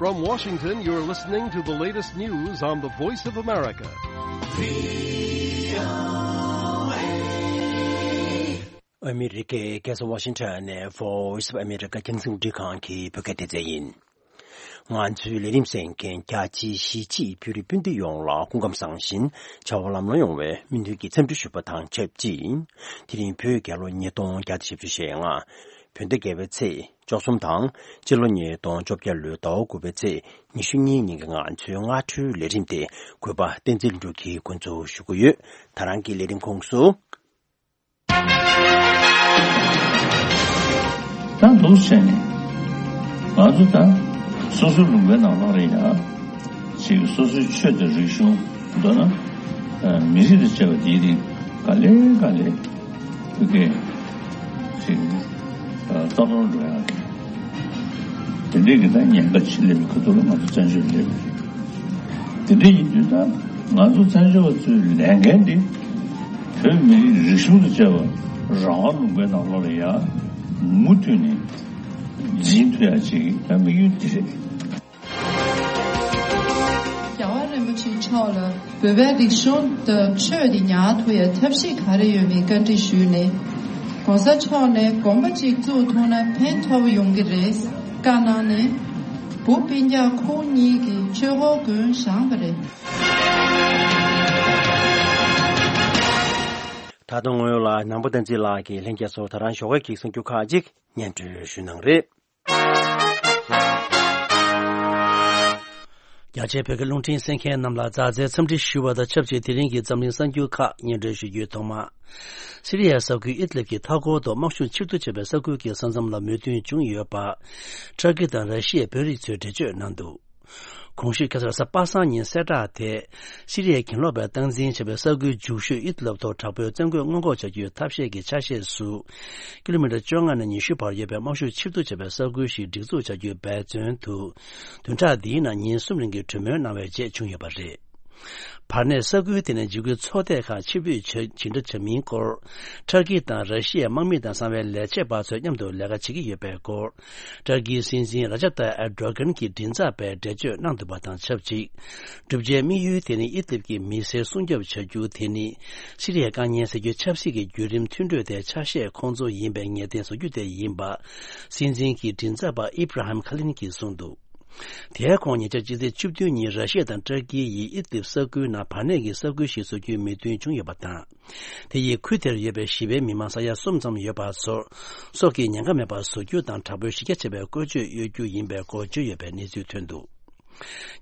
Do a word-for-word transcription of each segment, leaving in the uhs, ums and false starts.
From Washington, you're listening to the latest news on the Voice of America. ཨ་མི་རི་ཀའི་རྒྱལ་ས་ཝ་ཤིང་ཊོན་ནས་Voice of America རྒྱང་སྲིང་རླུང་འཕྲིན་ཁང་གི་བོད་སྐད་སྡེ་ཚན་ཡིན། ང་ཚོའི་ལས་རིམ་གསན་མཁན་རྒྱ་ཆེའི་གཞིས་བྱེས་བོད་རིགས་སྤུན་ཟླ་ཡོངས་ལ་སྐུ་ཁམས་བཟང་ཞིང་བྱ་བ་ལམ་ལྷོང་ཡོང་བའི་སྨོན་འདུན་གྱི་འཚམས་འདྲི་ཞུ་བ་དང་ཆབས་ཅིག་དེ་རིང་བོད་རྒྱལ་ལོ་ཉིས་སྟོང་བརྒྱ་དང་བཞི་བཅུ་ཞེ་ལྔ། བོད་ཟླ་བརྒྱད་པའི་ཚེས་བཅུ་གསུམ་དང་སྤྱི་ལོ་ཉིས་སྟོང་བཅོ་བརྒྱད་ལོའི་ཟླ་བ་དགུ་པའི་ཚེས་ཉི་ཤུ་གཉིས་ཉིན་གྱི་ང་ཚོའི་སྔ་དྲོའི་ལས་རིམ་དེ་གུས་པ་བསྟན་འཛིན་ལྷུན་གྲུབ་ཀྱིས་འགོ་འཛུགས་ཞུ་གི་ཡོད། ད་རང་གི་ལས་རིམ་ཁོངས་སུ། ད་འདུག་བྱས་ནས་ང་ཚོ་ད་སོ་སོའི་ལུང་པའི་ནང་ལོགས་རེད་ཡ། ཅིག་སོ་སོའི་ཆོས་དང་རིག་གཞུང་མདོར་ན་ཨ་མི་རིགས་དང་བཅས་པ་དེའི་རིགས་ག་ལེ་ག་ལེ་ཕ་གིར་ཅིག་ཨ་རྩ་གཏོར་འགྲོ་ཡ་དེ་འདྲའི་གི་ད་ཉེན་ཁ་ཆེ་སླེབས་པའི་ཁ་ཐུག་ལ་ང་ཚོ་བཙན་བྱོལ་སླེབས་པ་རེད། དེ་འདྲ་ཡིན་དུས་ད་ང་ཚོ་བཙན་བྱོལ་བ་ཚོའི་ལས་འགན་འདི་བོད་མི་རིགས་རིག་གཞུང་དང་བཅས་པ་རང་དབང་ལུང་པའི་ནང་ལོགས་ལ་ཡ་མུ་མཐུད་ནས་འཛིན་ཐུབ་ཡ་ཅིག་ད་དམིགས་ཡུལ་འདི་རེད། རྒྱལ་བ་རིན་པོ་ཆེ་མཆོག་ལ་བོད་པའི་རིག་གཞུང་དང་ཆོས་དེ་ཉར་ཐུབ་ཡ་ཐབས་ཤེས་ག་རེ་ཡོད་མེད་བཀའ་འདྲི་ཞུས་ནས། ༸གོང་ས་མཆོག་ནས་དགོན་པ་གཅིག་བཙུགས་ཐུབ་ན་ཕན་ཐོགས་ཡོང་གི་རེད་བཀའ་གནང་ནས། བུ་སྤུན་ཀྱག་ཁོང་གཉིས་ཀྱིས་ཆོས་འཁོར་དགོན་བཞེངས་པ་རེད། ད་དུང་སྔོན་ལ་ནང་པ་བསྟན་འཛིན་ལགས་ཀྱིས་ལྷན་རྒྱས་ཚོར་ད་རང་ཞོགས་ཀས་ཀྱི་གསར་འགྱུར་ཁག་ཅིག་སྙན་སྒྲོན་ཞུ་གནང་རེད། རྒྱ་ཆེའི་བོད་ཀྱི་རླུང་འཕྲིན་གསན་མཁན་རྣམས་ལ་མཛའ་བརྩེའི་འཚམས་འདྲི་ཞུ་བ་དང་ཆབས་ཅིག་དེ་རིང་གི་འཛམ་གླིང་གསར་འགྱུར་ཁག་སྙན་སྒྲོན་ཞུ་རྒྱུའི་ཐོག་མ། སི་རི་ཡའི་ས་ཁུལ་ཨིད་ལིབ་ཀྱི་མཐའ་འཁོར་དུ་དམག་ཤུགས་ཕྱིར་བསྡུ་བྱས་པའི་ས་ཁུལ་གྱི་ས་མཚམས་ལ་མོས་མཐུན་བྱུང་ཡོད་པ། ཏུར་ཀི་དང་ར་ཤི་ཡའི་དཔོན་རིགས་ཚོས་འགྲེལ་བརྗོད་གནང་འདུག་གོང་ཞུས་ཁ་སང་རེས་གཟའ་པ་སངས་ཉིན་གསལ་བསྒྲགས་དེ། སི་རི་ཡའི་གྱེན་ལོག་པས་སྟངས་འཛིན་བྱས་པའི་ས་ཁུལ་རྒྱུག་ཤོས་ཨིད་ལབ་ཐོག་དྲག་པོའི་བཙན་རྒོལ་སྔོན་འགོག་བྱ་རྒྱུའི་ཐབས་ཤེས་ཀྱི་ཆ་ཤས་སུ། ཀི་ལོ་མི་ཊར་བཅོ་ལྔ་ནས་ཉི་ཤུ་བར་ཡོད་པའི་དམག་ཤུགས་ཕྱིར་བསྡུ་བྱས་པའི་ས་ཁུལ་ཞིག་སྒྲིག་འཛུགས་བྱ་རྒྱུའི་འབད་བརྩོན་དུ། བདུན་ཕྲག་འདིའི་ནང་ཉིན་གསུམ་རིང་གི་གྲོས་མོལ་གནང་བའི་རྗེས་བྱུང་ཡོད་པ་རེད། བར་གནས་ས་ཁུལ་དེ་ནས་འཇིགས་སྐུལ་ཚོགས་སྡེ་ཁག་ཕྱིར་འབུད་བྱ་ཇི་འདྲ་བྱ་མིན་སྐོར། ཏུར་ཀི་དང་ར་ཤི་ཡའི་དམག་མི་དང་གསང་བའི་ལས་བྱེད་པ་ཚོས་མཉམ་དུ་ལས་ཀ་བྱེད་ཀྱི་ཡོད་པའི་སྐོར། ཏུར་ཀིའི་སྲིད་འཛིན་ར་ཇབ་ཏཱ་ཨེར་ཌོ་གྷན་གྱི་མགྲིན་ཚབ་པས་འགྲེལ་བརྗོད་གནང་འདུག་པ་དང་ཆབས་ཅིག་བསྒྲུབ་བྱའི་དམིགས་ཡུལ་དེ་ནི་ཨིད་ལིབ་ཀྱི་མི་སེར་སྲུང་སྐྱོབ་བྱ་རྒྱུ་དེ་ནི། སི་རི་ཡའི་དཀའ་ངལ་སེལ་རྒྱུའི་ཆབ་སྲིད་ཀྱི་བརྒྱུད་རིམ་མཐུན་གྲོས་དེའི་ཆ་ཤས་ཁོང་ཚོ་ཡིན་པའི་ངེས་གཏན་བཟོ་རྒྱུ་དེ་ཡིན་པ། སྲིད་འཛིན་གྱི་མགྲིན་ཚབ་པ་ཨི་བྷ་ར་ཧམ་ཁ་ལིན་གྱིས་གསུངས་འདུག་དེའི་ཁོངས་ཉེ་ཆར་སྤྱི་ཚེས་བཅུ་བདུན་ཉིན་ར་ཤི་ཡ་དང་ཏུར་ཀི་ཡིས་ཨིད་ལིབ་ས་ཁུལ་ནང་བར་གནས་ཀྱི་ས་ཁུལ་ཞིག་བཟོ་རྒྱུའི་མོས་མཐུན་བྱུང་ཡོད་པ་དང་། དེ་ཡིས་ཁུལ་དེར་ཡོད་པའི་ཞི་བའི་མི་མང་ས་ཡ་གསུམ་ཙམ་ཡོད་པ་ཚོར། སྲོག་གི་ཉེན་ཁ་མེད་པར་བཟོ་རྒྱུ་དང་དྲག་པོའི་གཞི་རྒྱ་ཆེ་བའི་བཀོལ་སྤྱོད་གཡོལ་རྒྱུ་ཡིན་པའི་སྐོར་བརྗོད་ཡོད་པའི་གནས་ཚུལ་ཐོན་འདུག་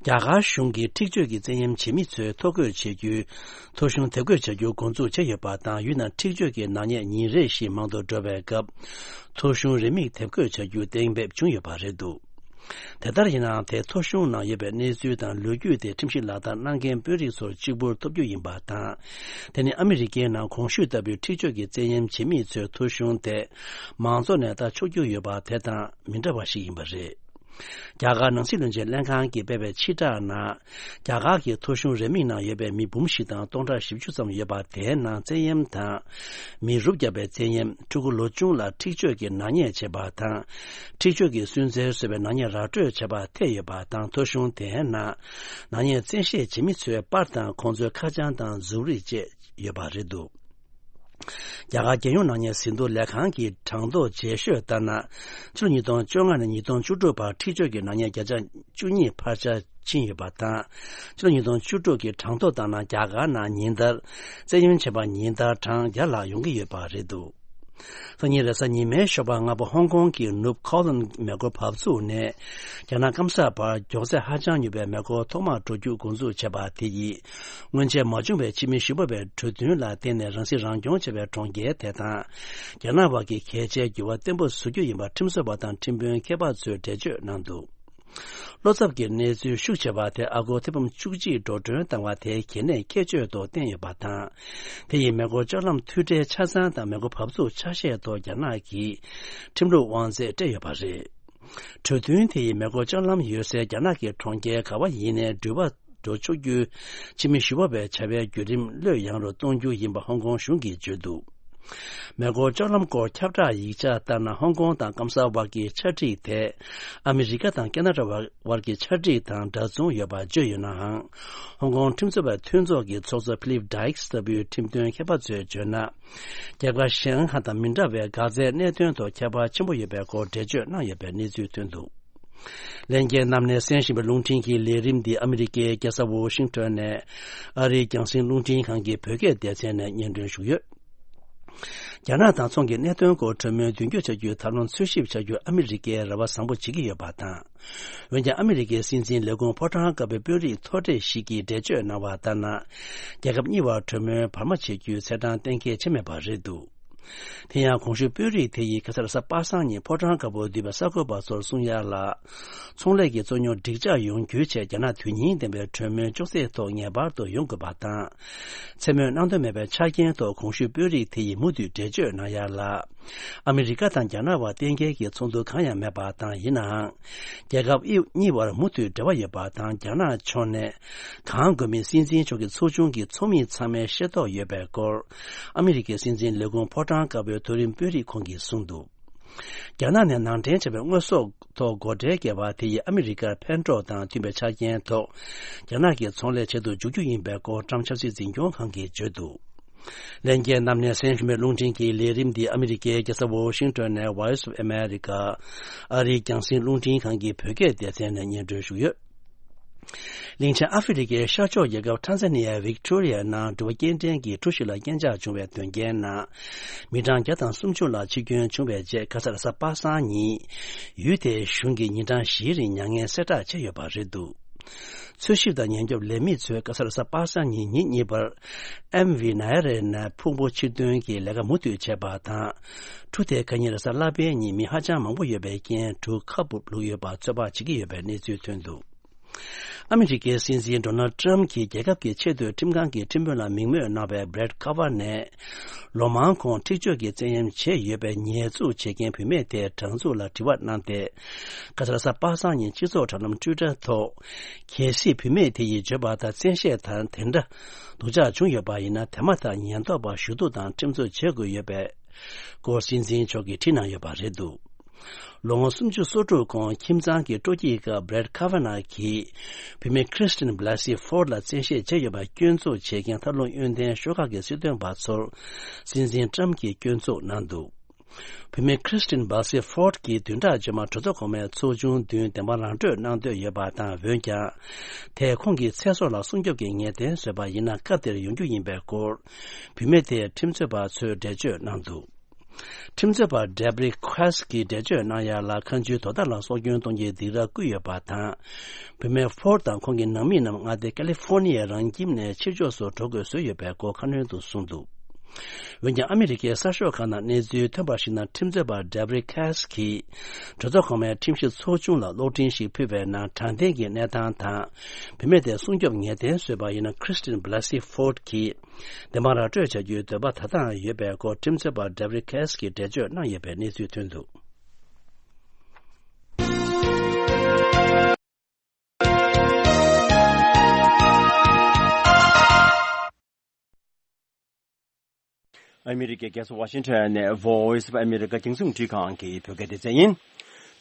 རྒྱ་གར་གཞུང་གིས་འཁྲིག་སྤྱོད་ཀྱི་བཙན་གཡེམ་བྱེད་མི་ཚོའི་ཐོ་འགོད་བྱེད་རྒྱུའི་ཐོ་གཞུང་དེབ་འགོད་བྱ་རྒྱུ་འགོ་འཛུགས་བྱས་ཡོད་པ་དང་། ཡུལ་ནང་འཁྲིག་སྤྱོད་ཀྱི་ནག་ཉེས་ཉིན་རེ་བཞིན་མང་དུ་འགྲོ་བའི་སྐབས། ཐོ་གཞུང་རེའུ་མིག་དེབ་འགོད་བྱ་རྒྱུ་གཏན་འབེབས་བྱུང་ཡོད་པ་རེད་འདུག་དེ་ལྟར་ཡིན་ནའང་། དེ་ཐོ་གཞུང་ནང་ཡོད་པའི་གནས་ཚུལ་དང་ལོ་རྒྱུས་དེ་ཁྲིམས་གཞི་ལག་བསྟར་གནང་མཁན་དཔོན་རིགས་ཚོར་གཅིག་པུར་ཐོབ་རྒྱུ་ཡིན་པ་དང་། དེ་ནི་ཨ་མི་རི་ཀའི་ནང་གོང་ཞུས་ལྟ་བུའི་འཁྲིག་སྤྱོད་ཀྱི་བཙན་གཡེམ་བྱེད་མི་ཚོའི་ཐོ་གཞུང་དེ་མང་ཚོགས་ནས་ལྟ་ཆོག་རྒྱུ་ཡོད་པ་དེ་དང་མི་འདྲ་བ་ཞིག་ཡིན་པ་རེད། རྒྱ་གར་ནང་སྲིད་བློན་ཆེན་ལྷན་ཁང་གིས་སྤེལ་བའི་ཕྱིར་བསྒྲགས་ནང་། རྒྱ་གར་གྱི་ཐོ་གཞུང་རེའུ་མིག་ནང་ཡོད་པའི་མི་འབུམ་བཞི་དང་སྟོང་ཕྲག་བཞི་བཅུ་ཙམ་ཡོད་པ། དེའི་ནང་བཙན་གཡེམ་དང་། མི་རུབ་བརྒྱབ་པའི་བཙན་གཡེམ། ཕྲུ་གུ་ལོ་ཆུང་ལ་འཁྲིག་སྤྱོད་ཀྱི་ནག་ཉེས་བྱེད་པ་དང་། འཁྲིག་སྤྱོད་ཀྱི་སུན་གཙེར་བཟོ་བའི་ནག་ཉེས་ར་སྤྲོད་བྱས་པ་ཐེ་ཡོད་པ་དང་། ཐོ་གཞུང་དེའི་ནང་། ནག་ཉེས་བཙན་ཤེད་བྱེད་མི་ཚོའི་པར་དང་ཁོང་ཚོའི་ཁ་བྱང་དང་གཟུགས་རིས་བཅས་ཡོད་པ་རེད་འདུག་རྒྱ་གར་རྒྱལ་ཡོངས་ནག་ཉེས་ཟིན་ཐོ་ལས་ཁང་གི་གྲངས་ཐོ་རྗེས་ཤོས་ལྟར་ན། ཕྱི་ལོ་ཉིས་སྟོང་བཅོ་ལྔ་ནས་ཉིས་སྟོང་བཅུ་དྲུག་བར་འཁྲིག་སྤྱོད་ཀྱི་ནག་ཉེས་བརྒྱ་ཆ་བཅུ་གཉིས་འཕར་ཆ་ཕྱིན་ཡོད་པ་དང་། ཕྱི་ལོ་ཉིས་སྟོང་བཅུ་དྲུག་གི་གྲངས་ཐོ་ལྟར་ན། རྒྱ་གར་ནང་ཉིན་ལྟར་བཙན་གཡེམ་བྱས་པ་ཉིན་ལྟར་གྲངས་བརྒྱ་ལྷག་ཡོང་གི་ཡོད་པ་རེད་འདུག་སང་ཉིན་རེས་གཟའ་ཉི་མའི་ཞོགས་པ་སྔ་པོ་ཧོང་ཀོང་གི་ནུབ་ཁའོ་ལན་མེ་འཁོར་བབས་ཚུགས་ནས་རྒྱ་ནག་སྐམ་ས་བར་མགྱོགས་ཚད་ཧ་ཅང་མྱུར་བའི་མེ་འཁོར་ཐོག་མར་འགྲོ་རྒྱུ་འགོ་འཛུགས་བྱས་པ་དེ་ཡིས། སྔོན་ཆད་མ་བྱུང་བའི་ཕྱི་མི་ཞིབ་པ་བའི་གྲོས་མཐུན་ལ་བརྟེན་ནས་རང་སྲིད་རང་སྐྱོང་བྱས་པའི་གྲོང་ཁྱེར་དེ་དང་། རྒྱ་ནག་བར་གྱི་གལ་ཆེའི་འགྱུར་བ་བརྟན་པོ་བཟོ་རྒྱུ་ཡིན་པ་ཁྲིམས་བཟོ་བ་དང་ཁྲིམས་དཔོན་མཁས་པ་ཚོས་འགྲེལ་བརྗོད་གནང་འདུག་བློ་འཚབ་ཀྱི་གནས་ཚུལ་ཤུགས་ཆེ་བ་དེ་ཨ་སྒོར་ཐེར་འབུམ་བཅུ་གཅིག་འགྲོ་གྲོན་བཏང་བ་དེའི་གལ་གནད་ཁྱད་ཆོས་ཐོག་བསྟན་ཡོད་པ་དང་། དེ་ཡིས་མེ་འཁོར་ལྕགས་ལམ་མཐུད་སྦྲེལ་ཆ་ཚང་དང་མེ་འཁོར་བབས་ཚུགས་ཆ་ཤས་ཐོག་རྒྱ་ནག་གི་ཁྲིམས་ལུགས་དབང་ཚད་སྤྲད་ཡོད་པ་རེད། གྲོས་མཐུན་དེ་ཡིས་མེ་འཁོར་ལྕགས་ལམ་ཡོད་སའི་རྒྱ་ནག་གི་གྲོང་ཁྱེར་ག་བ་ཡིན་ནའི་འགྲུལ་པ་འགྲོ་ཆོག་རྒྱུའི་ཕྱི་མི་ཞུ་བ་བའི་བྱ་བའི་བརྒྱུད་རིམ་བློས་ཡངས་རུ་གཏོང་རྒྱུ་ཡིན་པ་ཧོང་ཀོང་གཞུང་གིས་བརྗོད་འདུག་མེ་འཁོར་སྤྱོད་ལམ་སྐོར་ཁྱབ་བསྒྲགས་ཡིག་ཆ་ལྟར་ན། ཧོང་ཀོང་དང་སྐམ་ས་བར་གྱི་ཆ་སྒྲིག་དེ་ཨ་མི་རི་ཀ་དང་ཁེ་ན་ཌ་བར་གྱི་ཆ་སྒྲིག་དང་འདྲ་མཚུངས་ཡོད་པ་བརྗོད་ཡོད་ནའང་། ཧོང་ཀོང་ཁྲིམས་རྩོད་པ་མཐུན་ཚོགས་ཀྱི་ཚོགས་གཙོ་ཕི་ལིབ་ཌའིགས་ལྟ་བུའི་ཁྲིམས་དོན་མཁས་པ་ཚོས་བརྗོད་ན། རྒྱལ་ཁབ་ཞན་ཁ་དང་མི་འདྲ་བའི་འགག་རྩའི་གནད་དོན་ཐོག་ཁྱད་པར་ཆེན་པོ་ཡོད་པའི་སྐོར་འགྲེལ་བརྗོད་གནང་ཡོད་པའི་གནས་ཚུལ་ཐོན་འདུག། ལྷན་རྒྱས་རྣམས་ནས་གསན་བཞིན་པའི་རླུང་འཕྲིན་གྱི་ལས་རིམ་འདི་ཨ་མི་རི་ཀའི་རྒྱལ་ས་ཝོ་ཤིང་ཊོན་ནས་ཨ་རིའི་རྒྱང་སྲིང་རླུང་འཕྲིན་ཁང་གི་བོད་སྐད་སྡེ་ཚན་ནས་སྙན་སྒྲོན་ཞུས་ཡོད། རྒྱ་ནག་དང་ཚོང་གི་གནད་དོན་སྐོར་གྲོས་མོལ་མདུན་སྐྱོད་བྱ་རྒྱུའི་ཐབས་ལམ་འཚོལ་ཞིབ་བྱ་རྒྱུར་ཨ་མི་རི་ཀས་རེ་བ་བཟང་པོ་བྱེད་ཀྱི་ཡོད་པ་དང་། འོན་ཀྱང་ཨ་མི་རི་ཀའི་སྲིད་འཛིན་ལས་ཁུངས་ཕོ་བྲང་དཀར་པོའི་དཔོན་རིགས་མཐོ་གྲས་ཤིག་གིས་འགྲེལ་བརྗོད་གནང་བ་ལྟར་ན། རྒྱལ་ཁབ་གཉིས་བར་གྲོས་མོལ་བར་མ་བྱེད་རྒྱུའི་ཚེས་གྲངས་གཏན་འཁེལ་བྱས་མེད་པ་རེད་འདུག། དེ་ཡང་གོང་ཞུས་དཔོན་རིགས་དེ་ཡིས་ཁ་སང་རེས་གཟའ་པ་སངས་ཉིན་ཕོ་བྲང་དཀར་པོར་འདུས་པའི་གསར་འགོད་པ་ཚོར་གསུང་ཡ་ལ། ཚོང་ལས་ཀྱི་རྩོད་རྙོག་འགྲིག་འཇགས་ཡོང་རྒྱུའི་ཆེད་རྒྱ་ནག་དོན་སྙིང་ལྡན་པའི་གྲོས་མོལ་ཅུང་ཟད་ཐོག་ངེས་པར་དུ་ཡོང་དགོས་པ་དང་། མཚན་སྨོས་གནང་འདོད་མེད་པའི་ཆ་རྐྱེན་ཐོག་གོང་ཞུས་དཔོན་རིགས་དེ་ཡིས་མུ་མཐུད་འགྲེལ་བརྗོད་གནང་ཡ་ལ། ཨ་མི་རི་ཀ་དང་རྒྱ་ནག་བར་གཏན་འཁེལ་གྱི་ཚོགས་འདུ་གང་ཡང་མེད་པ་དང་། ཡིན་ནའང་། རྒྱལ་ཁབ་གཉིས་བར་མུ་མཐུད་འབྲེལ་བ་ཡོད་པ་དང་། རྒྱ་ནག་ཕྱོགས་ནས་གང་དགོས་མིན་སྲིད་འཛིན་མཆོག་གི་ཚོགས་ཆུང་གི་ཚོགས་མི་ཚང་མས་ཤེས་རྟོགས་ཡོད་པའི་སྐོར། ཨ་མི་རི་ཀའི་སྲིད་འཛིན་ལས་ཁུངས་ཕོ་བྲང་དཀར་པོའི་མཐོ་རིམ་དཔོན་རིགས་ཁོང་གིས་གསུངས་འདུག། རྒྱ་ནག་ནས་ནང་འདྲེན་བྱས་པའི་དངོས་ཟོག་ཐོག་སྒོ་ཁྲལ་བཀལ་བ་དེ་ཡིས་ཨ་མི་རི་ཀར་ཕན་གྲོགས་དང་མཐུན་པའི་ཆ་རྐྱེན་ཐོག་རྒྱ་ནག་གི་ཚོང་ལས་བྱེད་དུ་འཇུག་རྒྱུ་ཡིན་པའི་སྐོར་ཊམ་ཆབ་སྲིད་འཛིན་སྐྱོང་ཁང་གིས་བརྗོད་འདུག། ལྷན་རྒྱས་རྣམས་ནས་གསན་བཞིན་པའི་རླུང་འཕྲིན་གྱི་ལས་རིམ་འདི་ཨ་མི་རི་ཀའི་རྒྱལ་ས་ཝོ་ཤིང་ཊོན་ནས་Voice of America ཨ་རིའི་རྒྱང་སྲིང་རླུང་འཕྲིན་ཁང་གི་བོད་སྐད་སྡེ་ཚན་ནས་སྙན་སྒྲོན་ཞུས་ཡོད། གླིང་ཆེན་ཨ་ཧྥེ་རི་ཀའི་ཤར་ཕྱོགས་རྒྱལ་ཁབ་ཊན་ཟ་ནི་ཡའི་ཝིག་ཊོ་རི་ཡའི་ནང་འགྲུལ་པ་སྐྱེལ་འདྲེན་གྱི་འཁྲུག་གཞི་ལ་རྐྱེན་ཆག་བྱུང་བའི་དོན་རྐྱེན་ནང་། མི་གྲངས་བརྒྱ་དང་སུམ་ཅུ་ལ་འཆི་སྐྱོན་བྱུང་བའི་རྗེས། ཁ་སང་རེས་གཟའ་པ་སངས་ཉིན། ཡུལ་དེའི་གཞུང་གིས་ཉིན་གྲངས་བཞིའི་རིང་མྱ་ངན་གསལ་བསྒྲགས་བྱས་ཡོད་པ་རེད་འདུག། འཚོལ་ཞིབ་དང་ཉེན་སྐྱོབ་ལས་མི་ཚོས་ཁ་སང་རེས་གཟའ་པ་སངས་ཉིན་ཉིན་གཉིས་པར། ཨེམ་ཝི་ནཱ་ཡ་རའི་ནས་ཕུང་པོ་ཕྱིར་འདོན་གྱི་ལས་ཀ་མུ་མཐུད་བྱས་པ་དང་། གྲུ་དེའི་ཁ་ཉིན་རེས་གཟའ་ལྷག་པའི་ཉིན་མི་ཧ་ཅང་མང་པོ་ཡོད་པའི་རྐྱེན་གྲུ་ཁ་སྦུབ་བླུགས་ཡོད་པ་ཚོད་དཔག་བྱེད་ཀྱི་ཡོད་པའི་གནས་ཚུལ་ཐོན་འདུག། ཨ་མི་རི་ཀའི་སྲིད་འཛིན་ཌོ་ནལ་ཌི་ཊྲམ་ཕི་གྱིས་རྒྱལ་ཁབ་ཀྱི་ཆེས་མཐོའི་ཁྲིམས་ཁང་གི་ཁྲིམས་དཔོན་ལ་མིང་སྨོས་གནང་བའི་བྷི་རེཊ་ཁ་ཝར་ནས། ལོ་མང་གོང་འཁྲིག་སྤྱོད་ཀྱི་བཙན་གཡེམ་བྱས་ཡོད་པའི་ཉེས་འཛུགས་བྱེད་མཁན་བུད་མེད་དེའི་སྦྲང་འཛུགས་ལ་དྲི་བ་གནང་སྟེ། ཁ་སང་རེས་གཟའ་པ་སངས་ཉིན་སྤྱི་ཚོགས་དྲ་ལམ་ཊུའི་ཊར་ཐོག། གལ་སྲིད་བུད་མེད་དེ་ཡིས་བརྗོད་པ་ལྟར་བཙན་ཤེད་དང་དེ་འདྲ་སྡུག་ཅག་བྱུང་ཡོད་པ་ཡིན་ན། དེ་མ་ཐག་ཉེན་རྟོག་པར་ཞུ་གཏུག་དང་ཁྲིམས་རྩོད་བྱེད་དགོས་ཡོད་པའི་སྐོར་སྲིད་འཛིན་མཆོག་གིས་བྲིས་གནང་ཡོད་པ་རེད་འདུག། ལོ་ངོ་སུམ་ཅུ་སོ་དྲུག་གོང་ཁྱིམ་ཚང་གི་སྤྲོ་སྐྱིད་སྐབས་བྷི་རེཊ་ཁ་ཝར་ནག་གིས་བུད་མེད་ཁྲི་སྟིན་བྷ་ལ་སི་ཧྥོར་ཌི་ལ་བཙན་ཤེད་བྱས་ཡོད་པར་སྐྱོན་འཛུགས་བྱེད་མཁན་ཐབས་ལམ་གཡོན་ལྡན་ཤོག་ཁག་གི་སྲིད་དོན་པ་ཚོར་སྲིད་འཛིན་ཊྲམ་ཕི་གིས་སྐྱོན་འཛུགས་གནང་འདུག། བུད་མེད་ཁྲི་སྟིན་བྷ་ལ་སི་ཧྥོར་ཌི་གིས་བདུན་ཕྲག་རྗེས་མར་གྲོས་ཚོགས་གོང་མའི་ཚོགས་ཆུང་མདུན་བདེན་དཔང་རང་སྤྲོད་གནང་འདོད་ཡོད་པ་དང་། འོན་ཀྱང་། དེས་ཁོང་གི་ཚེ་སྲོག་ལ་སྲུང་སྐྱོབ་ཀྱི་ངེས་གཏན་བཟོས་པ་ཡིན་ན། སྐབས་དེར་ཡོང་རྒྱུ་ཡིན་པའི་སྐོར། བུད་མེད་དེའི་ཁྲིམས་རྩོད་པ་ཚོས་འགྲེལ་བརྗོད་གནང་འདུག། ཁྲིམས་རྩོད་པ་ཌེབ་རི་ཁེ་སི་གིས་འགྲེལ་བརྗོད་གནང་ཡ་ལ། ཁ་མཆུའི་དོ་ཟླ་ལ་སྲོག་སྐྱོན་གཏོང་རྒྱུའི་སྡིགས་ར་བསྐུལ་ཡོད་པ་དང་། བུད་མེད་ཧྥོར་ཌི་དང་ཁོང་གི་ནང་མི་རྣམས་མངའ་སྡེ་ཀ་ལི་ཧྥོར་ནི་ཡའི་རང་ཁྱིམ་ནས་ཕྱིར་ཕྱོགས་སུ་འགྲོ་དགོས་བཟོས་ཡོད་པའི་སྐོར་ཁ་སྣོན་དུ་གསུངས་འདུག། འོན་ཀྱང་། ཨ་མི་རི་ཀའི་གསར་ཤོག་ཁག་ནང་གནས་ཚུལ་ཐོན་པར་གཞིགས་ན། ཁྲིམས་རྩོད་པ་ཌེབ་རི་ཁེ་སི་གིས་གྲོས་ཚོགས་གོང་མའི་ཁྲིམས་ཞིབ་ཚོགས་ཆུང་ལ་གློག་འཕྲིན་ཞིག་ཕུལ་བའི་ནང་། དྲང་བདེན་གྱི་གནས་སྟངས་དང་། བུད་མེད་དེ་སྲུང་སྐྱོབ་ངེས་གཏན་བཟོས་པ་ཡིན་ན། ཁྲི་སྟིན་བྷ་ལ་སི་ཧྥོར་ཌི་གིས་བདེན་དཔང་ར་སྤྲོད་བྱ་རྒྱུའི་འདོད་པ་ད་ལྟའང་ཡོད་པའི་སྐོར། ཁྲིམས་རྩོད་པ་ཌེབ་རི་ཁེ་སི་གིས་འགྲེལ་བརྗོད་གནང་ཡོད་པའི་གནས་ཚུལ་ཐོན་འདུག། ཨ་མི་རི་ཀའི་རྒྱལ་ས་ཝ་ཤིང་ཊོན་ནས་Voice of America རྒྱང་སྲིང་རླུང་འཕྲིན་ཁང་གི་བོད་སྐད་སྡེ་ཚན་ཡིན།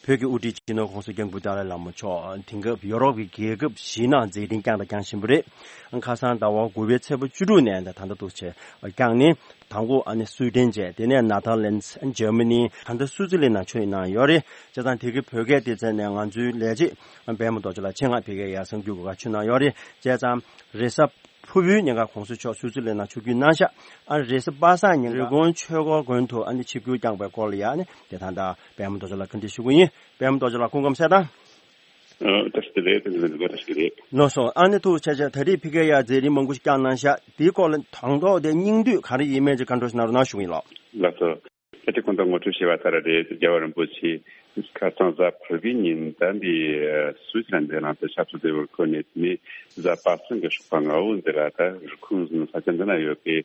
བོད་ཀྱི་དབུ་ཁྲིད་སྤྱི་ནོར་༸གོང་ས་༸སྐྱབས་མགོན་ཏཱ་ལའི་བླ་མ་མཆོག་དེང་སྐབས་ཡོ་རོབ་ཀྱི་རྒྱལ་ཁབ་བཞིའི་ནང་མཛད་འཕྲིན་བསྐྱངས་དང་བསྐྱང་བཞིན་པ་རེད། ཁ་སང་ཟླ་བ་དགུ་པའི་ཚེས་པ་བཅུ་དྲུག་ནས་ད་ལྟ་འདུག་བྱས་བསྐྱངས་ནས། དང་པོ་ཨ་ནི་སུའི་ཌེན་བྱས། དེ་ནས་ནེ་ཐར་ལེན་ཌི། ཇར་མ་ནི། ད་ལྟ་སུའུ་ཙི་ལན་ནང་ཆོས་གནང་ཡོད་རེད། བྱས་ཙང་དེ་གི་བོད་སྐད་སྡེ་ཚན་ནས་ང་ཚོའི་ལས་བྱེད་པད་མ་རྡོ་རྗེ་ལགས་ཆེད་མངགས་ཕ་གིར་ཡར་གསར་འགྱུར་འགོད་གར་ཕྱིན་གནང་ཡོད་རེད། བྱས་ཙང་རེས་གཟའ་ཕུར་བུའི་ཉིན་ཀ་༸གོང་ས་མཆོག་སུའུ་ཙི་ལན་ནང་ཆིབས་བསྒྱུར་གནང་ཤག། ཨ་རེས་གཟའ་པ་སངས་ཉིན་རི་ཀོན་ཆོས་འཁོར་དགོན་དུ་ཨ་ནི་ཆིབས་བསྒྱུར་བསྐྱངས་པའི་སྐོར་ལ་ཡ་ཨ་ནི་དེ་ད་ལྟ་པད་མ་རྡོ་རྗེ་ལགས་བཀའ་འདྲི་ཞུ་གི་ཡིན། པད་མ་རྡོ་རྗེ་ལགས་སྐུ་ཁམས་བཟང་། ཨ། བཀྲ་ཤིས་བདེ་ལེགས། བཀྲ་ཤིས་བདེ་ལེགས། ལགས་སོ། ཨ་ནི་ཐུགས་རྗེ་ཆེ། ད་རེས་ཕ་གིར་ཡ་མཛད་རིམ་མང་པོ་ཞིག་བསྐྱངས་གནང་ཤག། དེའི་སྐོར་ལ་དང་ཐོག་དེ་སྙིང་བསྡུས་ག་རེ་ཡིན་མིན་ཅིག་བཀའ་འདྲི་ཞིག་གནང་རོགས་གནང་ཞུ་གི་ཡིན་ལགས། ལགས་སོ། ད་ཅི་གོང་དུ་ངོ་སྤྲོད་བྱས་པ་ལྟར་རེད། རྒྱལ་བ་རིན་པོ་ཆེ་ཁ་སང་གཟའ་ཕུར་བུའི་ཉིན་ད་འདི་སུད་སི་ལ་འདི་ལང་དུ་ཆབ་སྲིད་བདེ་བར་འཁོད་ནས། དེ་ནས་གཟའ་པ་སངས་ཀྱི་ཞོགས་པ་སྔ་པོ་འདི་ལ་ད་རི་ཀོན་ས་ཆ་འདི་ན་ཡོད་པའི་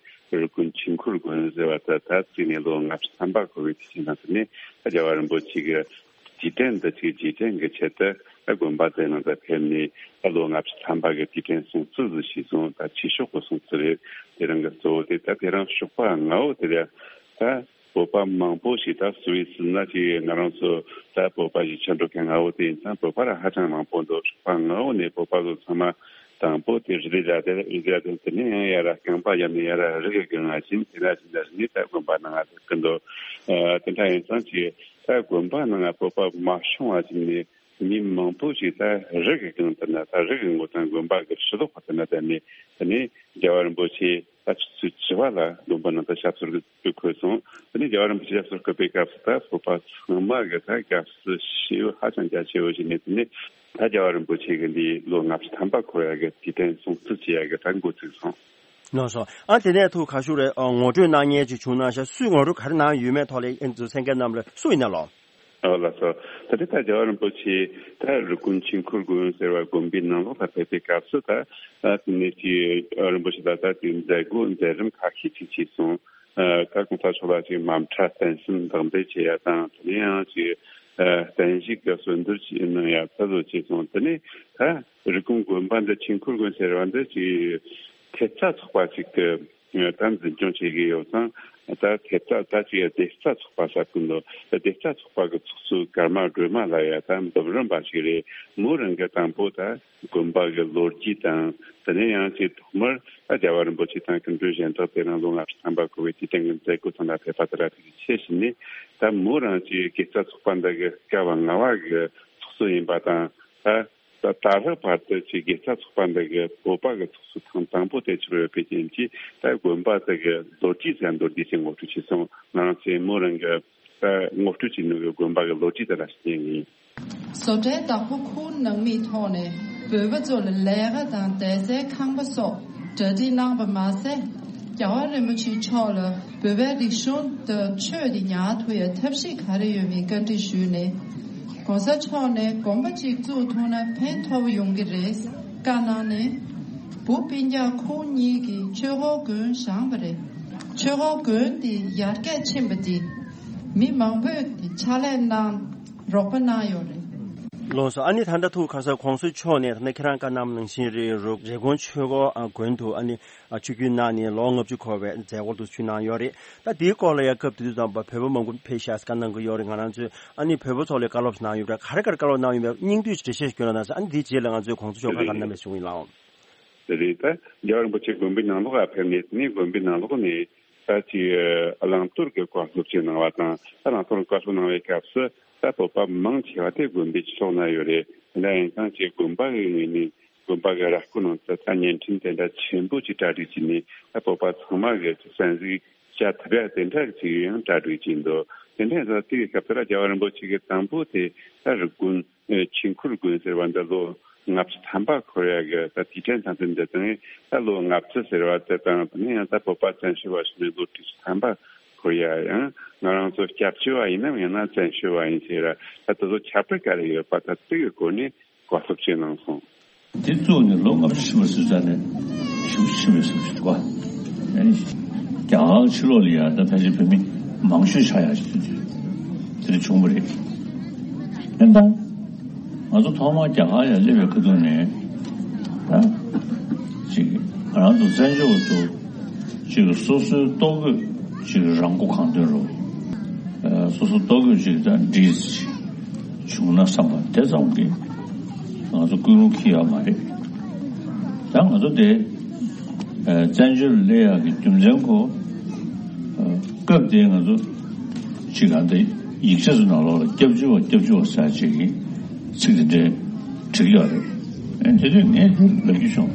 རི་ཀོན་ཆོས་འཁོར་དགོན་ཟེར་བ་ད་ད་བརྩིས་ནས་ལོ་ལྔ་བཅུ་ཐམ་པ་འཁོར་བའི་དུས་ཆེན་དང་། དེ་ནས་ད་རྒྱལ་བ་རིན་པོ་ཆེ་གི་རྗེས་དྲན་འདི་ཅིག་རྗེས་དྲན་གྱི་ཆེད་དུ་ད་དགོན་པ་དེ་ནང་ད་ཕེབས་ནས། ད་ལོ་ལྔ་བཅུ་ཐམ་པ་གི་དུས་དྲན་སྲུང་བརྩི་ཟིག་ཞུས་སོང་། ད་ཆོས་ཕྱོགས་ཀྱི་སྲུང་བརྩི་རེད། དེ་རིང་གི་གཙོ་བོ་དེ་ད་དེ་རིང་ཞོགས་པ་སྔ་པོ་དེ་ལ་ ད་བོད་པ་མང་པོ་ཞིག་ད་སུད་སི་ན་ཅིག་ང་རང་ཚོ་ད་བོད་པ་ཞིག་ཕྱིར་འགྲོ་མཁན་ལྔ་བོ་དེ་ཡིན་ཙང་བོད་པ་ར་ཧ་ཅང་མང་པོ་འདུག་ཧྥང་ལྔ་བོ་ནས་བོད་པ་ཚོ་ཚང་མ་དང་པོ་དེ་རི་ལི་ར་དེ་རི་ལི་ར་དེ་དེ་ནས་ཡང་ཡར་རྐང་པ་ཡར་ནས་ཡར་རི་གི་སྒང་ང་ཕྱིན། དེ་ན་ཕྱིན་ད་རི་ནས་ད་དགོན་པ་ནང་ང་ཐུག་གི་འདུག་ཨ་དེ་འདྲ་ཡིན་ཙང་ཅིག་ད་དགོན་པ་ནང་ང་བོད་པ་མ་ཤོང་བ་ཅིག་ནས། མི་མང་པོ་ཞིག་ད་རི་གི་སྒང་དེ་ན་ད་རི་གི་མགོ་ཐང་དགོན་པ་གི་ཕྱི་ལོགས་ཁ་དེ་ན་བསྡད་ནས་དེ་ནས་རྒྱལ་བ་རིན་པོ་ཆེ་ད་ཆུ་ཚོད་བཅུ་པ་ལ་དགོན་པ་ནང་ད་ཞབས་སོར་གི་འཁོད་སོང་། དེ་ནས་རྒྱལ་བ་རིན་པོ་ཆེ་ཞབས་སོར་འཁོད་པའི་སྐབས་སུ་ད་བོད་པ་ཚང་མ་གི་ད་དགའ་བསུ་ཞེ་པོ་ཧ་ཅང་རྒྱ་ཆེ་བོ་ཞིག་ནས། དེ་ནས་ད་རྒྱལ་བ་རིན་པོ་ཆེ་གི་འདི་ལོ་ལྔ་བཅུ་ཐམ་པ་འཁོར་ཡ་གི་དུས་དྲན་སྲུང་བརྩི་བྱེད་ཡ་གི་ད་འགོ་ཚུགས་སོང་། ལགས་སོ། ཨ་དེ་ནས་ཐུགས་ཁ་ཤུགས་རེ་ཨ་ངོ་སྤྲོད་གནང་མཁན་ཅིག་བྱུང་ན་ཤག་སུས་ངོ་སྤྲོད་ག་རེ་གནང་ཡོད་མེད་ཐོག་ལ་ཨེ་ཚོ་གསན་མཁན་རྣམས་ལ་སུ་ཡིན་ན་ལོ། ཨོ་ལགས་སོ། ད་ལྟ་ད་རྒྱལ་བ་རིན་པོ་ཆེ་ད་རི་ཀོན་ཆོས་འཁོར་དགོན་ཟེར་བ་དགོན་པའི་ནང་ལོགས་ལ་ཕེབས་པའི་སྐབས་སུ་ད་ཨ་དེ་ནས་ཀྱི་རིན་པོ་ཆེ་ད་ད་དེ་མཛད་སྒོ་མཛད་རིམ་ཁ་ཤས་ཅིག་བྱས་སོང་། ཨ་ད་གོང་ས་མཆོག་ལ་ཅིག་དམ་ཕྲ་རྟེན་གསུམ་བདག་འཛིན་བྱེད་ཡ་དང་། དེ་ནས་ཡང་ཅིག་ཨ་བརྟན་བཞུགས་ཀྱི་གསོལ་འདེབས་ཅིག་གནང་ཡ་ད་ལོ་བྱས་སོང་། དེ་ནས་ད་རི་ཀོན་དགོན་པ་འདི་ཆོས་འཁོར་དགོན་ཟེར་བ་འདི་ཅིག་ཐེབས་རྩ་ཚོགས་པ་ཅིག་གི་ད་འཛིན་སྐྱོང་བྱེད་ཀྱི་ཡོད་ཙང་། ད་ཐེབས་རྩ་ད་ཅིག་སྡེ་རྩ་ཚོགས་པ་ཟེར་གི་འདུག་སྡེ་རྩ་ཚོགས་པ་གི་ཚོགས་གཙོ་ཀརྨ་སྒྲོལ་མ་ལགས་ཡ་ད་འབུམ་རམས་པ་ཞིག་རེད། མོ་རང་གི་དང་པོ་ད་དགོན་པ་གི་ལོ་རྒྱུས་དང་། དེ་ནས་ཡང་ཅིག་ཐོག་མར་ད་རྒྱལ་བ་རིན་པོ་ཆེ་དང་སྐུ་མགྲོན་གཞན་དག་དེ་རིང་ལོ་ལྔ་བཅུ་ཐམ་པ་འཁོར་བའི་དུས་དྲན་གྱི་མཛད་སྒོ་ཚང་མ་ཕེབས་པ་དེ་ར་དེ་ཆེད་བཞིན་ནས། ད་མོ་རང་ཅིག་དགེ་རྩ་ཚོགས་པ་འདི་གི་སྐབས་ལྔ་པ་གི་ཚོགས་གཙོ་ཡིན་པ་དང་། ད་ད་ད་ལྟ་བར་དུ་ཅིག་དགེ་རྩ་ཚོགས་པ་འདི་གི་བོད་པ་གི་ཚོགས་གཙོ་ཐེངས་དང་པོ་དེ་ཆགས་ཡོད་པའི་རྐྱེན་གྱིས། ད་དགོན་པ་དེ་གི་ལོ་རྒྱུས་ཟེར་མདོར་བསྡུས་ཤིག་ངོ་སྤྲོད་བྱས་སོང་། ང་རང་ཚོས་མོ་རང་གི་ད་ངོ་སྤྲོད་བྱས་ནོ་གི་དགོན་པ་གི་ལོ་རྒྱུས་དེ་ལ་བརྟེན་ནས། བཟོ་གྲྭའི་བདག་པོ་ཁུལ་ནང་མིའི་ཐོག་ནས་བོད་པ་ཚོ་ལ་ལས་ཀ་དང་བསྡད་སའི་ཁང་པ་སོགས་གྲ་སྒྲིག་གནང་བ་མ་ཟད། རྒྱལ་བ་རིན་པོ་ཆེ་མཆོག་ལ་བོད་པའི་རིག་གཞུང་དང་ཆོས་དེ་ཉར་ཐུབ་ཡ་ཐབས་ཤེས་ག་རེ་ཡོད་མེད་བཀའ་འདྲི་ཞུས་ནས། ༸གོང་ས་མཆོག་ནས་དགོན་པ་གཅིག་བཙུགས་ཐུབ་ན་ཕན་ཐོགས་ཡོང་གི་རེད་བཀའ་གནང་ནས། བུ་སྤུན་ཀྱག་ཁུལ་གཉིས་ཀྱིས་ཆོས་འཁོར་དགོན་བཞེངས་པ་རེད། ཆོས་འཁོར་དགོན་དེ་ཡར་རྒྱས་ཕྱིན་པ་དེ་མི་མང་པོས་དེ་ཕྱག་ལས་གནང་རོགས་པ་གནང་ཡོད་རེད། ལགས་སོ། ཨ་ནི་ད་ལྟ་ཐུགས་ཁ་སང་༸གོང་ས་མཆོག་ནས་ད་ལྟ་ཁྱེད་རང་བཀའ་གནང་ནང་བཞིན་རེད། རུ་རི་ཀོན་ཆོས་འཁོར་ཨ་དགོན་དུ་ཨ་ནི་ཨ་ཆིབས་བསྒྱུར་གནང་ནས་ལོ་ལྔ་བཅུ་འཁོར་བའི་མཛད་སྒོ་དུ་ཚུགས་གནང་ཡོད་རེད། ད་དེའི་སྐོར་ལ་ཡང་སྐབས་དེ་དུས་ཙམ་པ་བོད་པ་མང་པོ་ཕེབས་ཤག་བཀའ་གནང་གི་ཡོད་རེད། ང་རང་ཚོས་ཨ་ནི་བོད་པ་ཚོ་ལ་བཀའ་སློབ་གནང་ཡོད་རེད། ག་རེ་ག་རེ་བཀའ་སློབ་གནང་ཡོད་པའི་སྙིང་བསྡུས་འགྲེལ་བཤད་ཞིག་སྐྱོན་རོགས་གནང་ཟེར། ཨ་ནི་དེའི་རྗེས་ལ་ང་ཚོས་༸གོང་ས་མཆོག་བཀའ་ག་རེ་གནང་མེད་གསུང་གི་ཡིན་ལགས། དེ་རེད། ད་རྒྱལ་བ་རིན་པོ་ཆེ་དགོན་པའི་ནང་ལོགས་ལ་ཕེབས་ནས། དེ་ནས་དགོན་པའི་ནང་ལོགས་ནས་ད་ཅིག་བླང་དོར་གྱི་བཀའ་སློབ་ཅིག་གནང་བ་དང་། ད་བླང་དོར་གྱི་བཀའ་སློབ་གནང་བའི་སྐབས་སུ་ད་བོད་པ་མང་ཆེ་བ་དེ་དགོན་པའི་ཕྱི་ལོགས་ན་ཡོད་རེད། དེ་འདྲ་ཡིན་ཙང་ཅིག་དགོན་པ་གི་ངོས་ནས་དགོན་པ་གི་ར་སྐོར་ནང་དུ་ད་བརྙན་འཕྲིན་དེ་འདྲ་ཆེན་པོ་ཅིག་གྲ་སྒྲིག་བྱས་ནས། ད་བོད་པ་ཚང་མ་གི་གསན་གཟིགས་བྱ་ཐུབ་ཡ་དེ་འདྲ་ཅིག་ཡང་གྲ་སྒྲིག་བྱས་འདུག་དེ་འདྲ་ཡིན་ཙང་དེ་གི་སྐབས་དེ་ལ་རྒྱལ་བ་རིན་པོ་ཆེ་གི་དང་པོ་དེ་ད་རི་ཀོན་ཨེ་ཆོས་འཁོར་དགོན་ཟེར་བ་འདི་ལོ་ལྔ་བཅུ་ཐམ་པ་འཁོར་ཡ་གི་ད་དུས་དྲན་དང་བསྟུན་དེ་དང་། ད་ལོ་ལྔ་བཅུ་ཟེར་བ་དེ་དང་། དེ་ནས་ཡང་ད་བོད་པ་བཙན་བྱོལ་བ་ཞིག་ནས་ལོ་དྲུག་ཅུ་ཐམ་པ་འཁོར་ཡ། ཡང་ང་རང་ཚོ་སྐྱབས་བཅོལ་བ་ཡིན་ནམ་ཡང་ན་བཙན་བྱོལ་བ་ཡིན་ཟེར་ར། ད་དེ་ཚོ་ཁྱད་པར་ག་རེ་ཡོད་པ་ད་དེ་གི་སྐོར་ནས་བཀའ་སློབ་ཅིག་གནང་སོང་། དེ་བཙུགས་ནས་ལོ་ལྔ་བཅུ་ཕྱིན་པ་ཟེར་ཙང་ནས་ཞེ་པོ་ཕྱིན་པའི་བཟོ་ཞིག་འདུག་ག་ཨ་ནི་རྒྱ་གར་ཕྱི་ལོགས་ལ་ཡ་ད་ཕལ་ཆེར་བོད་མི་མང་ཤོས་ཆགས་ཡག་ཞིག་དེ་འདྲ་བྱུང་བ་རེད། ཨེ་ད་ང་ཚོ་ཐོག་མར་རྒྱ་གར་ཡར་སླེབས་པའི་ཁ་ཐུག་ནས་ད་ཅིག་ང་རང་ཚོ་བཙན་བྱོལ་བ་ཚོ་ཅིག་སོ་སོའི་ལྟོ་གོས་ཅིག་རང་མགོ་གང་ཐོན་རུ། ཨ་སོ་སོ་ལྟོ་གོས་ཅིག་ད་འདྲིས་བྱུང་ན་བསམ་པ་དེ་ཙམ་གྱིས་ང་ཚོ་ཀུན་སློང་འཁྱེར་ཡོད་མ་རེད། ད་ང་ཚོ་དེ་ཨ་བཙན་བྱོལ་སླེབས་ཡག་གི་རྒྱུ་མཚན་ཁོ། ཨ་སྐབས་དེ་ང་ཚོ་ཅིག་ག་འདི་ཡིག་ཆ་ཚོ་ནང་ལོགས་ལ་སྐྱབས་བཅོལ་བ་སྐྱབས་བཅོལ་བ་ཟེར་ཅིག་གི་ཚིག་དེ་འདྲས་བྲིས་ཡོད་རེད། ཨ་དེ་དུས་ངས་དེ་ལབ་རྒྱུ་བྱུང་།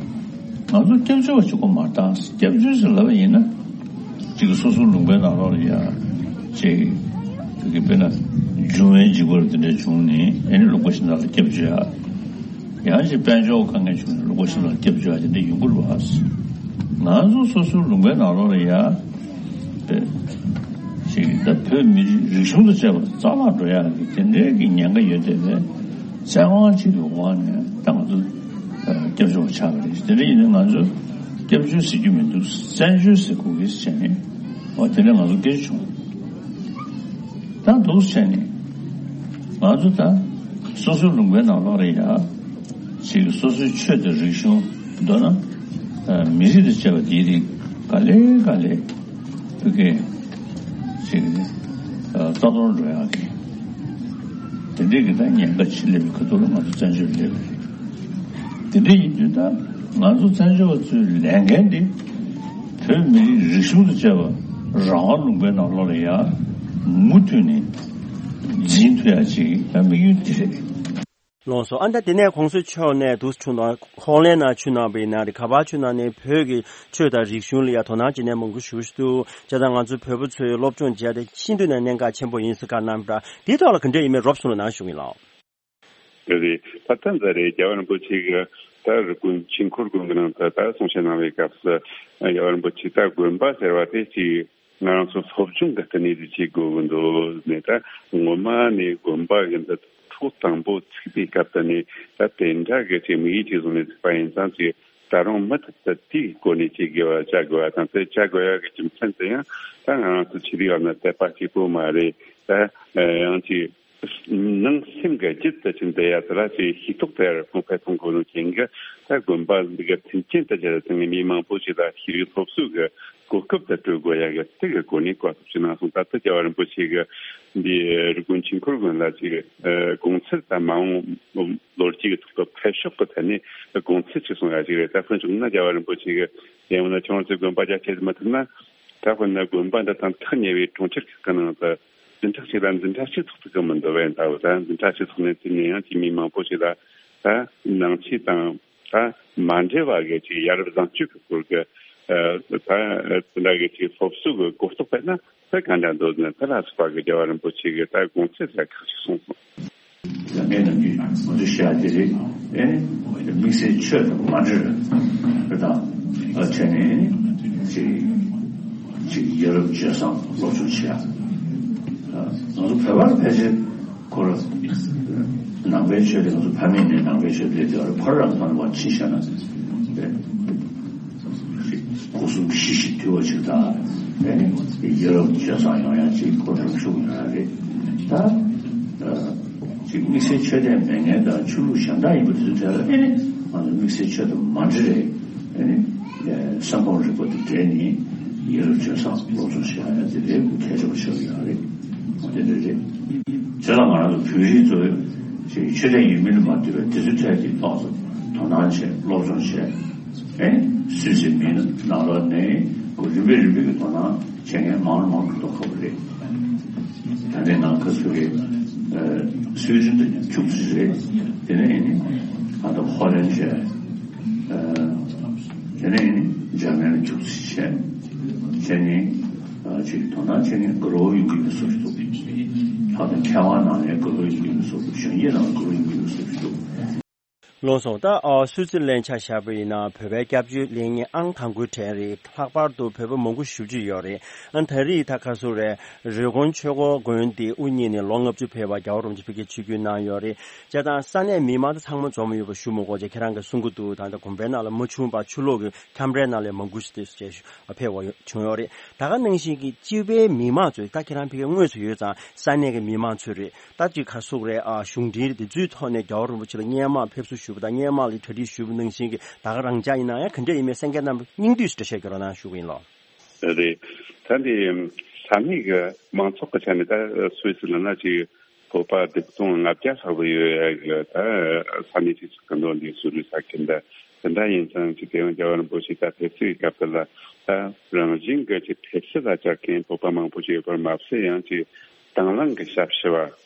ང་ཚོ་སྐྱབས་བཅོལ་བ་གཅིག་པོ་མ་རེད། ད་སྐྱབས་བཅོལ་ཟེར་ལབ་པ་ཡིན་ན། གཅིག་གི་སོ་སོའི་ལུང་པའི་ནང་ལོགས་ལ་ཡ། གཅིག་གི་དཔེར་ན་འབྱུང་བའི་འཇིགས་པ་རུ་དེ་འདྲ་བྱུང་ནས་ཨེ་ནི་ལུང་པ་གཞན་དག་ལ་སྐྱབས་བཅོལ་ཡ། ཡང་ཅིག་དཔལ་འབྱོར་དཀའ་ངལ་བྱུང་ནས་ལུང་པ་གཞན་དག་ལ་སྐྱབས་བཅོལ་ཡ་དེ་འདྲ་ཡོང་གི་རེད་བ། ང་ཚོ་སོ་སོའི་ལུང་པའི་ནང་ལོགས་ལ་ཡ། ཅིག་ད་བོད་མི་རིགས་རིག་གཞུང་དང་བཅས་པ་རྩ་བརླག་འགྲོ་ཡ་གི་དེ་འདྲའི་གི་ཉེན་ཁ་ཡོད་བསྡད་པས། བཙན་དབང་ཅིག་གི་འོག་ནས་ད་ང་ཚོ་སྐྱབས་བཅོལ་བ་ཆགས་པ་རེད། དེ་འདྲ་ཡིན་ན་ང་ཚོ་སྐྱབས་བཅོལ་ཟེར་རྒྱུ་མི་འདུག་བཙན་བྱོལ་ཟེར་དགོས་ཀྱི་ཟེར་ནས། འོ་དེ་འདྲ་ང་ཚོ་སྐད་ཆ་བྱུང་། ད་འདུག་ཟེར་ནས་ང་ཚོ་ད་སོ་སོའི་ལུང་པའི་ནང་ལོགས་ལ་ཡ་ཅིག་སོ་སོའི་ཆོས་དང་རིག་གཞུང་མདོར་ན་མི་རིགས་དང་བཅས་པ་དེའི་རིགས་ག་ལེ་ག་ལེ་བོད་སྐད་ རྩ་གཏོར་འགྲོ་ཡག་གི་དེ་འདྲའི་གི་ད་ཉེན་ཁ་ཆེ་སླེབས་པའི་ཁ་ཐུག་ལ་ང་ཚོ་བཙན་བྱོལ་སླེབས་པ་རེད། དེ་འདྲ་ཡིན་དུས་ད་ང་ཚོ་བཙན་བྱོལ་བ་ཚོའི་ལས་འགན་འདི་བོད་མི་རིགས་རིག་གཞུང་དང་བཅས་པ་རང་དབང་ལུང་པའི་ནང་ལོགས་ལ་ཡ་མུ་མཐུད་ནས་འཛིན་ཐུབ་ཡག་ཅིག་ད་དམིགས་ཡུལ་འདི་རེད། ལགས་སོ། ཨ་ད་དེ་ནས་གོང་ས་མཆོག་ནས་འདུག་ཆུ་ནང་ཧོ་ལན་ནང་ཆུ་ནང་པའི་ནང་རེད། ག་པར་ཆུ་ནང་ནས་བོད་ཀྱི་ཆོས་དང་རིག་གཞུང་ལ་ཡ་དོ་སྣང་བྱེད་མཁན་མང་པོ་ཞིག་འདུག་བྱས་ཙང་ང་ཚོའི་བོད་པ་ཚོས་སློབ་སྦྱོང་བྱས་ཏེ་ཤིན་ཏུ་ནས་གནད་འགག་ཆེན་པོ་ཡིན་ཟེར་བཀའ་གནང་པ་འདྲ། དེའི་ཐོག་ལ་ག་འདྲ་ཡིན་མིན་རོབ་གསུང་རོགས་གནང་ཞུ་གི་ཡིན་ལགས། རེད། ད་ལྟ་འཛམ་རེད། རྒྱལ་བ་རིན་པོ་ཆེ་གི་ད་རི་ཀོན་ཆོས་འཁོར་དགོན་གི་ནང་དུ་ད་གསུང་བཤད་གནང་བའི་སྐབས་སུ་རྒྱལ་བ་རིན་པོ་ཆེ་ད་དགོན་པ་ཟེར་བ་དེ་ཅིག་ང་རང་ཚོ་སློབ་སྦྱོང་གི་ལྟེ་གནས་དེ་བྱེད་དགོས་ཀྱི་འདུག་ནས། ད་སྔོན་མ་ནས་དགོན་པ་གི་འདི་ཐོག་དང་པོ་ཚུགས་པའི་སྐབས་དེ་ནས་ད་དེ་འདྲ་གི་ཅིག་དམིགས་ཡུལ་ཅིག་བཟུང་ནས་ཚུགས་པ་ཡིན་ཙང་ཅིག་ད་རུང་མུ་མཐུད་དུ་དེའི་སྒོ་ནས་ཅིག་དགེ་བ་བྱ་དགོས་པ་དང་། དེ་བྱ་དགོས་ཡག་གི་རྒྱུ་མཚན་དེ་ཡང་ད་ང་རང་ཚོ་ཆོས་ལུགས་བར་ན་དད་པ་གཅིག་པོ་མ་རེད། ད་ཡང་ཅིག་ནང་སེམས་ཀྱི་རྒྱུད་དུ་ཅིག་འདི་ཡ་དེ་ལ་ཅིག་ཤེས་རྟོགས་དེ་ཡར་གོང་འཕེལ་གཏོང་དགོས་ནོ་རྐྱེན་གྱིས། ད་དགོན་པ་འདི་ག་མཐུན་རྐྱེན་དུ་གྱུར་ཏེ་མི་མང་པོ་ཞིག་ལ་ཤེས་རིག་སློབ་གསོ་གི་གོ་སྐབས་དེ་སྤྲོད་དགོས་ཡ་གི་དེ་གི་སྒོ་ནས་བཀའ་སློབ་ཅིག་གནང་སོང་། ད་ལྟ་རྒྱལ་བ་རིན་པོ་ཆེ་གི་འདི་རི་ཀོན་ཆོས་འཁོར་དགོན་ལ་ཅིག་དགོང་ཚུལ་དང་མ་འོངས་ལོ་རྒྱུས་ཀྱི་ཐོག་ཏུ་འཕེལ་ཕྱོགས་ཀྱི་ཐད་ནས་དགོང་ཚུལ་ཅིག་གསུང་ཡ་ཅིག་རེད། ད་དཔེར་བཞག་ན་རྒྱལ་བ་རིན་པོ་ཆེ་གི་ཡང་ན་ཁྱོད་རང་ཚོའི་དགོན་པ་རྒྱ་ཆེ་མི་ཐུབ་ན། ད་དཔེར་ན་དགོན་པ་འདི་དང་ཐག་ཉེ་བའི་གྲོང་ཁྱེར་ཁག་གི་ནང་དུ་འཛིན་གྲྭ་གཅིག་ལ་འཛིན་གྲྭ་གཅིག་ཐོག་ཏུ་གི་མི་འདུག་བས། ད་འོ་ད་འཛིན་གྲྭ་གཅིག་ཐོག་ནས་དེ་ནས་ཡང་ཅིག་མི་མང་པོ་ཞིག་ལ་ད་ནང་ཆོས་དང་ད་མ་འབྲེལ་བ་གི་ཅིག་ཡ་རབས་བཟང་སྤྱོད་ཀྱི་སྐོར་གྱི་ད་དེ་འདྲ་གི་ཅིག་སློབ་གསོ་གི་གོ་རྟོགས་སྤེལ་ན་ད་ག་འདྲ་འདུག་ནས། དེ་ལ་སོགས་པ་གི་རྒྱལ་བ་རིན་པོ་ཆེ་གི་ད་དགོངས་ཚུལ་ལ་ཁག་ཅིག་གསུངས་སོང་། ལ་ངས་ནམ་རྒྱུན་ང་ཚོ་བཤད་དེ་རེད། ཨེ་ནི་དམིགས་བསལ་ཆོས་དང་མ་འབྲེལ་བ་དང་ཨ་བྱས་ནས་ཅིག་ཅིག་ཡ་རབས་སྤྱོད་བཟང་སློབ་སྦྱོང་བྱེད་ཡ། ང་ཚོ་བོད་པ་ལ་ཕལ་ཆེར་ཁོ་ར་ནང་པའི་ཆོས་དེ་ང་ཚོ་ཕ་མེས་ནས་ནང་པའི་ཆོས་དེ་དེ་བར་ཕར་རང་ཕར་བ་ཕྱི་བཤད་ན་སྐུ་གསུམ་ཞི་ཞིང་དུལ་བ་ཞིག་དང་། ཨེ་ནི་ཡ་རབས་སྤྱོད་བཟང་ཡོང་ཡ་ཅིག་ཁོ་རང་ཤུགས་ཡོང་ཡ་རེད། ད་ཅིག་དམིགས་བསལ་ཆོས་དད་མེད་མཁན་དང་ཆོས་ལུགས་གཞན་དག་ཡིན་པ་དེ་ཚོའི་གྲས་ལ་ཨེ་ནི་ང་ཚོ་དམིགས་བསལ་ཆོས་དང་མ་འབྲེལ་རེད། ཨེ་ནི་བསམ་ཁོང་རིག་པ་དང་འབྲེལ་ནས་ཡ་རབས་སྤྱོད་བཟང་སློབ་སྦྱོང་བྱེད་ཡ་དེ་ལས་གལ་ཆེ་བ་ཆགས་ཡོད་རེད། དེ་འདྲ་རེད། བྱས་ཙང་ང་རང་ཚོ་བོད་རིགས་ཚོས་ཅིག་ཆོས་དད་ཡོད་མིན་ལ་མ་ལྟོས་པའི་དེ་ཚོའི་གྲས་ཀྱི་ཐོག་ཏུ་དོ་སྣང་བྱས་སློབ་སྦྱོང་བྱས། ཨེ་སུད་སི་མི་ནང་ལོགས་ནས་ཁོ་རིམ་པས་རིམ་པས་ཀྱི་དོ་སྣང་བྱེད་མཁན་མང་རུ་མང་རུ་འགྲོ་ཁག་པོ་རེད། ད་ནས་ང་ཁ་སུ་རེད། སུད་སི་དུ་ཉམས་ཆུང་ཞིག་རེད། དེ་ནས་ཨེ་ནི་ང་ད་ཧོ་ལན་བྱས། དེ་ནས་ཨེ་ནི་འཇར་མན་ལ་ཆུང་ཞིག་བྱས། བྱས་ནས་ཅིག་དོ་སྣང་བྱེད་མཁན་དགའ་རབ་ཡོང་གི་ཡོད་བཟོ་ཞིག་འདུག་ལྷག་དོན་མཁས་དབང་ནང་ནས་དགའ་རབ་ཡོང་གི་ཡོད་བཟོ་འདུག་གཞོན་སྐྱེས་ནང་དགའ་རབ་ཡོང་གི་ཡོད་བཟོ་ཞིག་འདུག་ལགས་སོ། ད་ཨ་སུད་སི་ལན་ཆ་བཞག་པ་ཡིན་ན་བོད་པའི་སྐྱབས་བཅོལ་ལེན་མཁན་ཨང་དང་པོའི་གྲས་རེད། ལྷག་པར་དུ་བོད་པ་མང་པོ་ཞེ་པོ་ཅིག་ཡོད་རེད། ཨ་ད་རེས་ད་ག་ཚོད་རེད། རི་ཀོན་ཆོས་འཁོར་དགོན་དེ་དབུ་བརྙེས་ནས་ལོ་ལྔ་བཅུ་ཕེབས་པ་རྒྱལ་བ་རིན་པོ་ཆེ་ཕ་གིར་ཆིབས་བསྒྱུར་གནང་ཡོད་རེད། བྱས་ཙང་ས་གནས་མི་མང་དེ་ཚང་མ་འཛོམས་ཡོད་པ་ཞུ་མི་དགོས་ཅེས་ཁྱེད་རང་གིས་གསུང་གི་འདུག་ད་ལྟ་དགོན་པའི་ནང་ལ་མ་བྱུང་བར་ཕྱི་ལོགས་ཀྱི་ཁྱམས་རའི་ནང་ལ་མང་པོ་ཞིག་དེ་ཕེབས་པ་བྱུང་ཡོད་རེད། ད་ག་ནང་བཞིན་གྱི་སྤྱི་པའི་མི་མང་ཚོས་ད་ཁྱེད་རང་ཕ་གིར་དངོས་སུ་ཡོད་ཙང་ས་གནས་ཀྱི་མི་མང་ཚོས་རེད། ད་ཅིག་ག་ཟེར་དགོས་རེད། ཨ་གཞུང་འབྲེལ་དེ་ཚོའི་ཐོག་ནས་རྒྱལ་བ་རིན་པོ་ཆེ་ལ་སྔོན་མ་ཕེབས་བསུ་ཞུས་པ་དང་སྔོན་མ་ལ་གྲ་སྒྲིག་ཞུས་པ་ནང་བཞིན་གྱི་ད་ག་རང་འཇགས་ཡིན་ན་ཡང་ག་འདྲ་ཡིན་མིན་གསན་མཁན་རྣམས་སྙིང་བསྡུས་སུ་འགྲེལ་བཤད་རྒྱག་རོགས་གནང་ཞུ་གི་ཡིན་ལགས། རེད། ད་འདི་ས་གནས་ཀྱི་མང་ཚོགས་ཀྱི་ཆ་ནས་ད་སུད་སི་ལ་ན་ཅིག་བོད་པ་བདུན་སྟོང་ལྔ་བརྒྱ་ལྷག་ཙམ་ཡོད་ཡ་གི་ད་ས་གནས་ཅིག་ཆགས་ཀྱི་འདུག་འདི་སུད་སི་ས་ཁུལ་འདི། དེ་འདྲ་ཡིན་ཙང་ཅིག་དེ་ཡང་རྒྱལ་བ་རིན་པོ་ཆེ་ད་ཕེབས་བསུའི་སྐབས་དེ་ལ་ད་རང་བཞིན་གྱི་ཅིག་ཕེབས་བསུ་ལ་བཅར་མཁན་བོད་པ་མང་པོ་ཞིག་ཡོད་པར་མ་ཟད། ཡང་ཅིག་དང་བླངས་ཀྱི་ཞབས་ཞུ་བ་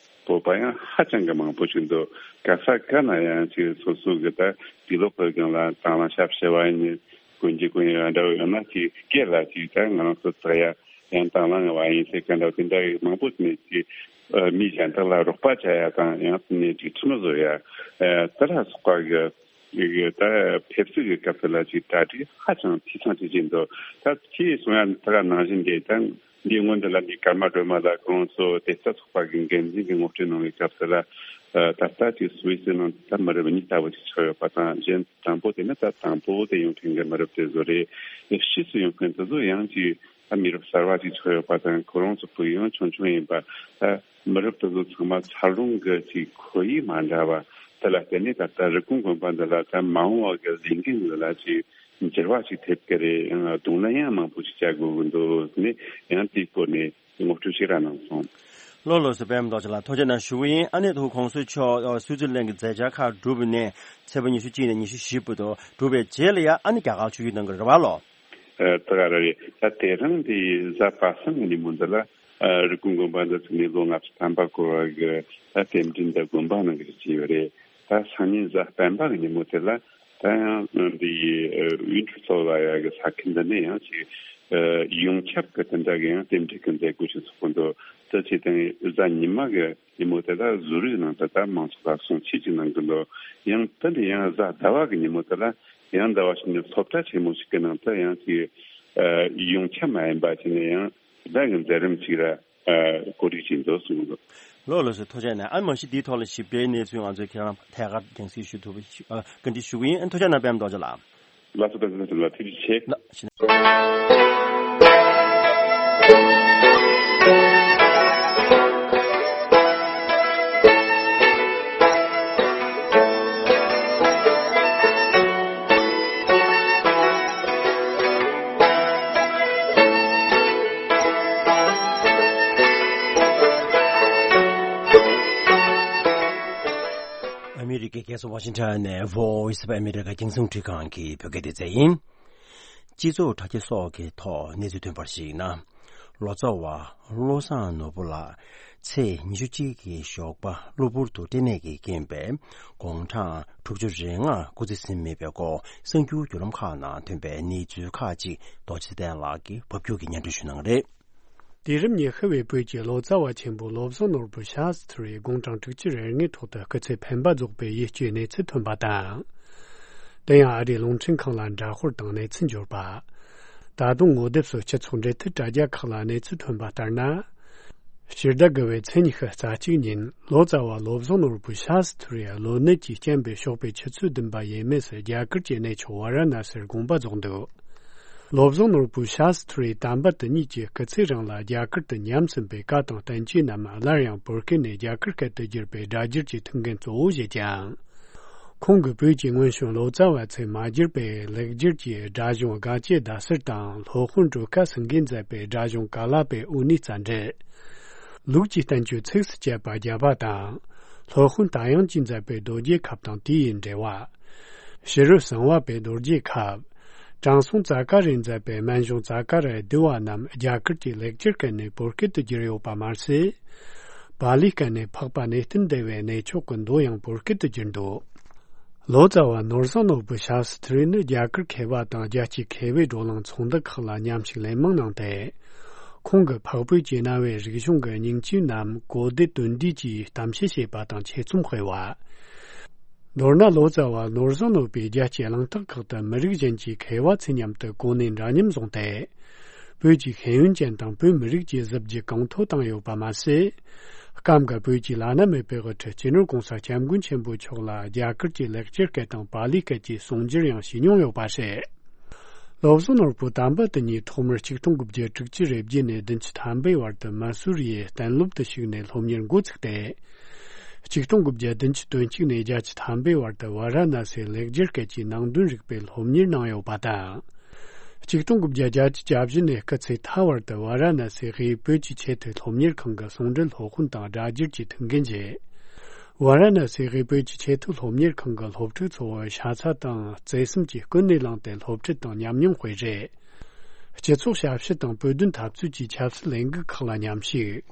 བོད་པ་ཡང་ཧ་ཅང་གི་མང་པོ་ཞིག་འདུག་ག་ས་ག་ན་ཡང་ཅིག་སོ་སོ་གི་ད་དུས་ལོག་གི་སྒང་ལ་དང་བླངས་ཞབས་ཞུ་བ་ཡིན། དགོན་གྱི་དགོན་ཡོད་འདྲ་བོ་ཡང་ན་ཅིག་སྐད་ལ་ཅིག་ད་ང་རང་ཚོ་དག་ཡ་ཡང་དང་བླངས་བ་ཡིན་ཟེར་མཁན་འདྲ་བོ་དེ་འདྲ་ཡི་མང་པོ་ནས་ཅིག་མི་གཞན་དག་ལ་རོགས་པ་བྱ་ཡ་དང་ཡང་ནས་ཅིག་ཁྲིམས་བཟོ་ཡ་དེ་ལ་སོགས་པ་གི་ཡི་གེ་ད་ཕེབས་བསུ་གི་སྐབས་སུ་ལ་ཅིག་གྲ་སྒྲིག་ཧ་ཅང་འཐུས་ཚང་ཅིག་བྱས་འདུག་ད་ཁྱེད་གསུང་ཡ་ད་ག་ནང་བཞིན་གྱི་ད་འདི་སྔོན་དུ་ལ་འདི་ཀརྨ་སྒྲོལ་མ་ལགས་ཁོང་ཚོ་དེ་ལྟ་ཚོགས་པ་གི་འགན་འཛིན་གྱི་ངོ་སྤྲོད་གནང་བའི་སྐབས་སུ་ལ། ད་ལྟ་ཅིག་སུད་སི་ནང་ད་མི་རབས་གཉིས་ལྟ་བུ་ཅིག་ཆགས་ཡོད་པ་དང་། གཞན་དང་པོ་དེ་ནི་ད་དང་པོ་དེ་ཡོང་མཁན་གྱི་མི་རབས་དེ་ཚོ་རེད། ཕྱིས་སུ་ཡོང་མཁན་དེ་ཚོ་ཡང་ཅིག་ད་མི་རབས་གསར་བ་ཅིག་ཆགས་ཡོད་པ་དང་། ཁོ་རང་ཚོ་ཕ་གི་ཡང་ཆུང་ཆུང་ཡིན་པ། ད་མི་རབས་དེ་ཚོ་ཚང་མ་འཚར་ལོངས་ཀྱི་ཅིག་ཁོར་ཡུག་མ་འདྲ་བ་དེ་ལ་བརྟེན་ནས་ད་ལྟ་རི་ཀོན་དགོན་པ་འདི་ལ་ད་མ་འོངས་པ་གི་ལས་འགན་འདི་ལ་ཅིག་འགྱུར་བ་ཅིག་ཐེབས་ཀྱི་རེད། ཡང་གདོང་ལེན་ཡང་མང་པོ་ཅིག་བྱ་དགོས་ཀྱི་འདུག་ནས་ཡང་དེའི་སྐོར་ནས་ངོ་སྤྲོད་ཅིག་ར་གནང་སོང་། ལགས་ལགས་སོ། པད་མ་རྡོ་རྗེ་ལགས་ཐུགས་རྗེ་གནང་ཞུ་གི་ཡིན། ཨ་ནི་ཐུགས་གོང་ས་མཆོག་ཨ་སུའི་ཙི་ལན་གྱི་མཛད་འཆར་ཁག་གྲུབ་པ་ནས་ཚེས་པ་ཉི་ཤུ་གཅིག་ནས་ཉི་ཤུ་བཞི་བར་དུ་གྲུབ་པའི་རྗེས་ལ་ཡང་ཨ་ནི་རྒྱ་གར་ཆིབས་བསྒྱུར་གནང་གི་རེད་པ་ལགས། ཨ་ད་ག་རེ་རེད། ད་དེ་རིང་འདི་གཟའ་པ་སངས་ཀྱི་ཉིན་མོ་འདི་ལ་ཨ་རི་ཀོན་དགོན་པ་འདི་ཚུགས་ནས་ལོ་ལྔ་བཅུ་ཐམ་པ་འཁོར་བ་གི་ད་རྟེན་འབྲེལ་འདི་དགོན་པ་ནང་གི་བྱས་ཡོད་རེད། ད་སང་ཉིན་གཟའ་སྤེན་པ་གི་ཉིན་མོ་དེ་ལ་ད་ཡང་འདི་ཡི་ཨ་ཝིན་ཊར་ཚོ་ལ་ཡ་གི་ས་ཁུལ་འདི་ནས་ཡང་ཅིག་ཨ་ཡོངས་ཁྱབ་གི་དེ་འདྲ་གི་ཡང་རྟེན་འབྲེལ་གི་མཛད་སྒོ་ཞིག་ཚོགས་གི་འདུག་དེ་བྱས་ཙང་གཟའ་ཉི་མ་གི་ཉིན་མོ་དེ་ལ་ཟུར་རིའི་ནང་དུ་ད་མང་ཚོགས་ལ་གསུང་ཆོས་ཅིག་གནང་གི་འདུག་ཡང་དེ་འདྲ་ཡང་གཟའ་ཟླ་བ་གི་ཉིན་མོ་དེ་ལ་ཡང་ཟླ་བ་ཞིག་ནས་སློབ་གྲྭ་ཆེན་མོ་ཞིག་གི་ནང་དུ་ཡང་ཅིག་ཨ་ཡོངས་ཁྱབ་མ་ཡིན་པ་ཅིག་ནས་ཡང་དེ་འདྲ་གི་མཛད་རིམ་ཞིག་ལ་ཨ་གོ་སྒྲིག་བྱས་འདུག་གསུངས་འདུག་ལགས་ལགས་སོ། ཐུགས་རྗེ་གནང་། ཨ་མ་གཞི་འདིའི་ཐོག་ལ་ཞིབ་ཕྲའི་གནས་ཚུལ་ང་ཚོས་ཁྱེད་རང་ཐད་ཀར་རྒྱང་སྲིང་ཞུ་ཐུབ་པ་ཞུ་ཨ་བཀའ་འདྲི་ཞུ་གི་ཡིན། ཨ་ཐུགས་རྗེ་གནང་པད་མ་རྡོ་རྗེ་ལགས། ལགས་སོ། བཀའ་དྲིན་ཆེ། ལགས་ཐུགས་རྗེ་ཆེ། ལགས་ཞེ་ན། ཨ་མི་རི་ཀའི་རྒྱལ་ས་ཝ་ཤིང་ཊོན་ནས་Voice of America རྒྱང་སྲིང་འཕྲིན་ཁང་གི་བོད་སྐད་སྡེ་ཚན་ཡིན། སྤྱི་ཚོགས་དྲ་རྒྱ་སོགས་ཀྱི་ཐོག་གནས་ཚུལ་ཐོན་པར་གཞིགས་ན། ལོ་ཙཱ་བ་བློ་བཟང་ནོར་བུ་ལགས་ཚེས་ཉི་ཤུ་གཅིག་གི་ཞོགས་པ་གློ་བུར་དུ་སྐྲན་ནད་ཀྱི་རྐྱེན་པས་དགུང་གྲངས་དྲུག་ཅུ་རེ་ལྔ་སྐུ་ཚེ་ཟིན་མེད་པའི་སྐོར་གསར་འགྱུར་བརྒྱུད་ལམ་ཁག་ནང་ཐོན་པའི་གནས་ཚུལ་ཁག་ཅིག་རྡོ་རྗེ་ཚེ་བརྟན་ལགས་ཀྱིས་ཕབ་སྒྱུར་གྱིས་སྙན་སྒྲོན་ཞུ་གནང་གི་རེད། དུས་རབས་ཉི་ཤུ་བའི་བོད་ཀྱི་ལོ་ཙཱ་བ་ཆེན་པོ་བློ་བཟང་ནོར་བུ་ཤཱ་སི་ཐི་རི་དགུང་གྲངས་དྲུག་ཅུ་རེ་ལྔའི་ཐོག་ཏུ་སྐུ་ཚེ་འཕེན་པ་རྫོགས་པའི་ཡིད་སྐྱོའི་གནས་ཚུལ་ཐོན་པ་དང་། དེ་ཡང་ཨ་རིའི་རླུང་འཕྲིན་ཁང་ལ་འདྲ་དཔར་དང་གནས་ཚུལ་འབྱོར་པ། ད་དུང་ངོ་དེབ་སོགས་སྤྱི་ཚོགས་འབྲེལ་མཐུད་དྲ་རྒྱ་ཁག་ལ་གནས་ཚུལ་ཐོན་པ་ལྟར་ན། སྤྱི་ཟླ་དགུ་པའི་ཚེས་ཉི་ཤུ་རྩ་གཅིག་ཉིན་ལོ་ཙཱ་བ་བློ་བཟང་ནོར་བུ་ཤཱ་སི་ཐི་རི་གློ་ནད་ཀྱིས་རྐྱེན་པས་ཕྱོགས་པའི་ཆུ་ཚོད་བདུན་པ་ཡས་མས་སུ་རྒྱ་གར་གྱི་གནས་མཆོག་ཝཱ་ར་ཎ་སིར་དགོངས་པ་རྫོགས་འདུག་བློ་བཟང་ནོར་བུ་ཤཱ་སི་ཐི་རི་དམ་པ་དེ་ཉིད་ཀྱི་སྐུ་ཚེ་རིང་ལ་རྒྱ་གར་དུ་ཉམས་ཟིན་པའི་བཀའ་དང་བསྟན་བཅོས་རྣམས་སླར་ཡང་བོད་སྐད་ནས་རྒྱ་གར་སྐད་དུ་བསྒྱུར་བའི་སྒྲ་སྒྱུར་གྱི་ཐུགས་འགན་གཙོ་བོ་བཞེས་ཀྱང་། ཁོང་གིས་བོད་ཀྱི་སྔོན་བྱོན་ལོ་ཙཱ་བ་ཚོས་མ་བསྒྱུར་བའི་ལེགས་སྒྱུར་གྱི་སྒྲ་གཞུང་དགའ་བྱེད་ཟླ་གསེར་དང་སློབ་དཔོན་སྒྲོལ་དཀར་སེང་གེས་མཛད་པའི་སྒྲ་གཞུང་ཀ་ལཱ་པའི་དབུ་ནུས་རྩ་འགྲེལ། ལུགས་ཀྱི་བསྟན་བཅོས་ཚིགས་སུ་བཅད་པ་བརྒྱ་པ་དང་། སློབ་དཔོན་ཏཱ་དབྱངས་ཀྱིས་མཛད་པའི་རྡོ་རྗེ་ཁབ་དང་དེ་ཡི་འགྲེལ་བ། ཕྱི་རོལ་གསང་བ་པའི་རྡོ་རྗེ་ཁབ། དྲང་སྲོང་ཙཱ་ཀ་རས་མཛད་པའི་སྨན་གཞུང་ཙཱ་ཀ་ར་བསྡུས་པ་རྣམས་རྒྱ་གར་གྱི་ལེགས་སྒྱུར་སྐད་ནས་བོད་སྐད་དུ་བསྒྱུར་ཡོད་པ་མ་ཟད། པཱ་ལིའི་སྐད་ནས་འཕགས་པ་གནས་བརྟན་སྡེ་བའི་གནས་མཆོག་གི་མདོ་ཡང་བོད་སྐད་དུ་བསྒྱུར་འདུག་ལོ་ཙཱ་བ་ནོར་བཟང་ནོར་བུ་ཤཱ་སི་ཐི་རི་ནི་རྒྱ་གར་མཁས་པ་དང་རྒྱལ་སྤྱིའི་མཁས་པའི་བགྲོ་གླེང་ཚོགས་འདུ་ཁག་ལ་མཉམ་ཞུགས་ལན་མང་གནང་སྟེ། ཁོང་གིས་འཕགས་བོད་ཀྱི་གནའ་བོའི་རིག་གཞུང་གི་སྙིང་བཅུད་རྣམས་གོ་བདེ་དོན་བདེ་གྱིས་གཏམ་བཤད་བྱས་པ་དང་ཆེད་རྩོམ་སྤེལ་བ། མདོར་ན་ལོ་ཙཱ་བ་ནོར་བཟང་ནོར་བུས་རྒྱལ་སྤྱིའི་གླེང་སྟེགས་ཁག་ཏུ་མི་རིགས་གཞན་གྱི་མཁས་པ་ཚོའི་མཉམ་དུ་གོ་གནས་འདྲ་མཉམ་བཟུང་སྟེ། བོད་ཀྱི་ཤེས་ཡོན་ཅན་དང་བོད་མི་རིགས་ཀྱི་གཟི་བརྗིད་གོང་མཐོར་བཏང་ཡོད་པ་མ་ཟད། སྐབས་འགར་བོད་ཀྱི་བླ་ན་མེད་པའི་དབུ་ཁྲིད་སྤྱི་ནོར་༸གོང་ས་༸སྐྱབས་མགོན་ཆེན་པོ་མཆོག་ལ་རྒྱ་གར་གྱི་ལེགས་སྦྱར་སྐད་དང་པཱ་ལིའི་སྐད་ཀྱི་གསུང་སྒྱུར་ཡང་བྱས་མྱོང་ཡོད་པ་རེད། བློ་བཟང་ནོར་བུ་དམ་པ་དེ་ཉིད་ཐོག་མར་ཆིག་སྟོང་དགུ་བརྒྱ་དྲུག་ཅུ་རེ་བརྒྱད་ནས་བདུན་ཅུ་ཐམ་པའི་བར་དུ་མ་སུ་རི་ཡི་གཏན་སློབ་ཏུ་ཞུགས་ནས་སློབ་གཉེར་འགོ་ཚུགས་ཏེ། ཆིག་སྟོང་དགུ་བརྒྱ་བདུན་ཅུ་དོན་གཅིག་ནས་བརྒྱད་ཅུ་ཐམ་པའི་བར་དུ་ཝཱ་ར་ཎ་སིའི་ལེགས་སྦྱར་སྐད་ཀྱི་ནང་དོན་རིག་པའི་སློབ་གཉེར་གནང་ཡོད་པ་དང་། ཆིག་སྟོང་དགུ་བརྒྱ་བརྒྱད་ཅུ་གྱ་བཞི་ནས་སྐུ་ཚེ་མཐའ་བར་དུ་ཝཱ་ར་ཎ་སིའི་དབུས་བོད་ཀྱི་ཆེས་མཐོའི་སློབ་གཉེར་ཁང་གི་ཟུང་འབྲེལ་སློབ་དཔོན་དང་སྒྲ་སྒྱུར་གྱི་ཐུགས་འགན་བཞེས། ཝཱ་ར་ཎ་སིའི་དབུས་བོད་ཀྱི་ཆེས་མཐོའི་སློབ་གཉེར་ཁང་གི་སློབ་ཕྲུག་ཚོར་ཤ་ཚ་དང་བརྩེ་སེམས་ཀྱིས་ཀུན་ནས་བསླངས་ཏེ་སློབ་ཁྲིད་དང་ཉམས་མྱོང་སྤེལ་རེས། སྤྱི་ཚོགས་ཞབས་ཞུ་དང་བོད་དོན་འཐབ་རྩོད་ཀྱི་ཆབ་སྲིད་ལས་འགུལ་ཁག་ལ་མཉམ་ཞུགས།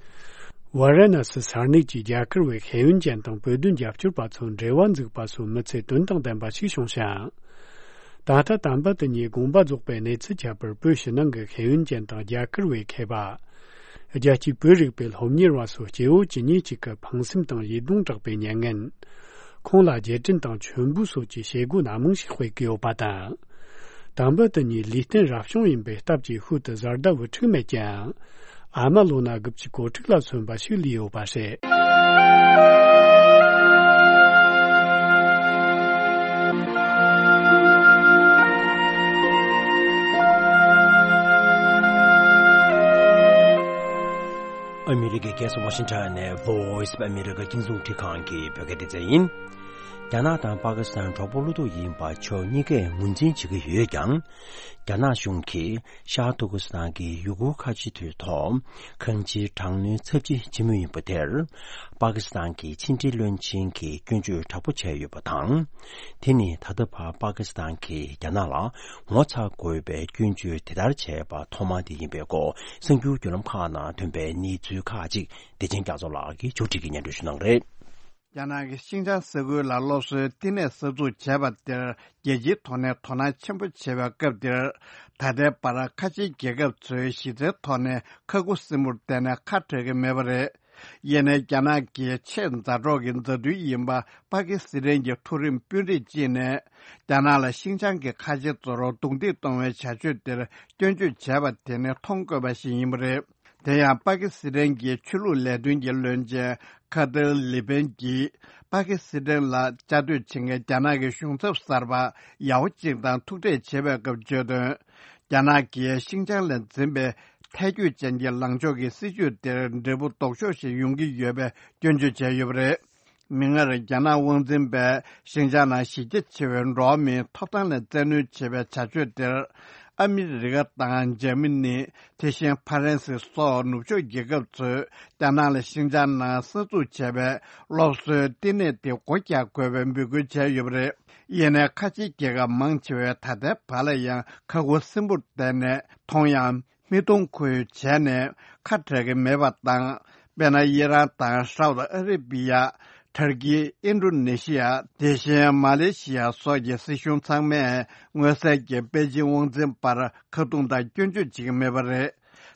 ཝཱ་ར་ཎ་སི་ས་གནས་ཀྱི་རྒྱ་གར་བའི་ཤེས་ཡོན་ཅན་དང་བོད་དོན་རྒྱབ་སྐྱོར་པ་ཚོར་འབྲེལ་བ་འཛུགས་པ་སོགས་མི་ཚེ་དོན་དང་ལྡན་པ་ཞིག་བྱུང་ཞིང་། ད་ལྟ་དམ་པ་དེ་ཉིད་དགོངས་པ་རྫོགས་པའི་གནས་ཚུལ་ཁྱད་པར་བོད་ཕྱི་ནང་གི་ཤེས་ཡོན་ཅན་དང་རྒྱ་གར་བའི་མཁས་པ། རྒྱལ་སྤྱིའི་བོད་རིག་པའི་སློབ་གཉེར་བ་སོགས་སྐྱེ་བོ་ཇི་སྙེད་ཅིག་གི་ཕངས་སེམས་དང་ཡིད་གདུང་དྲག་པའི་མྱ་ངན། ཁོང་ལ་རྗེས་དྲན་དང་མཆོད་འབུལ་སོགས་ཀྱི་བྱེད་སྒོ་སྣ་མང་ཞིག་སྤེལ་གྱི་ཡོད་པ་དང་། དམ་པ་དེ་ཉིད་ལུས་རྟེན་རབ་བྱུང་ཡིན་པའི་སྟབས་ཀྱིས་ཤུལ་དུ་བཟའ་ཟླ་བུ་ཕྲུག་མེད་ཀྱང་། ཨ་མ་ལོ་ན་དགུ་བཅུ་གོ་དྲུག་ལ་སོན་པ་ཞིག་ལུས་ཡོད་པ་རེད། ཨ་མི་རི་ཀའི་རྒྱལ་ས་ཝ་ཤིང་ཊོན་ནས་Voice of America རྒྱང་སྲིང་འཕྲིན་ཁང་གི་བོད་སྐད་སྡེ་ཚན་ཡིན། རྒྱ་ནག་དང་པ་ཀི་སི་ཐན་གྲོགས་པོ་བློ་ཐུག་ཡིན་པ་ཕྱོགས་གཉིས་ཀས་ངོས་འཛིན་བྱེད་ཀྱི་ཡོད་ཀྱང་། རྒྱ་ནག་གཞུང་གིས་ཤར་ཏུར་ཀི་སི་ཐན་གྱི་ཡུ་གུར་ཁ་ཆེ་མདོའི་ཐོག་གང་ཅིའི་དྲག་གནོན་ཚབས་ཆེ་བྱེད་མུས་ཡིན་པ་དེར། པ་ཀི་སི་ཐན་གྱི་ཕྱི་འབྲེལ་བློན་ཆེན་གྱིས་སྐྱོན་བརྗོད་དྲག་པོ་བྱས་ཡོད་པ་དང་། དེ་ནི་ད་ལྟ་བར་པ་ཀི་སི་ཐན་གྱིས་རྒྱ་ནག་ལ་ངོ་ཚ་དགོས་པའི་སྐྱོན་བརྗོད་དེ་ལྟར་བྱས་པ་ཐོག་མ་དེ་ཡིན་པའི་སྐོར། གསར་འགྱུར་བརྒྱུད་ལམ་ཁག་ནང་ཐོན་པའི་གནས་ཚུལ་ཁག་ཅིག་བདེ་ཆེན་རྒྱ་མཚོ་ལགས་ཀྱིས་ཕྱོགས་སྒྲིག་གིས་སྙན་སྒྲོན་ཞུ་གནང་གི་རེད། རྒྱ་ནག་གི་ཤིན་ཅང་ས་ཁུལ་ལ་སློབ་གསོའི་བསྟི་གནས་གསར་འཛུགས་བྱས་པ་དེར་རྒྱལ་སྤྱིའི་ཐོག་ནས་དོ་སྣང་ཆེན་པོ་བྱེད་པའི་སྐབས་འདིར། ད་ལྟའི་བར་ཁ་ཆེའི་རྒྱལ་ཁབ་ཚོས་གཞི་རྩའི་ཐོག་ནས་ཁ་ཁུ་སིམ་པོར་བསྡད་ནས་ཁ་བྲལ་གྱི་མེད་པ་རེད། ཡིན་ནའི་རྒྱ་ནག་གི་ཆེས་མཛའ་གྲོགས་ཀྱི་མཛའ་མཐུན་ཡིན་པ་པ་ཀི་སི་ཐན་གྱི་མཐོ་རིམ་དཔོན་རིགས་གཅིག་ནས། རྒྱ་ནག་ལ་ཤིན་ཅང་གི་ཁ་ཆེ་ཚོར་རྡུང་རྡེག་གཏོང་བའི་བྱ་སྤྱོད་དེར་སྐྱོན་བརྗོད་བྱས་པ་དེ་ནི་མཐོང་དཀོན་པ་ཞིག་ཡིན་པ་རེད། དེ་ཡང་པ་ཀི་སི་ཐན་གྱི་ཆོས་ལུགས་ལས་དོན་གྱི་བློན་ཆེན་ཁ་ཏར་ལི་པན་གྱིས། པ་ཀི་སི་ཐན་ལ་བཅའ་སྡོད་བྱེད་མཁན་རྒྱ་ནག་གི་གཞུང་ཚབ་གསར་པ་ཡག་པོ་གཅིག་དང་ཐུག་འཕྲད་བྱེད་པའི་སྐབས་བརྗོད་དོན། རྒྱ་ནག་གིས་ཤིན་ཅང་ལ་འཛིན་པའི་ཐལ་འགྱུར་ཅན་གྱི་ལངས་ཕྱོགས་ཀྱི་སྲིད་བྱུས་དེར་འབྲས་བུ་ལྡོག་ཕྱོགས་ཤིག་ཡོང་གི་ཡོད་པའི་སྐྱོན་བརྗོད་བྱས་ཡོད་པ་རེད། མིག་སྔར་རྒྱ་ནག་དབང་འཛིན་པས་ཤིན་ཅང་ནང་གཞི་རྒྱ་ཆེ་བའི་འགྲོ་བ་མིའི་ཐོབ་ཐང་ལ་བཙན་གནོན་བྱེད་པའི་བྱ་སྤྱོད་དེར། ཨ་མི་རི་ཀ་དང་འཇར་མ་ནི། དེ་བཞིན་ཕ་རན་སི་སོགས་ནུབ་ཕྱོགས་རྒྱལ་ཁབ་ཚོས་རྒྱ་ནག་ལ་ཤིན་ཅང་ནང་གསར་འཛུགས་བྱས་པའི་སློབ་གསོའི་བསྟི་གནས་དེ་སྒོ་རྒྱག་དགོས་པའི་འབོད་སྐུལ་བྱས་ཡོད་པ་རེད། ཡིན་ནའི་ཁ་ཆེའི་རྒྱལ་ཁབ་མང་ཆེ་བས་ད་ལྟའི་བར་ལ་ཡང་ཁ་ཁུ་སིམ་པོར་བསྡད་ནས་མཐོང་ཡང་། མིག་མཐོང་ཁོལ་བྱས་ནས་ཁ་བྲལ་གྱི་མེད་པ་དང་། དཔེར་ན། ཨི་རན་དང་སའུ་ཐི་ཨ་རི་བི་ཡ། ཏུར་ཀི། ཨིན་ཌོ་ནེ་ཤི་ཡ། དེ་བཞིན་མ་ལེ་ཤི་ཡ་སོགས་ཀྱི་སྲིད་གཞུང་ཚང་མས་མངོན་གསལ་གྱིས་པེ་ཅིང་དབང་འཛིན་པར་ཁ་རྡུང་དང་སྐྱོན་བརྗོད་བྱེད་ཀྱི་མེད་པ་རེད།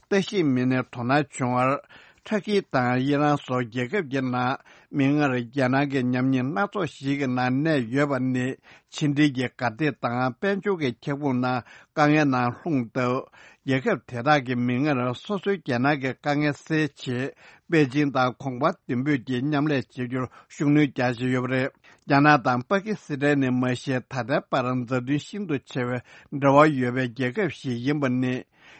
ལྟ་ཞིབ་མི་སྣས་དོ་སྣང་བྱུང་བར། ཏུར་ཀི་དང་ཨི་རན་སོགས་རྒྱལ་ཁབ་ཀྱི་ནང་། མིག་སྔར་རྒྱ་ནག་གི་ཉམས་ཉེས་སྣ་ཚོགས་ཤིག་གི་ནང་གནས་ཡོད་པ་ནི། ཕྱི་འབྲེལ་གྱི་འགག་སྡེ་དང་དཔལ་འབྱོར་གྱི་ཁྱབ་ཁོངས་ནང་དཀའ་ངལ་ནང་ལྷུང་སྟབས། རྒྱལ་ཁབ་དེ་དག་གིས་མིག་སྔར་སོ་སོའི་རྒྱ་ནག་གི་དཀའ་ངལ་སེལ་ཆེད། པེ་ཅིང་དང་གོང་འཕེལ་མདུན་སྤོས་ཀྱིས་མཉམ་ལས་བྱེད་རྒྱུར་ཤུགས་སྣོན་རྒྱག་བཞིན་ཡོད་པ་རེད། རྒྱ་ནག་དང་པ་ཀི་སི་ཐན་ནི་མ་གཞི་ད་ལྟའི་བར་མཛའ་མཐུན་ཤིན་ཏུ་ཆེ་བའི་འབྲེལ་བ་ཡོད་པའི་རྒྱལ་ཁབ་ཞིག་ཡིན་པ་ནི།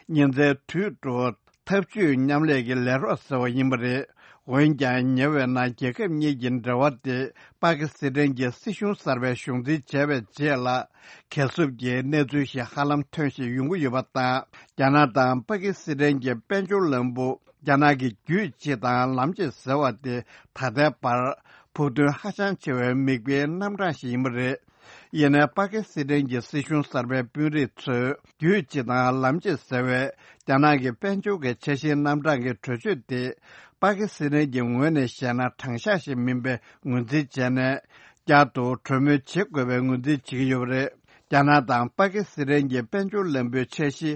ཉིན་མཚན་དུས་དྲུག་འཐབ་ཇུས་མཉམ་ལས་ཀྱི་ལས་རོགས་ཟེར་བ་ཡིན་པ་རེད། འོན་ཀྱང་། ཉེ་བའི་ནང་རྒྱལ་ཁབ་གཉིས་ཀྱི་འབྲེལ་བ་དེ་པ་ཀི་སི་ཐན་གྱི་སྲིད་གཞུང་གསར་པས་གཞུང་འཛིན་བྱས་པའི་རྗེས་ལ། གས་སྲུབས་ཀྱི་གནས་ཚུལ་ཞིག་ཧ་ལམ་ཐོན་བཞིན་ཡོང་གི་ཡོད་པ་དང་། རྒྱ་ནག་དང་པ་ཀི་སི་ཐན་གྱི་དཔལ་འབྱོར་ལམ་བུ། རྒྱ་ནག་གི་རྒྱུད་གཅིག་དང་ལམ་གཅིག་ཟེར་བ་དེ་ད་ལྟའི་བར་ཕུགས་འདུན་ཧ་ཅང་ཆེ་བའི་མིག་དཔེའི་རྣམ་གྲངས་ཤིག་ཡིན་པ་རེད། ཡིན་ནའི་པ་ཀི་སི་ཐན་གྱི་སྲིད་གཞུང་གསར་པའི་དཔོན་རིགས་ཚོས་རྒྱུད་གཅིག་དང་ལམ་གཅིག་ཟེར་བའི་རྒྱ་ནག་གི་དཔལ་འབྱོར་གྱི་འཆར་གཞིའི་རྣམ་གྲངས་ཀྱི་གྲོས་ཆོད་དེ། པ་ཀི་སི་ཐན་གྱི་ངོས་ནས་བཤད་ན་དྲང་གཞག་ཞིག་མིན་པའི་ངོས་འཛིན་བྱས་ནས། བསྐྱར་དུ་གྲོས་མོལ་བྱེད་དགོས་པའི་ངོས་འཛིན་བྱེད་ཀྱི་ཡོད་པ་རེད། རྒྱ་ནག་དང་པ་ཀི་སི་ཐན་གྱི་དཔལ་འབྱོར་ལམ་བུའི་འཆར་གཞི་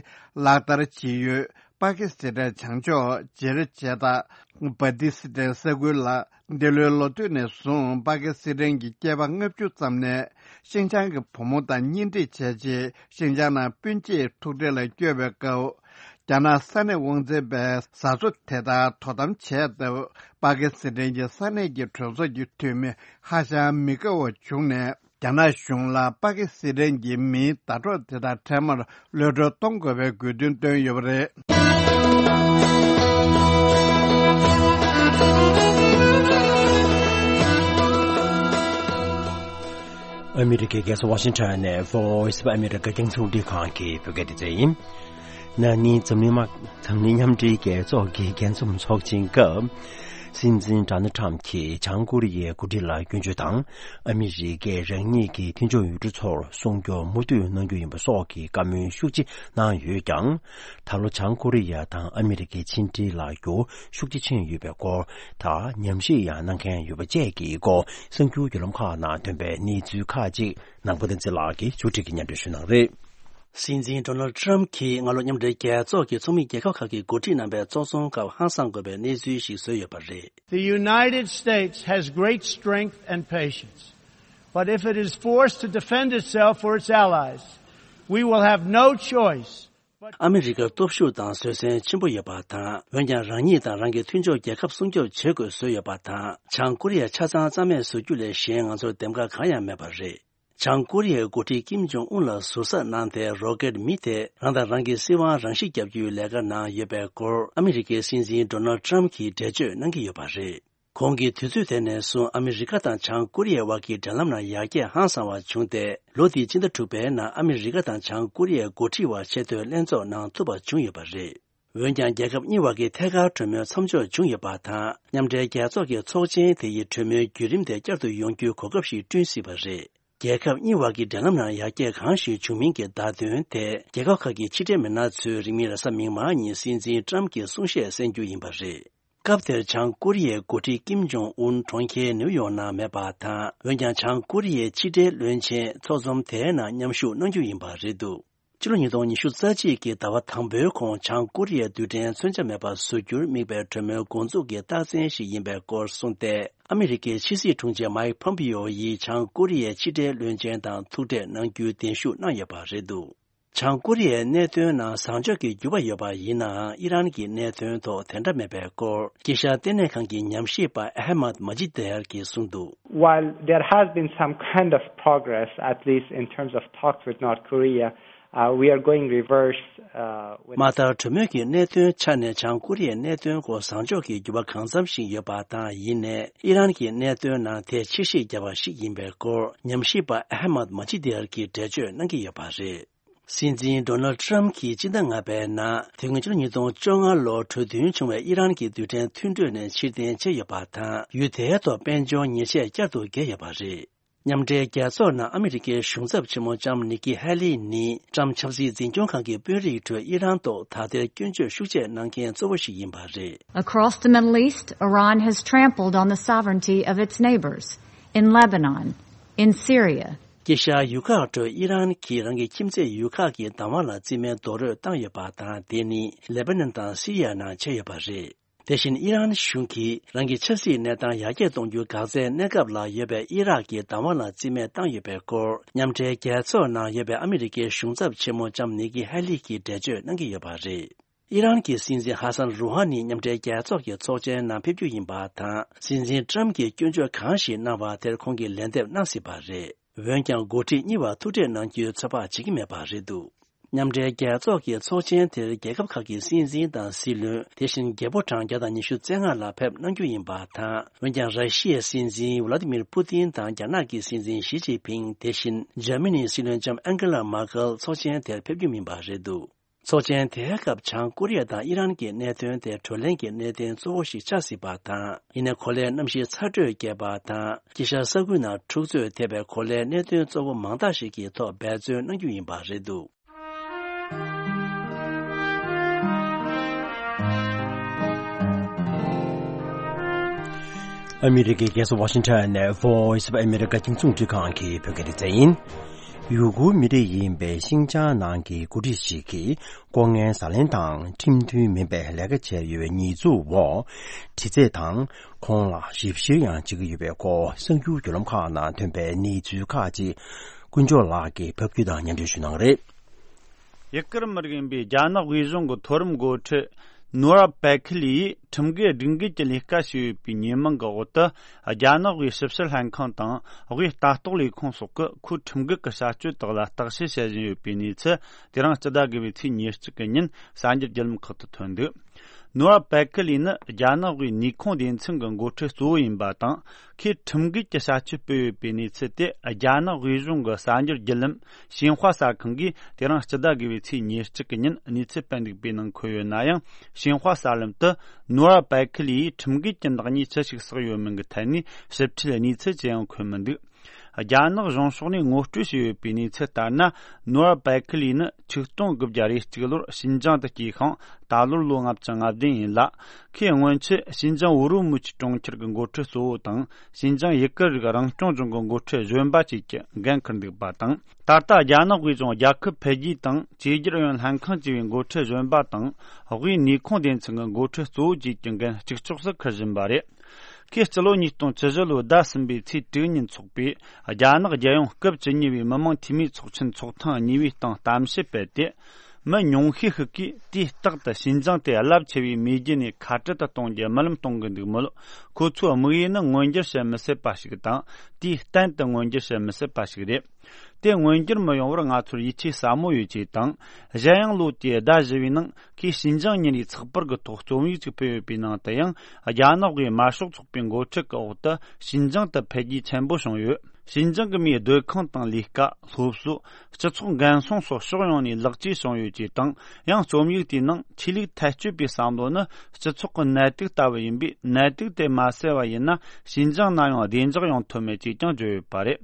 ལག་བསྟར་བྱེད་ཡུལ། པ་ཀི་སི་ཐན་བྱང་ཕྱོགས་ཇེར་ཇེ་ཏ། བ་ཏི་སི་ཐན་ས་ཁུལ་ལ། འདི་ལོའི་ལོ་སྟོད་ནས་བཟུང་པ་ཀི་སི་ཐན་གྱི་སྐྱེས་པ་ལྔ་བཅུ་ཙམ་ནས་ཤིན་ཅང་གི་བུ་མོ་དང་གཉེན་སྒྲིག་བྱས་རྗེས། ཤིན་ཅང་ནང་སྤུན་མཆེད་ཐུག་འཕྲད་ལ་བསྐྱོད་པའི་སྐབས། རྒྱ་ནག་ས་གནས་དབང་འཛིན་པས་བཟའ་ཚོ་དེ་དག་དོ་དམ་བྱས་སྟབས། པ་ཀི་སི་ཐན་གྱི་ས་གནས་ཀྱི་གྲོས་ཚོགས་ཀྱི་འཐུས་མི་ཧ་ཅང་མི་དགའ་བ་བྱུང་ནས། རྒྱ་ནག་གཞུང་ལ་པ་ཀི་སི་ཐན་གྱི་མིའི་ཟླ་གྲོགས་དེ་དག་འཕྲལ་མར་གློད་གྲོལ་གཏོང་དགོས་པའི་དགོས་འདུན་བཏོན་ཡོད་པ་རེད། ཨ་མི་རི་ཀའི་རྒྱལ་ས་ཝ་ཤིང་ཊོན་ནས་Voice of America རྒྱང་སྲིང་རླུང་འཕྲིན་ཁང་གི་བོད་སྐད་སྡེ་ཚན་ཡིན། ན་ནིང་འཛམ་གླིང་དམག་འཛམ་གླིང་མཉམ་འབྲེལ་རྒྱལ་ཚོགས་ཀྱི་རྒྱས་འཛོམས་ཚོགས་ཆེན་སྐབས། སྲིད་འཛིན་ཌོ་ནལ་ཊམ་གྱིས་བྱང་ཀོ་རི་ཡའི་འགོ་ཁྲིད་ལ་སྐྱོན་བརྗོད་དང་། ཨ་མི་རི་ཀས་རང་ཉིད་ཀྱི་མཐུན་ཕྱོགས་ཡུལ་གྲུ་ཚོར་སྲུང་སྐྱོབ་མུ་མཐུད་གནང་རྒྱུ་ཡིན་པ་སོགས་ཀྱི་བཀའ་མོལ་ཤུགས་ཆེ་གནང་ཡོད་ཀྱང་། ད་ལོ་བྱང་ཀོ་རི་ཡ་དང་ཨ་མི་རི་ཀའི་ཕྱི་འབྲེལ་ལ་འགྱུར་བ་ཤུགས་ཆེ་ཕྱིན་ཡོད་པའི་སྐོར་དང་། ཉམས་ཞིབ་ཡང་གནང་མཁན་ཡོད་པ་བཅས་ཀྱི་སྐོར། གསར་འགྱུར་བརྒྱུད་ལམ་ཁག་ནང་ཐོན་པའི་གནས་ཚུལ་ཁག་ཅིག་ནང་པ་བསྟན་འཛིན་ལགས་ཀྱིས་ཕྱོགས་སྒྲིག་གིས་སྙན་སྒྲོན་ཞུ་གནང་རེད། སྲིད་འཛིན་ཌོ་ནལ་ཊམ་གྱིས་སྔ་ལོ་མཉམ་འབྲེལ་རྒྱལ་ཚོགས་ཀྱི་ཚོགས་མི་རྒྱལ་ཁབ་ཁག་གི་འགོ་ཁྲིད་རྣམ་པའི་ཚོགས་ཚོམ་སྐབས་ཧང་སངས་དགོས་པའི་གནས་ཚུལ་ཞིག་བཟོས་ཡོད་པ་རེད། The United States has great strength and patience, but if it is forced to defend itself or its allies, we will have no choice. ཨ་མི་རི་ཀར་སྟོབས་ཤུགས་དང་བཟོད་བསྲན་ཆེན་པོ་ཡོད་པ་དང་། འོན་ཀྱང་རང་ཉིད་དང་རང་གི་མཐུན་ཕྱོགས་རྒྱལ་ཁབ་སྲུང་སྐྱོབ་བྱེད་དགོས་བཟོས་ཡོད་པ་དང་། བྱང་ཀོ་རི་ཡ་ཆ་ཚང་རྩ་མེད་བཟོ་རྒྱུ་ལས་གཞན་ང་ཚོར་འདེམས་ཀ་གང་ཡང་མེད་པ་རེད། བྱང་ཀོ་རི་ཡའི་འགོ་ཁྲིད་ཀིམ་ཇོང་ཨུན་ལ་ཟུར་ཟ་གནང་སྟེ། རོ་ཀེད་མི་དེས་རང་དང་རང་གི་སྲིད་དབང་རང་ཞིག་བརྒྱབ་རྒྱུའི་ལས་ཀ་གནང་ཡོད་པའི་སྐོར། ཨ་མི་རི་ཀའི་སྲིད་འཛིན་ཌོ་ནལ་ཊམ་གྱིས་འགྲེལ་བརྗོད་གནང་གི་ཡོད་པ་རེད། གོང་གི་དུས་ཚོད་དེ་ནས་བཟུང་ཨ་མི་རི་ཀ་དང་བྱང་ཀོ་རི་ཡའི་དབར་གྱི་འབྲེལ་ལམ་ནང་ཡར་རྒྱས་ཧང་སང་བ་བྱུང་སྟེ། ལོ་འདིའི་སྤྱི་ཟླ་དྲུག་པའི་ནང་ཨ་མི་རི་ཀ་དང་བྱང་ཀོ་རི་ཡའི་འགོ་ཁྲིད་དབར་ཆེས་མཐོའི་ལྷན་ཚོགས་གནང་ཐུབ་པ་བྱུང་ཡོད་པ་རེད། འོན་ཀྱང་། རྒྱལ་ཁབ་གཉིས་བར་གྱི་ཐད་ཀར་གྲོས་མོལ་མཚམས་འཇོག་བྱུང་ཡོད་པ་དང་། མཉམ་འབྲེལ་རྒྱལ་ཚོགས་ཀྱི་ཚོགས་ཆེན་དེ་ཡི་གྲོས་མོལ་བརྒྱུད་རིམ་དེ་བསྐྱར་དུ་ཡོང་རྒྱུའི་གོ་སྐབས་ཤིག་བསྐྲུན་སྲིད་པ་རེད། རྒྱལ་ཁབ་གཉིས་བར་གྱི་འབྲེལ་ལམ་ནང་ཡར་རྒྱས་གང་ཞིག་བྱུང་མིན་གྱི་བརྡ་དོན་དེ། རྒྱལ་ཁབ་ཁག་གི་ཕྱི་འབྲེལ་མི་སྣ་ཚོས་རིང་མིན་རེས་གཟའ་མིག་དམར་ཉིན་སྲིད་འཛིན་ཀྲམ་གྱི་གསུང་བཤད་གསན་རྒྱུ་ཡིན་པ་རེད། སྐབས་དེར་བྱང་ཀོ་རི་ཡའི་འགོ་ཁྲིད་ཀིམ་ཇོང་ཨུན་གྲོང་ཁྱེར་ནིའུ་ཡོག་ནང་མེད་པ་དང་། འོན་ཀྱང་། བྱང་ཀོ་རི་ཡའི་ཕྱི་འབྲེལ་བློན་ཆེན་ཚོགས་འཛོམས་དེའི་ནང་མཉམ་ཞུགས་གནང་རྒྱུ་ཡིན་པ་རེད་འདུག་ཕྱི་ལོ་ཉིས་སྟོང་ཉི་ཤུ་རྩ་གཅིག་གི་ཟླ་བ་དང་པོའི་གོང་། བྱང་ཀོ་རི་ཡའི་རྡུལ་ཕྲན་མཚོན་ཆ་མེད་པ་བཟོ་རྒྱུར་དམིགས་པའི་གྲོས་མོལ་འགོ་འཛུགས་ཀྱི་རྟགས་མཚན་ཞིག་ཡིན་པའི་སྐོར་གསུངས་ཏེ། ཨ་མི་རི་ཀའི་ཕྱི་སྲིད་དྲུང་ཆེ་མཱིག་ཕོམ་པིའོ་ཡིས་བྱང་ཀོ་རི་ཡའི་ཕྱི་འབྲེལ་བློན་ཆེན་དང་ཐུག་འཕྲད་གནང་རྒྱུའི་གདན་ཞུ་གནང་ཡོད་པ་རེད་འདུག་བྱང་ཀོ་རི་ཡའི་གནད་དོན་ནང་བཟང་ཕྱོགས་ཀྱི་འགྱུར་བ་ཡོད་པ་ཡིན་ནའང་། ཨི་རན་གྱི་གནད་དོན་ཐོག་དེ་འདྲ་མེད་པའི་སྐོར། དཀྱིལ་ཤར་ལྟེ་གནས་ཁང་གི་ཉམས་ཞིབ་པ་ཨ་ཧ་མད་མ་ཇི་དེར་གྱིས་གསུངས་འདུག While there has been some kind of progress, at least in terms of talks with North Korea, uh, we are going reverse, uh, with མ་མཐར། གྲོས་མོལ་གྱི་གནད་དོན་ཆ་ནས་བྱང་ཀོ་རི་ཡའི་གནད་དོན་སྐོར་བཟང་ཕྱོགས་ཀྱི་འགྱུར་བ་གང་འཚམ་ཞིག་ཡོད་པ་དང་། ཡིན་ནའི་ཨི་རན་གྱི་གནད་དོན་ནང་དེ་ཕྱིར་བཤིག་བརྒྱབ་པ་ཞིག་ཡིན་པའི་སྐོར། ཉམས་ཞིབ་པ་ཨ་ཧ་མད་མ་ཇི་དེར་གྱིས་འགྲེལ་བརྗོད་གནང་གི་ཡོད་པ་རེད། སྲིད་འཛིན་ཌོ་ནལ་ཊམ་གྱིས་སྤྱི་ཟླ་ལྔ་པའི་ནང་། དེ་སྔོན་ཕྱི་ལོ་ཉིས་སྟོང་བཅོ་ལྔ་ལོར་གྲོས་མཐུན་བྱུང་བའི་ཨི་རན་གྱི་རྡུལ་ཕྲན་མཐུན་གྲོས་ནས་ཕྱིར་འཐེན་བྱས་ཡོད་པ་དང་། ཡུལ་དེའི་ཐོག་དཔལ་འབྱོར་ཉེས་ཆད་བསྐྱར་དུ་བཀལ་ཡོད་པ་རེད། མཉམ་འབྲེལ་རྒྱལ་ཚོགས་ནང་ཨ་མི་རི་ཀའི་གཞུང་ཚབ་ཆེན་མོ་ལྕམ་ནི་ཀི་ཧེ་ལི་ནི། ཊམ་ཆབ་སྲིད་འཛིན་སྐྱོང་ཁང་གི་དཔོན་རིགས་ཁྲོད་ཨི་རན་ཐོག་ད་ལྟའི་སྐྱོན་བརྗོད་ཤུགས་ཆེ་གནང་མཁན་གཙོ་བོ་ཞིག་ཡིན་པ་རེད། Across the Middle East, Iran has trampled on the sovereignty of its neighbors in Lebanon, in Syria, དཀྱིལ་ཤར་ཡུལ་ཁག་ཁྲོད་ཨི་རན་གྱིས་རང་གི་ཁྱིམ་མཚེས་ཡུལ་ཁག་གི་བདག་དབང་ལ་རྩིས་མེད་རྡོག་རོལ་བཏང་ཡོད་པ་དང་། དེ་ནི་ལེ་པ་ནན་དང་སི་རི་ཡ་ནང་བྱས་ཡོད་པ་རེད། དེ་བཞིན་ཨི་རན་གཞུང་གིས་རང་གི་ཆབ་སྲིད་གནས་སྟངས་ཡར་རྒྱས་གཏོང་རྒྱུའི་འགག་རྩའི་གནས་སྐབས་ལ་ཡོད་པའི་ཨི་རག་གི་བདག་དབང་ལ་རྩིས་མེད་བཏང་ཡོད་པའི་སྐོར། མཉམ་འབྲེལ་རྒྱལ་ཚོགས་ནང་ཡོད་པའི་ཨ་མི་རི་ཀའི་གཞུང་ཚབ་ཆེན་མོ་ལྕམ་ནི་ཀི་ཧེ་ལི་གིས་འགྲེལ་བརྗོད་གནང་གི་ཡོད་པ་རེད། ཨི་རན་གྱི་སྲིད་འཛིན་ཧ་སན་རུ་ཧ་ནི་མཉམ་འབྲེལ་རྒྱལ་ཚོགས་ཀྱི་ཚོགས་ཆེན་ནང་ཕེབས་རྒྱུ་ཡིན་པ་དང་། སྲིད་འཛིན་ཊམ་གྱིས་སྐྱོན་བརྗོད་གང་ཞིག་གནང་བ་དེར་ཁོང་གིས་ལན་འདེབས་གནང་སྲིད་པ་རེད། འོན་ཀྱང་། འགོ་ཁྲིད་གཉིས་བར་ཐུག་འཕྲད་གནང་རྒྱུའི་ཚོད་དཔག་བྱེད་ཀྱི་མེད་པ་རེད་འདུག་མཉམ་འབྲེལ་རྒྱལ་ཚོགས་ཀྱི་ཚོགས་ཆེན་དེར་རྒྱལ་ཁབ་ཁག་གི་སྲིད་འཛིན་དང་སྲིད་བློན། དེ་བཞིན་རྒྱལ་པོ་གྲངས་བརྒྱ་དང་ཉི་ཤུ་རྩ་ལྔ་ལ་ཕེབས་གནང་རྒྱུ་ཡིན་པ་དང་། འོན་ཀྱང་། ར་ཤི་ཡའི་སྲིད་འཛིན་ཝ་ལ་ཏི་མིར་པུ་ཏིན་དང་། རྒྱ་ནག་གི་སྲིད་འཛིན་ཞི་ཅིན་ཕིང་། དེ་བཞིན་འཇར་མ་ནིའི་སྲིད་བློན་ལྕམ་ཨན་ཀེ་ལ་མར་ཀེལ་ཚོགས་ཆེན་དེར་ཕེབས་རྒྱུ་མིན་པ་རེད་འདུག་ཚོགས་ཆེན་དེའི་སྐབས་བྱང་ཀོ་རི་ཡ་དང་ཨི་རན་གྱི་གནད་དོན་དེ་བགྲོ་གླེང་གི་གནད་དོན་གཙོ་བོ་ཞིག་ཆགས་སྲིད་པ་དང་། ཡིན་ནའི་གོ་ལའི་གནམ་གཤིས་ཚ་དྲོད་རྒྱས་པ་དང་། དཀྱིལ་ཤར་ས་ཁུལ་ནང་འཁྲུག་རྩོད་ཐེབས་པའི་གོ་ལའི་གནད་དོན་གཙོ་བོ་མང་དག་ཞིག་གི་ཐོག་འབད་བརྩོན་གནང་རྒྱུ་ཡིན་པ་རེད་འདུག་ཨ་མི་རི་ཀའི་རྒྱལ་ས་ཝ་ཤིང་ཊོན་ནས་Voice of America་རྒྱང་སྲིང་རླུང་འཕྲིན་ཁང་གི་བོད་སྐད་སྡེ་ཚན་ཡིན། ཡུ་གུར་མི་རིགས་ཡིན་པའི་ཤིན་ཅང་ནང་གི་འགོ་ཁྲིད་ཞིག་གིས་ལྐོག་རྔན་ཟ་ལེན་དང་ཁྲིམས་མཐུན་མིན་པའི་ལས་ཀ་བྱས་ཡོད་པའི་ཉེས་འཛུགས་འོག་དྲི་རྩད་དང་ཁོང་ལ་ཞིབ་བཤེར་ཡང་བྱེད་ཀྱི་ཡོད་པའི་སྐོར་གསར་འགྱུར་བརྒྱུད་ལམ་ཁག་ནང་ཐོན་པའི་གནས་ཚུལ་ཁག་ཅིག་ཀུན་སྦྱོར་ལགས་ཀྱིས་ཕབ་སྒྱུར་དང་མཉམ་འབྲེལ་ཞུ་གནང་གི་རེད། ཡུ་གུར་མི་རིགས་ཡིན་པའི་རྒྱ་ནག་དབུས་གཞུང་གི་མཐོ་རིམ་འགོ་ཁྲིད་ནོར་བ་པེ་ཁི་ལི་ཡིས་ཁྲིམས་འགལ་སྒྲིག་འགལ་གྱི་ལས་ཀ་བྱས་ཡོད་པའི་ཉེས་མིང་གི་འོག་ཏུ། རྒྱ་ནག་དབུས་ཞིབ་བཤེར་ལྷན་ཁང་དང་དབུས་ལྟ་རྟོག་ལས་ཁུངས་སོགས་ཀྱིས་ཁོའི་ཁྲིམས་འགལ་གྱི་བྱ་སྤྱོད་དག་ལ་བརྟག་དཔྱད་བྱེད་བཞིན་ཡོད་པའི་གནས་ཚུལ། དེ་རིང་སྤྱི་ཟླ་དགུ་པའི་ཚེས་ཉེར་གཅིག་གི་ཉིན་གསར་འགྱུར་བརྒྱུད་ལམ་ཁག་ཏུ་ཐོན་འདུག་ནོར་བ་པེ་ཁི་ལི་ནི་རྒྱ་ནག་དབུས་ནུས་ཁུངས་སྡེ་ཚན་གྱི་འགོ་ཁྲིད་གཙོ་བོ་ཡིན་པ་དང་། ཁོས་ཁྲིམས་འགལ་གྱི་བྱ་སྤྱོད་སྤེལ་ཡོད་པའི་གནས་ཚུལ་དེ་རྒྱ་ནག་དབུས་གཞུང་གི་གསར་འགྱུར་བརྒྱུད་ལམ་ཞིན་ཧྭ་གསར་ཁང་གིས་དེ་རིང་སྤྱི་ཟླ་དགུ་པའི་ཚེས་ཉེར་གཅིག་གི་ཉིན་གནས་ཚུལ་སྤེལ་འདུག་པའི་ནང་འཁོད་ཡོད་ན་ཡང་། ཞིན་ཧྭ་གསར་ལམ་དུ་ནོར་བ་པེ་ཁི་ལི་ཡིས་ཁྲིམས་འགལ་གྱི་བདག་ཉེས་ཅི་ཞིག་བསགས་ཡོད་མིན་གྱི་ཐད་ནས་ཞིབ་ཕྲའི་གནས་ཚུལ་ཅི་ཡང་འཁོད་མི་འདུག་རྒྱ་ནག་གཞུང་ཕྱོགས་ནས་ངོ་སྤྲོད་བྱས་ཡོད་པའི་གནས་ཚུལ་ལྟར་ན། ནོར་བ་པེ་ཁི་ལི་ནི་ཆིག་སྟོང་དགུ་བརྒྱ་རེ་གཅིག་ལོར་ཞིན་ཅང་དུ་སྐྱེས་ཤིང་། ད་ལོར་ལོ་ལྔ་བཅུ་ང་བདུན་ཡིན་ལ། ཁོས་སྔོན་ཆད་ཞིན་ཅང་ཝུ་རུ་མུ་ཆི་གྲོང་ཁྱེར་གྱི་འགོ་ཁྲིད་གཙོ་བོ་དང་། ཞིན་ཅང་ཡུ་གུར་རིགས་རང་སྐྱོང་ལྗོངས་ཀྱི་འགོ་ཁྲིད་གཞོན་པ་བཅས་ཀྱི་འགན་འཁུར་འདུག་པ་དང་། ད་ལྟ་རྒྱ་ནག་དབུས་གཞུང་རྒྱལ་ཁབ་འཕེལ་རྒྱས་དང་བཅོས་བསྒྱུར་ཨུ་ཡོན་ལྷན་ཁང་བཅས་པའི་འགོ་ཁྲིད་གཞོན་པ་དང་། དབུས་ནུས་ཁུངས་སྡེ་ཚན་གྱི་འགོ་ཁྲིད་གཙོ་བོ་བཅས་ཀྱི་འགན་གཅིག་ལྕོགས་སུ་འཁུར་བཞིན་པ་རེད། ཁོས་སྤྱི་ལོ་ཉིས་སྟོང་བཅུ་བཞི་ལོའི་ཟླ་གསུམ་པའི་ཚེས་དྲུག་ཉིན་འཚོགས་པའི་རྒྱ་ནག་རྒྱལ་ཡོངས་སྐབས་བཅུ་གཉིས་པའི་མི་དམངས་འཐུས་མིའི་ཚོགས་ཆེན་ཚོགས་ཐེངས་གཉིས་པའི་སྟེང་གཏམ་བཤད་སྤེལ་ཏེ། མི་ཉུང་ཤས་ཤིག་གིས་དུས་རྟག་ཏུ་ཞིན་ཅང་དེ་རླབས་ཆེ་བའི་མེས་རྒྱལ་ནས་ཁ་བྲལ་དུ་གཏོང་རྒྱུ་རྨི་ལམ་གཏོང་གི་འདུག་མོད། ཁོ་ཚོའི་དམིགས་ཡུལ་ནི་མངོན་འགྱུར་བྱེད་མི་སྲིད་པ་ཞིག་དང་། དུས་གཏན་དུ་མངོན་འགྱུར་བྱེད་མི་སྲིད་པ་ཞིག་རེད། དེ་མངོན་འགྱུར་མི་ཡོང་བར་ང་ཚོར་ཡིད་ཆེས་ཟབ་མོ་ཡོད་ཅེས་དང་། གཞན་ཡང་ལོ་དེའི་ཟླ་བཞི་པའི་ནང་ཁོས་ཞིན་ཅང་ཉིན་རེའི་ཚགས་པར་གྱི་ཐོག་རྩོམ་ཡིག་ཅིག་སྤེལ་ཡོད་པའི་ནང་དུ་ཡང་རྒྱ་ནག་གིས་དམར་ཤོག་ཚོགས་པའི་འགོ་ཁྲིད་ཀྱི་འོག་ཏུ་ཞིན་ཅང་དུ་འཕེལ་རྒྱས་ཆེན་པོ་བྱུང་ཡོད། ཞིན་ཅང་གི་མིའི་སྡོད་ཁང་དང་ལས་ཀ། སློབ་གསོ། སྤྱི་ཚོགས་འགན་སྲུང་སོགས་ཕྱོགས་ཡོངས་ནས་ལེགས་བཅོས་བྱུང་ཡོད་ཅེས་དང་། ཡང་རྩོམ་ཡིག་དེའི་ནང་ཆོས་ལུགས་ཐལ་སྤྱོད་པའི་བསམ་བློ་ནི་སྤྱི་ཚོགས་ཀྱི་ནད་དུག་ལྟ་བུ་ཡིན་པས། ནད་དུག་དེ་མ་སེལ་བ་ཡིན་ན་ཞིན་ཅང་ན་ཡང་བདེ་འཇགས་ཡོང་ཐུབ་མེད་ཅེས་ཀྱང་བརྗོད་ཡོད་པ་རེད།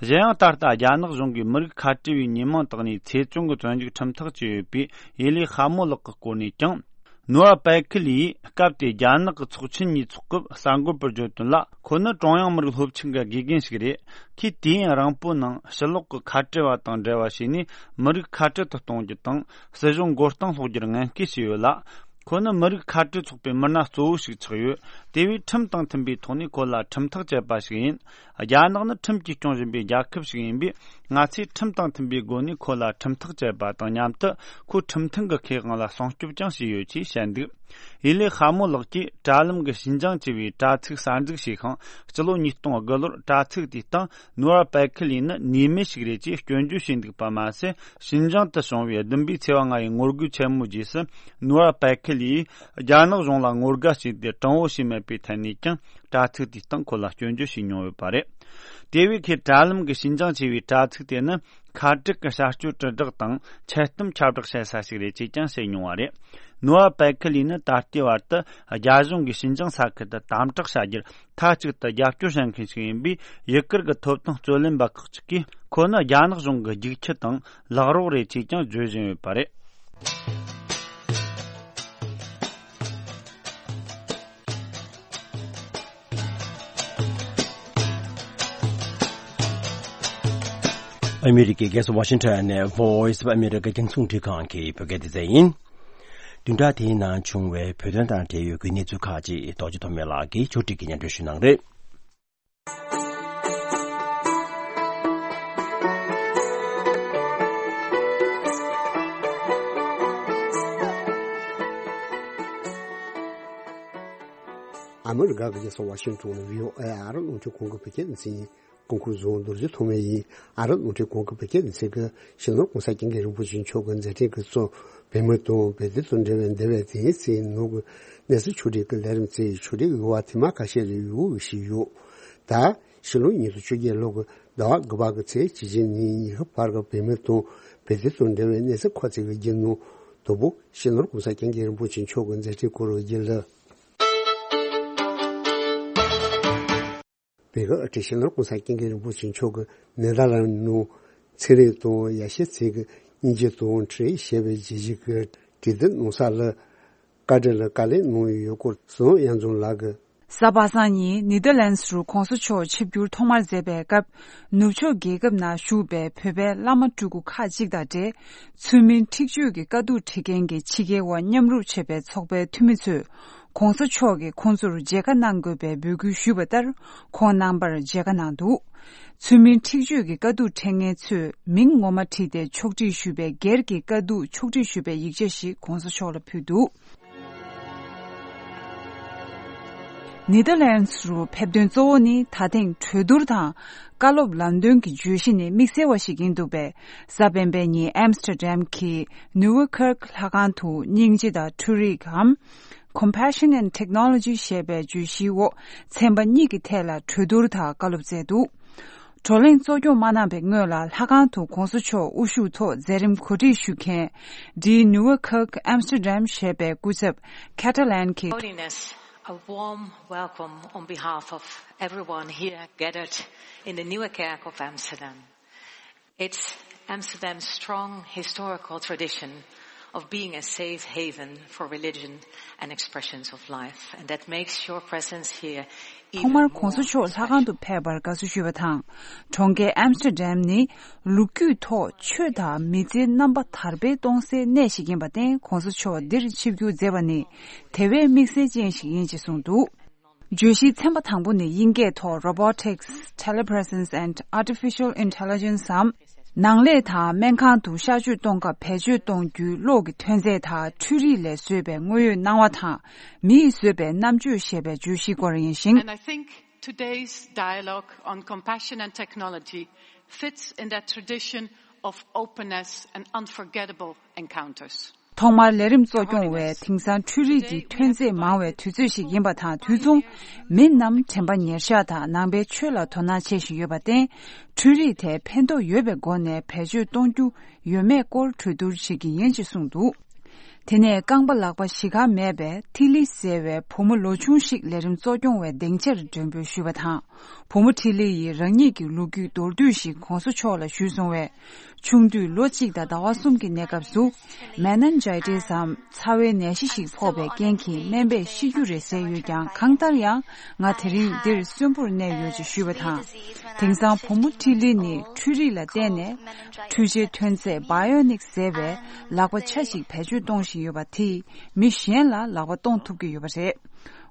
གཞན་ཡང་ད་ལྟ་རྒྱ་ནག་གཞུང་གིས་མི་རིགས་ཁ་བྲལ་བའི་ཉེས་མིང་བཏགས་ནས་ཚེ་བཙོན་གྱི་བཙོན་འཇུག་ཁྲིམས་ཐག་བཅད་ཡོད་པའི་ཡེ་ལི་ཧ་མོ་ལགས་ཀྱི་སྐོར་ནས་ཀྱང་། ནུའ་པའེ་ཁི་ལིས་སྐབས་དེའི་རྒྱ་ནག་གི་ཚོགས་ཆེན་ཉིན་ཚོགས་སྐབས་གསར་འགོད་པར་བརྗོད་དོན་ལ། ཁོ་ནི་ཀྲུང་དབྱང་མི་རིགས་སློབ་ཆེན་གྱི་དགེ་རྒན་ཞིག་རེད། ཁོས་དུས་ཡུན་རིང་པོའི་ནང་ཕྱི་ལོགས་ཀྱི་ཁ་བྲལ་བ་དང་འབྲེལ་བ་བྱས་ནས་མི་རིགས་ཁ་བྲལ་དུ་གཏོང་རྒྱུ་དང་སྲིད་གཞུང་མགོ་རྟིང་སློག་རྒྱུར་ངན་སྐུལ་བྱས་ཡོད་ལ། ཁོ་ནི་མི་རིགས་ཁ་བྲལ་ཚོགས་པའི་མི་སྣ་གཙོ་བོ་ཞིག་ཆགས་ཡོད། དེ་བས་ཁྲིམས་དང་མཐུན་པའི་ཐོག་ནས་ཁོ་ལ་ཁྲིམས་ཐག་བཅད་པ་ཞིག་ཡིན། རྒྱ་ནག་ནི་ཁྲིམས་ཀྱིས་སྐྱོང་བཞིན་པའི་རྒྱལ་ཁབ་ཞིག་ཡིན་པས། ང་ཚོས་ཁྲིམས་དང་མཐུན་པའི་སྒོ་ནས་ཁོ་ལ་ཁྲིམས་ཐག་བཅད་པ་དང་མཉམ་དུ་ཁོའི་ཁྲིམས་མཐུན་གྱི་ཁེ་དབང་ལ་སྲུང་སྐྱོབ་ཀྱང་བྱས་ཡོད་ཅེས་བཤད་འདུག་ཡེ་ལི་ཧ་མོ་ལགས་ཀྱིས་དྲ་ལམ་གྱི་ཞིན་ཅང་ཅེས་པའི་དྲ་ཚིགས་གསར་འཛུགས་བྱས་ཤིང་། སྤྱི་ལོ་ཉིས་སྟོང་དགུ་ལོར་དྲ་ཚིགས་དེའི་སྟེང་ནུའར་པའེ་ཁི་ལི་ནི་ཉེས་མེད་ཞིག་རེད་ཅེས་སྐྱོན་བརྗོད་བྱས་འདུག་པ་མ་ཟད། ཞིན་ཅང་དུ་བྱུང་བའི་བདུན་པའི་ཚེས་པ་ལྔ་ཡི་ངོ་རྒོལ་ཆེན་མོའི་རྗེས་སུ་ནུའར་པའེ་ཁི་ལིས་རྒྱ་ནག་གཞུང་ལ་ངོ་དགའ་བྱས་ཏེ་དྲང་བོ་བྱས་མེད་པའི་ཐད་ནས་ཀྱང་དྲ་ཚིགས་དེའི་སྟེང་ཁོ་ལ་སྐྱོན་བརྗོད་བྱས་མྱོང་ཡོད་པ་རེད། དེ་བས་ཁོས་དྲ་ལམ་གྱི་ཞིན་ཅང་ཅེས་པའི་དྲ་ཚིགས་དེ་ནི་ཁ་བྲལ་གྱི་བྱ་སྤྱོད་དྲིལ་བསྒྲགས་དང་འཆལ་གཏམ་ཁྱབ་བསྒྲགས་བྱེད་ས་ཞིག་རེད་ཅེས་ཀྱང་བཤད་མྱོང་བ་རེད། ནུའར་པའེ་ཁི་ལི་ནི་ད་ལྟའི་བར་དུ་རྒྱ་གཞུང་གིས་ཞིན་ཅང་ས་ཁུལ་དུ་དམ་དྲག་བྱ་རྒྱུར་མཐའ་གཅིག་ཏུ་རྒྱབ་སྐྱོར་བྱེད་མཁན་ཞིག་ཡིན་པས། ཡུ་གུར་གྱི་ཐོབ་ཐང་རྩོད་ལེན་པ་ཁག་ཅིག་གིས་ཁོ་ནི་རྒྱ་ནག་གཞུང་གི་རྒྱུག་ཁྱི་དང་ལག་རོགས་རེད་ཅེས་ཀྱང་བརྗོད་བཞིན་ཡོད་པ་རེད། ཨ་མི་རི་ཀའི་རྒྱལ་ས་ཝ་ཤིང་ཊོན་ནས་Voice of America རྒྱང་སྲིང་འཕྲིན་ཁང་གི་བོད་སྐད་སྡེ་ཚན་ཡིན། བདུན་ཕྲག་དེའི་ནང་བྱུང་བའི་བོད་དོན་དང་འབྲེལ་ཡོད་ཀྱི་གནས་ཚུལ་ཁག་ཅིག་རྡོ་རྗེ་ཐོགས་མེད་ལགས་ཀྱིས་ཕྱོགས་སྒྲིག་གིས་སྙན་སྒྲོན་ཞུ་གནང་རེད། ཨ་མི་རི་ཀ་གི་རྒྱལ་ས་ཝ་ཤིང་ཊོན་ནས་བྷི་ཨོ་ཨེ་ཨ་རི་རླུང་འཕྲིན་ཁང་གི་བོད་སྐད་སྡེ་ཚན་ཡིན། སྐུ་ཁམས་བཟང་། རྡོ་རྗེ་ཐོགས་མེད་ཡིན། ཨ་རིའི་རླུང་འཕྲིན་ཁང་གི་བོད་སྐད་སྡེ་ཚན་གྱིས་སྤྱི་ནོར་༸གོང་ས་༸སྐྱབས་མགོན་རིན་པོ་ཆེ་མཆོག་གི་མཛད་འཕྲིན་གྱི་གཙོ་བོད་མི་དང་བོད་དོན་དང་འབྲེལ་བའི་འདས་པའི་དེང་ཚེ་ནང་གི་གནས་ཚུལ་ཕྱོགས་སྒྲིག་གི་ལས་རིམ་བཙལ། ཕྱོགས་སྒྲིག་ཡོད་པ་དེ་མ་ཁ་ཤས་ལ་ཡུལ་དབུས་ཤིག་ཡོད། ད་ཕྱི་ལོ་ཉིས་སྟོང་བཅོ་བརྒྱད་ལོ་གི་ཟླ་བ་དགུ་པ་གི་ཚེས་གཅིག་ནས་ཉི་ཤུ་བར་གྱི་བོད་མི་དང་བོད་དོན་དང་འབྲེལ་བའི་གནས་ཚུལ་ཁ་ཚིག་གི་བརྒྱུད་ནང་དོ་པོ་སྤྱི་ནོར་༸གོང་ས་༸སྐྱབས་མགོན་རིན་པོ་ཆེ་མཆོག་གི་མཛད་འཕྲིན་སྐོར་བརྗོད་ལ། བོད་ཀྱི་དབུ་ཁྲིད་སྤྱི་ནོར་༸གོང་ས་༸སྐྱབས་མགོན་རིན་པོ་ཆེ་མཆོག་གིས་ནེ་དར་ལན་ནང་ཚན་རིག་དང་ཡར་ཞུ་ཚན་གྱི་སྙིང་རྗེ་དང་འཕྲིན་ཡིག་ཞེས་པའི་རྒྱལ་སྤྱིའི་གྲོས་བསྡུར་གནང་ས་ལ་བཀའ་འདྲི་ལ་བཀའ་ལན་གནང་ཡོད་སྐོར་ཟམ་གཡང་འཛོམས་ལགས་ཀྱིས། གཟའ་པ་སངས་ཉིན་ནེ་དར་ལན་སི་རུ་༸གོང་ས་མཆོག་ཆིབས་བསྒྱུར་ཐོག་མར་མཛད་པའི་སྐབས། ནུབ་ཕྱོགས་རྒྱལ་ཁབ་ནང་བཞུགས་པའི་བོད་པའི་བླ་མ་སྤྲུལ་སྐུ་ཁག་ཅིག་དང་འབྲེལ། ཚུལ་མིན་འཁྲིག་སྤྱོད་ཀྱི་དཀའ་སྡུག་འཕྲད་མཁན་གྱི་ཕྱི་རྒྱལ་བ་མཉམ་རུབ་བྱེད་པའི་ཚོགས་པའི་འཐུས་མི་ཚོས། ༸གོང་ས་མཆོག་གིས་ཁོང་ཚོར་མཇལ་ཁ་གནང་དགོས་པའི་འབོད་སྐུལ་ཞུས་པ་ལྟར། ཁོང་རྣམ་པར་མཇལ་ཁ་གནང་འདུག་ཚུལ་མིན་འཁྲིག་སྤྱོད་ཀྱི་དཀའ་སྡུག་འཕྲད་མཁན་ཚོས་མིང་ངོ་མ་བྲིས་ཏེ་ཕྱོགས་སྒྲིག་ཞུས་པའི་སྒེར་གྱི་དཀའ་སྡུག་ཕྱོགས་སྒྲིག་ཞུས་པའི་ཡིག་ཆ་ཞིག་༸གོང་ས་མཆོག་ལ་ཕུལ་འདུག་ནེ་དར་ལན་སི་རུ་ཕེབས་དོན་གཙོ་བོ་ནི་ད་ཐེངས་གྲོས་བསྡུར་དང་བཀའ་སློབ་ལམ་སྟོན་གྱི་བརྗོད་གཞི་ནི་དམིགས་བསལ་བ་ཞིག་ཡིན་འདུག་པས། གཟའ་སྤེན་པའི་ཉིན་ཨེམ་སི་ཏྲ་ཌེམ་གྱི་ནུ་ཝེ་ཁར་ལྷ་ཁང་དུ་སྙིང་རྗེ་དང་འཕྲུལ་རིག་གམ། Compassion and Technology ཞེས་པའི་བརྗོད་གཞིའི་འོག་ཚན་པ་གཉིས་ཀྱི་ཐད་ལ་གྲོས་བསྡུར་དང་བཀའ་སློབ་སྩལ་འདུག་བགྲོ་གླེང་གཙོ་སྐྱོང་མ་གནང་བའི་སྔོན་ལ་ལྷ་ཁང་དུ་༸གོང་ས་མཆོག་དབུ་བཞུགས་ཐོག་མཛད་རིམ་གོ་སྒྲིག་ཞུ་མཁན་Die Nieuwe Kerk Amsterdam ཞེས་པའི་སྐུ་ཚབ་ཁེ་ཏྲ་ལན་གྱིས། Holiness, a warm welcome on behalf of everyone here gathered in the Nieuwe Kerk of Amsterdam. It's Amsterdam's strong historical tradition of being a safe haven for religion and expressions of life, and that makes your presence here even more special. ཐོག་མར་༸གོང་ས་མཆོག་ལྷ་ཁང་དུ་ཕེབས་པར་དགའ་བསུ་ཞུས་པ་དང་། གྲོང་ཁྱེར་ཨེམ་སི་ཏྲ་ཌེམ་ནི་ལོ་རྒྱུས་ཐོག་ཆོས་དང་མི་ཚེའི་རྣམ་པ་དར་སྤེལ་གཏོང་སའི་གནས་ཤིག་ཡིན་པར་བརྟེན། ༸གོང་ས་མཆོག་འདིར་ཆིབས་བསྒྱུར་མཛད་པ་ནི་དེ་བས་དམིགས་བསལ་ཅན་ཞིག་ཡིན་ཅེས་གསུངས་འདུག་བརྗོད་གཞིའི་ཚན་པ་དང་པོ་ནི་དབྱིན་སྐད་ཐོག་Robotics, Telepresence and Artificial Intelligence འམ། ནང་ལས་དང་སྨན་ཁང་དུ་གཤག་བཅོས་གཏོང་སྐབས་བེད་སྤྱོད་གཏོང་རྒྱུའི་གློག་གི་ཐོན་རྫས་དང་འཕྲུལ་རིག་ལས་བཟོས་པའི་དངོས་ཡོད་སྣང་བ་དང་། མིས་བཟོས་པའི་རྣམ་དཔྱོད་ཞེས་པའི་བརྗོད་གཞིའི་སྐོར་ཡིན་ཞིང་། And I think today's dialogue on compassion and technology fits in that tradition of openness and unforgettable encounters. ཐོག་མར་ལས་རིམ་གཙོ་སྐྱོང་བས་དེང་སང་འཕྲུལ་རིག་གི་ཐོན་རྫས་མང་བའི་དུས་ཚོད་ཞིག་ཡིན་པ་དང་། དུས་མཚུངས་མི་རྣམས་དྲན་པ་ཉེར་བཞག་དང་ནང་པའི་ཆོས་ལ་དོ་སྣང་བྱེད་བཞིན་ཡོད་པར་བརྟེན། འཕྲུལ་རིག་དེ་ཕན་ཐོགས་ཡོད་པའི་སྒོ་ནས་བེད་སྤྱོད་གཏོང་རྒྱུ་ཡོད་མེད་སྐོར་གྲོས་བསྡུར་བྱེད་ཀྱི་ཡིན་ཞེས་གསུངས་འདུག་དེ་ནས་རྐང་པ་ལག་པ་བཞི་ག་མེད་པའི་ཐི་ལི་ཟེར་བའི་བུ་མོ་ལོ་ཆུང་ཞིག་ལས་རིམ་གཙོ་སྐྱོང་བས་སྡིངས་ཆར་མགྲོན་འབོད་ཞུས་པ་དང་། བུ་མོ་ཁྲི་ལི་ཡིས་རང་ཉིད་ཀྱི་ལོ་རྒྱུས་མདོར་བསྡུས་ཤིག་གོང་ས་མཆོག་ལ་ཞུས་སོང་བས། ཆུང་དུས་ལོ་གཅིག་དང་ཟླ་བ་གསུམ་གྱི་གནས་སྐབས་སུ། མེ་ནན་ཇའི་ཏི་སམ་ཚ་བའི་ནད་གཞི་ཞིག་ཕོག་པའི་རྐྱེན་གྱིས་སྨན་པས་ཤི་རྒྱུ་རེད་ཟེར་ཡོད་ཀྱང་། གང་ལྟར་ཡང་ང་དེ་རིང་འདིར་གསོན་པོར་གནས་ཡོད་ཅེས་ཞུས་པ་དང་། དེང་སང་བུ་མོ་ཁྲི་ལི་ནི་འཕྲུལ་རིག་ལ་བརྟེན་ནས། འཕྲུལ་ཆས་ཐོན་རྫས་བྷའི་ཨོ་ནིག་ཟེར་བའི་ལག་པ་ཆ་ཞིག་བེད་སྤྱོད་གཏོང་བཞིན་ཡོད་པ་དེས་མི་གཞན་ལ་ལག་པ་གཏོང་ཐུབ་ཀྱི་ཡོད་པ་རེད།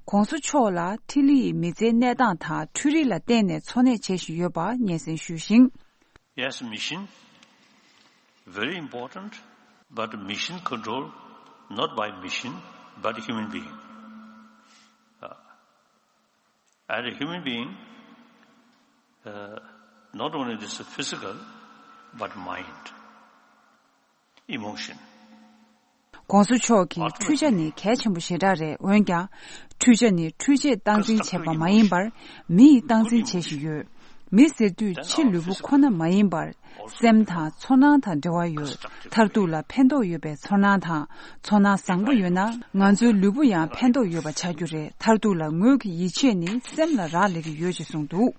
གོང་ས་མཆོག་ལ་ཐི་ལི་ཡི་མི་ཚེའི་གནས་སྟངས་དང་འཕྲུལ་རིག་ལ་བརྟེན་ནས་འཚོ་གནས་བྱེད་བཞིན་ཡོད་པ་སྙན་སེང་ཞུས་ཤིང་། Yes, machine, very important, but machine control not by machine, but human being. Uh, and a human being, uh, not only this physical, but mind, emotion. གོང་ས་མཆོག་གིས་འཕྲུལ་ཆ་ནི་གལ་ཆེན་པོ་ཞེ་དྲག་རེད། འོན་ཀྱང་། འཕྲུལ་ཆ་ནི་འཕྲུལ་ཆས་སྟངས་འཛིན་བྱེད་པ་མ་ཡིན་པར། མི་ཡིས་སྟངས་འཛིན་བྱེད་བཞིན་ཡོད། མི་ཟེར་དུས་ཕྱི་ལུས་པོ་ཁོ་ན་མ་ཡིན་པར། སེམས་དང་ཚོར་སྣང་དང་འབྲེལ་བ་ཡོད། མཐར་ཐུག་ལ་ཕན་ཐོགས་ཡོད་པའི་ཚོར་སྣང་དང་། ཚོར་སྣང་བཟང་པོ་ཡོད་ན། ང་ཚོའི་ལུས་པོ་ཡང་ཕན་ཐོགས་ཡོད་པ་ཆགས་རྒྱུ་རེད། མཐར་ཐུག་ལ་ངོས་ཀྱི་ཡིད་ཆེས་ནི་སེམས་ལ་རག་ལས་ཀྱི་ཡོད་ཅེས་གསུངས་འདུག་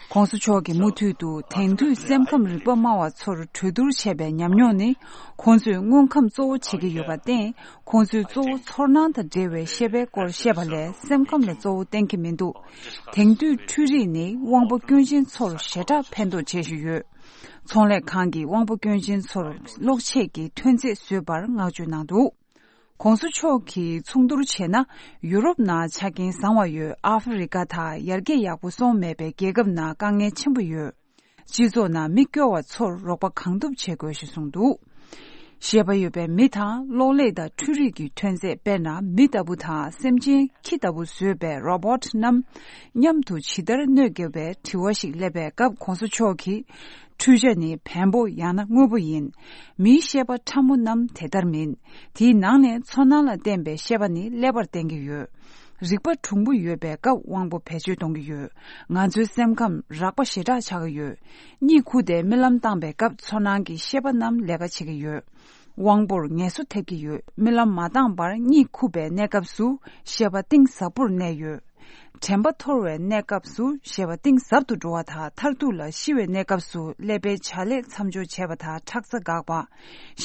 གོང་ས་མཆོག་གིས་མུ་མཐུད་དུ་དེང་དུས་སེམས་ཁམས་རིག་པ་སྨྲ་བ་ཚོར་གྲོས་བསྡུར་བྱས་པའི་ཉམས་མྱོང་ནི། ཁོང་ཚོས་དངོས་ཁམས་གཙོ་བོ་བྱེད་ཀྱི་ཡོད་པར་བརྟེན། ཁོང་ཚོས་གཙོ་བོ་ཚོར་སྣང་དང་འབྲེལ་བའི་ཤེས་པའི་སྐོར་བཤད་པ་ལས་སེམས་ཁམས་ལ་གཙོ་བོ་བསྟན་གྱི་མི་འདུག་དེང་དུས་འཕྲུལ་རིག་ནི་དབང་པོ་སྐྱོན་ཅན་ཚོར་ཞེ་དྲག་ཕན་ཐོགས་བྱེད་བཞིན་ཡོད། ཚོང་ལས་ཁང་གིས་དབང་པོ་སྐྱོན་ཅན་ཚོར་གློག་ཆས་ཀྱི་ཐོན་རྫས་བཟོས་པར་བསྔགས་བརྗོད་གནང་འདུག་གོང་ས་མཆོག་གིས་མཚུངས་བསྡུར་བྱས་ན། ཡུ་རོབ་ནང་ཆ་རྐྱེན་བཟང་བ་ཡོད། ཨ་ཧྥེ་རི་ཀ་དང་ཡར་རྒྱས་ཡག་པོ་སོང་མེད་པའི་རྒྱལ་ཁབ་ནང་དཀའ་ངལ་ཆེན་པོ་ཡོད། སྤྱི་ཚོགས་ནང་མི་སྐྱོ་བ་ཚོར་རོགས་པ་གང་ཐུབ་བྱེད་དགོས་ཞེས་གསུངས་འདུག་ཤེས་པ་ཡོད་པའི་མི་དང་གློག་ཀླད་དང་འཕྲུལ་རིག་གི་ཐོན་རྫས། དཔེར་ན། མི་ལྟ་བུ་དང་སེམས་ཅན་ཁྱི་ལྟ་བུ་བཟོས་པའི་རོ་བོ་ཊི་རྣམས་མཉམ་དུ་ཇི་ལྟར་གནོད་སྐྱེལ་བའི་དྲི་བ་ཞིག་སླེབས་པའི་སྐབས། གོང་ས་མཆོག་གིས། འཕྲུལ་ཆ་ནི་བེམ་པོ་ཡང་ན་དངོས་པོ་ཡིན། མིའི་ཤེས་པ་ཕྲ་མོ་རྣམས་དེ་ལྟར་མིན། དེའི་ནང་ནས་ཚོར་སྣང་ལ་བརྟེན་པའི་ཤེས་པ་ནི་ཀླད་པར་བརྟེན་གྱི་ཡོད། རིག་པ་གྲུང་པོ་ཡོད་པའི་སྐབས་དབང་པོ་བེད་སྤྱོད་གཏོང་གི་ཡོད། ང་ཚོའི་སེམས་ཁམས་རགས་པ་ཞེ་དྲག་ཆགས་ཀྱི་ཡོད། གཉིད་ཁུག་སྟེ་རྨི་ལམ་བཏང་པའི་སྐབས་ཚོར་སྣང་གི་ཤེས་པ་རྣམས་ལས་ཀ་བྱེད་ཀྱི་ཡོད། དབང་པོར་ངལ་གསོ་ཐེབས་ཀྱི་ཡོད། རྨི་ལམ་མ་བཏང་བར་གཉིད་ཁུག་པའི་གནས་སྐབས་སུ་ཤེས་པ་གཏིང་ཟབ་པོར་གནས་ཡོད། དྲན་པ་འཐོར་བའི་གནས་སྐབས་སུ་ཤེས་པ་གཏིང་ཟབ་ཏུ་འགྲོ་བ་དང་། མཐར་ཐུག་ལ་ཤི་བའི་གནས་སྐབས་སུ་ཀླད་པའི་བྱ་ལས་མཚམས་སྦྱོར་བྱས་པ་དང་ཁྲག་རྩ་འགག་པ།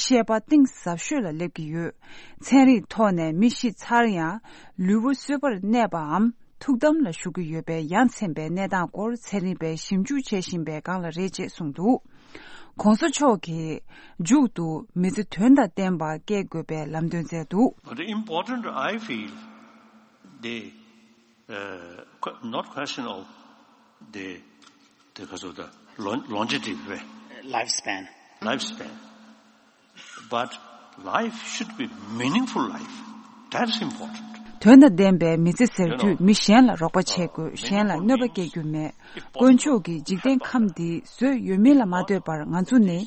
ཤེས་པ་གཏིང་ཟབ་ཤོས་ལ་སླེབས་ཀྱི་ཡོད། ཚན་རིག་ཐོག་ནས་མི་ཤི་ཚར་ཡང་ལུས་པོ་གསོས་པར་གནས་པའམ་ཐུགས་དམ་ལ་བཞུགས་ཀྱི་ཡོད་པའི་ཡ་མཚན་པའི་གནས་སྟངས་སྐོར་ཚན་རིག་པས་ཞིབ་འཇུག་བྱེད་བཞིན་པའི་སྒང་ལ་རེད་ཅེས་གསུངས་འདུག་གོང་ས་མཆོག་གིས་མཇུག་ཏུ་མི་ཚེ་དོན་དང་ལྡན་པ་སྐྱེལ་དགོས་པའི་ལམ་སྟོན་བསྩལ་འདུག But important, I feel, the uh, que- not question of the, the, the lon- longevity, lifespan. Lifespan. But life should be meaningful life. That's important. དོན་དང་ལྡན་པའི་མི་ཚེ་ཟེར་དུས་མི་གཞན་ལ་རོགས་པ་བྱེད་དགོས། གཞན་ལ་གནོད་པ་སྐྱེལ་རྒྱུ་མེད། དཀོན་མཆོག་གིས་འཇིག་རྟེན་ཁམས་འདི་བཟོས་ཡོད་མིན་ལ་མ་ལྟོས་པར་ང་ཚོ་ནི་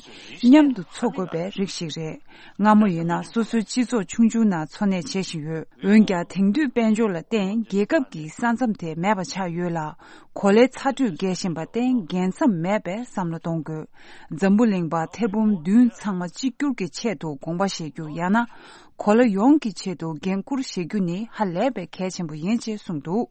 མཉམ་དུ་འཚོ་དགོས་པའི་རིགས་ཤིག་རེད། སྔ་མོ་ཡིན་ན་སོ་སོའི་སྤྱི་ཚོགས་ཆུང་ཆུང་ནང་འཚོ་གནས་བྱེད་བཞིན་ཡོད། འོན་ཀྱང་དེང་དུས་དཔལ་འབྱོར་ལ་བརྟེན་རྒྱལ་ཁབ་ཀྱི་ས་མཚམས་དེ་མེད་པ་ཆགས་ཡོད་ལ། གོ་ལའི་ཚ་དྲོད་རྒྱས་བཞིན་པར་བརྟེན་རྒྱལ་མཚམས་མེད་པའི་བསམ་བློ་གཏོང་དགོས། འཛམ་བུ་གླིང་པ་ཐེར་འབུམ་བདུན་ཚང་མ་གཅིག་གྱུར་གྱི་ཆེད་དུ་དགོངས་པ་བཞེས་རྒྱུ་ཡང་ན། གོ་ལ་ཡོངས་ཀྱི་ཆེད་དུ་འགན་འཁུར་བཞེས་རྒྱུ་ནི་ཧ་ལས་པའི་གལ་ཆེན་པོ་ཡིན་ཅེས་གསུངས་འདུག་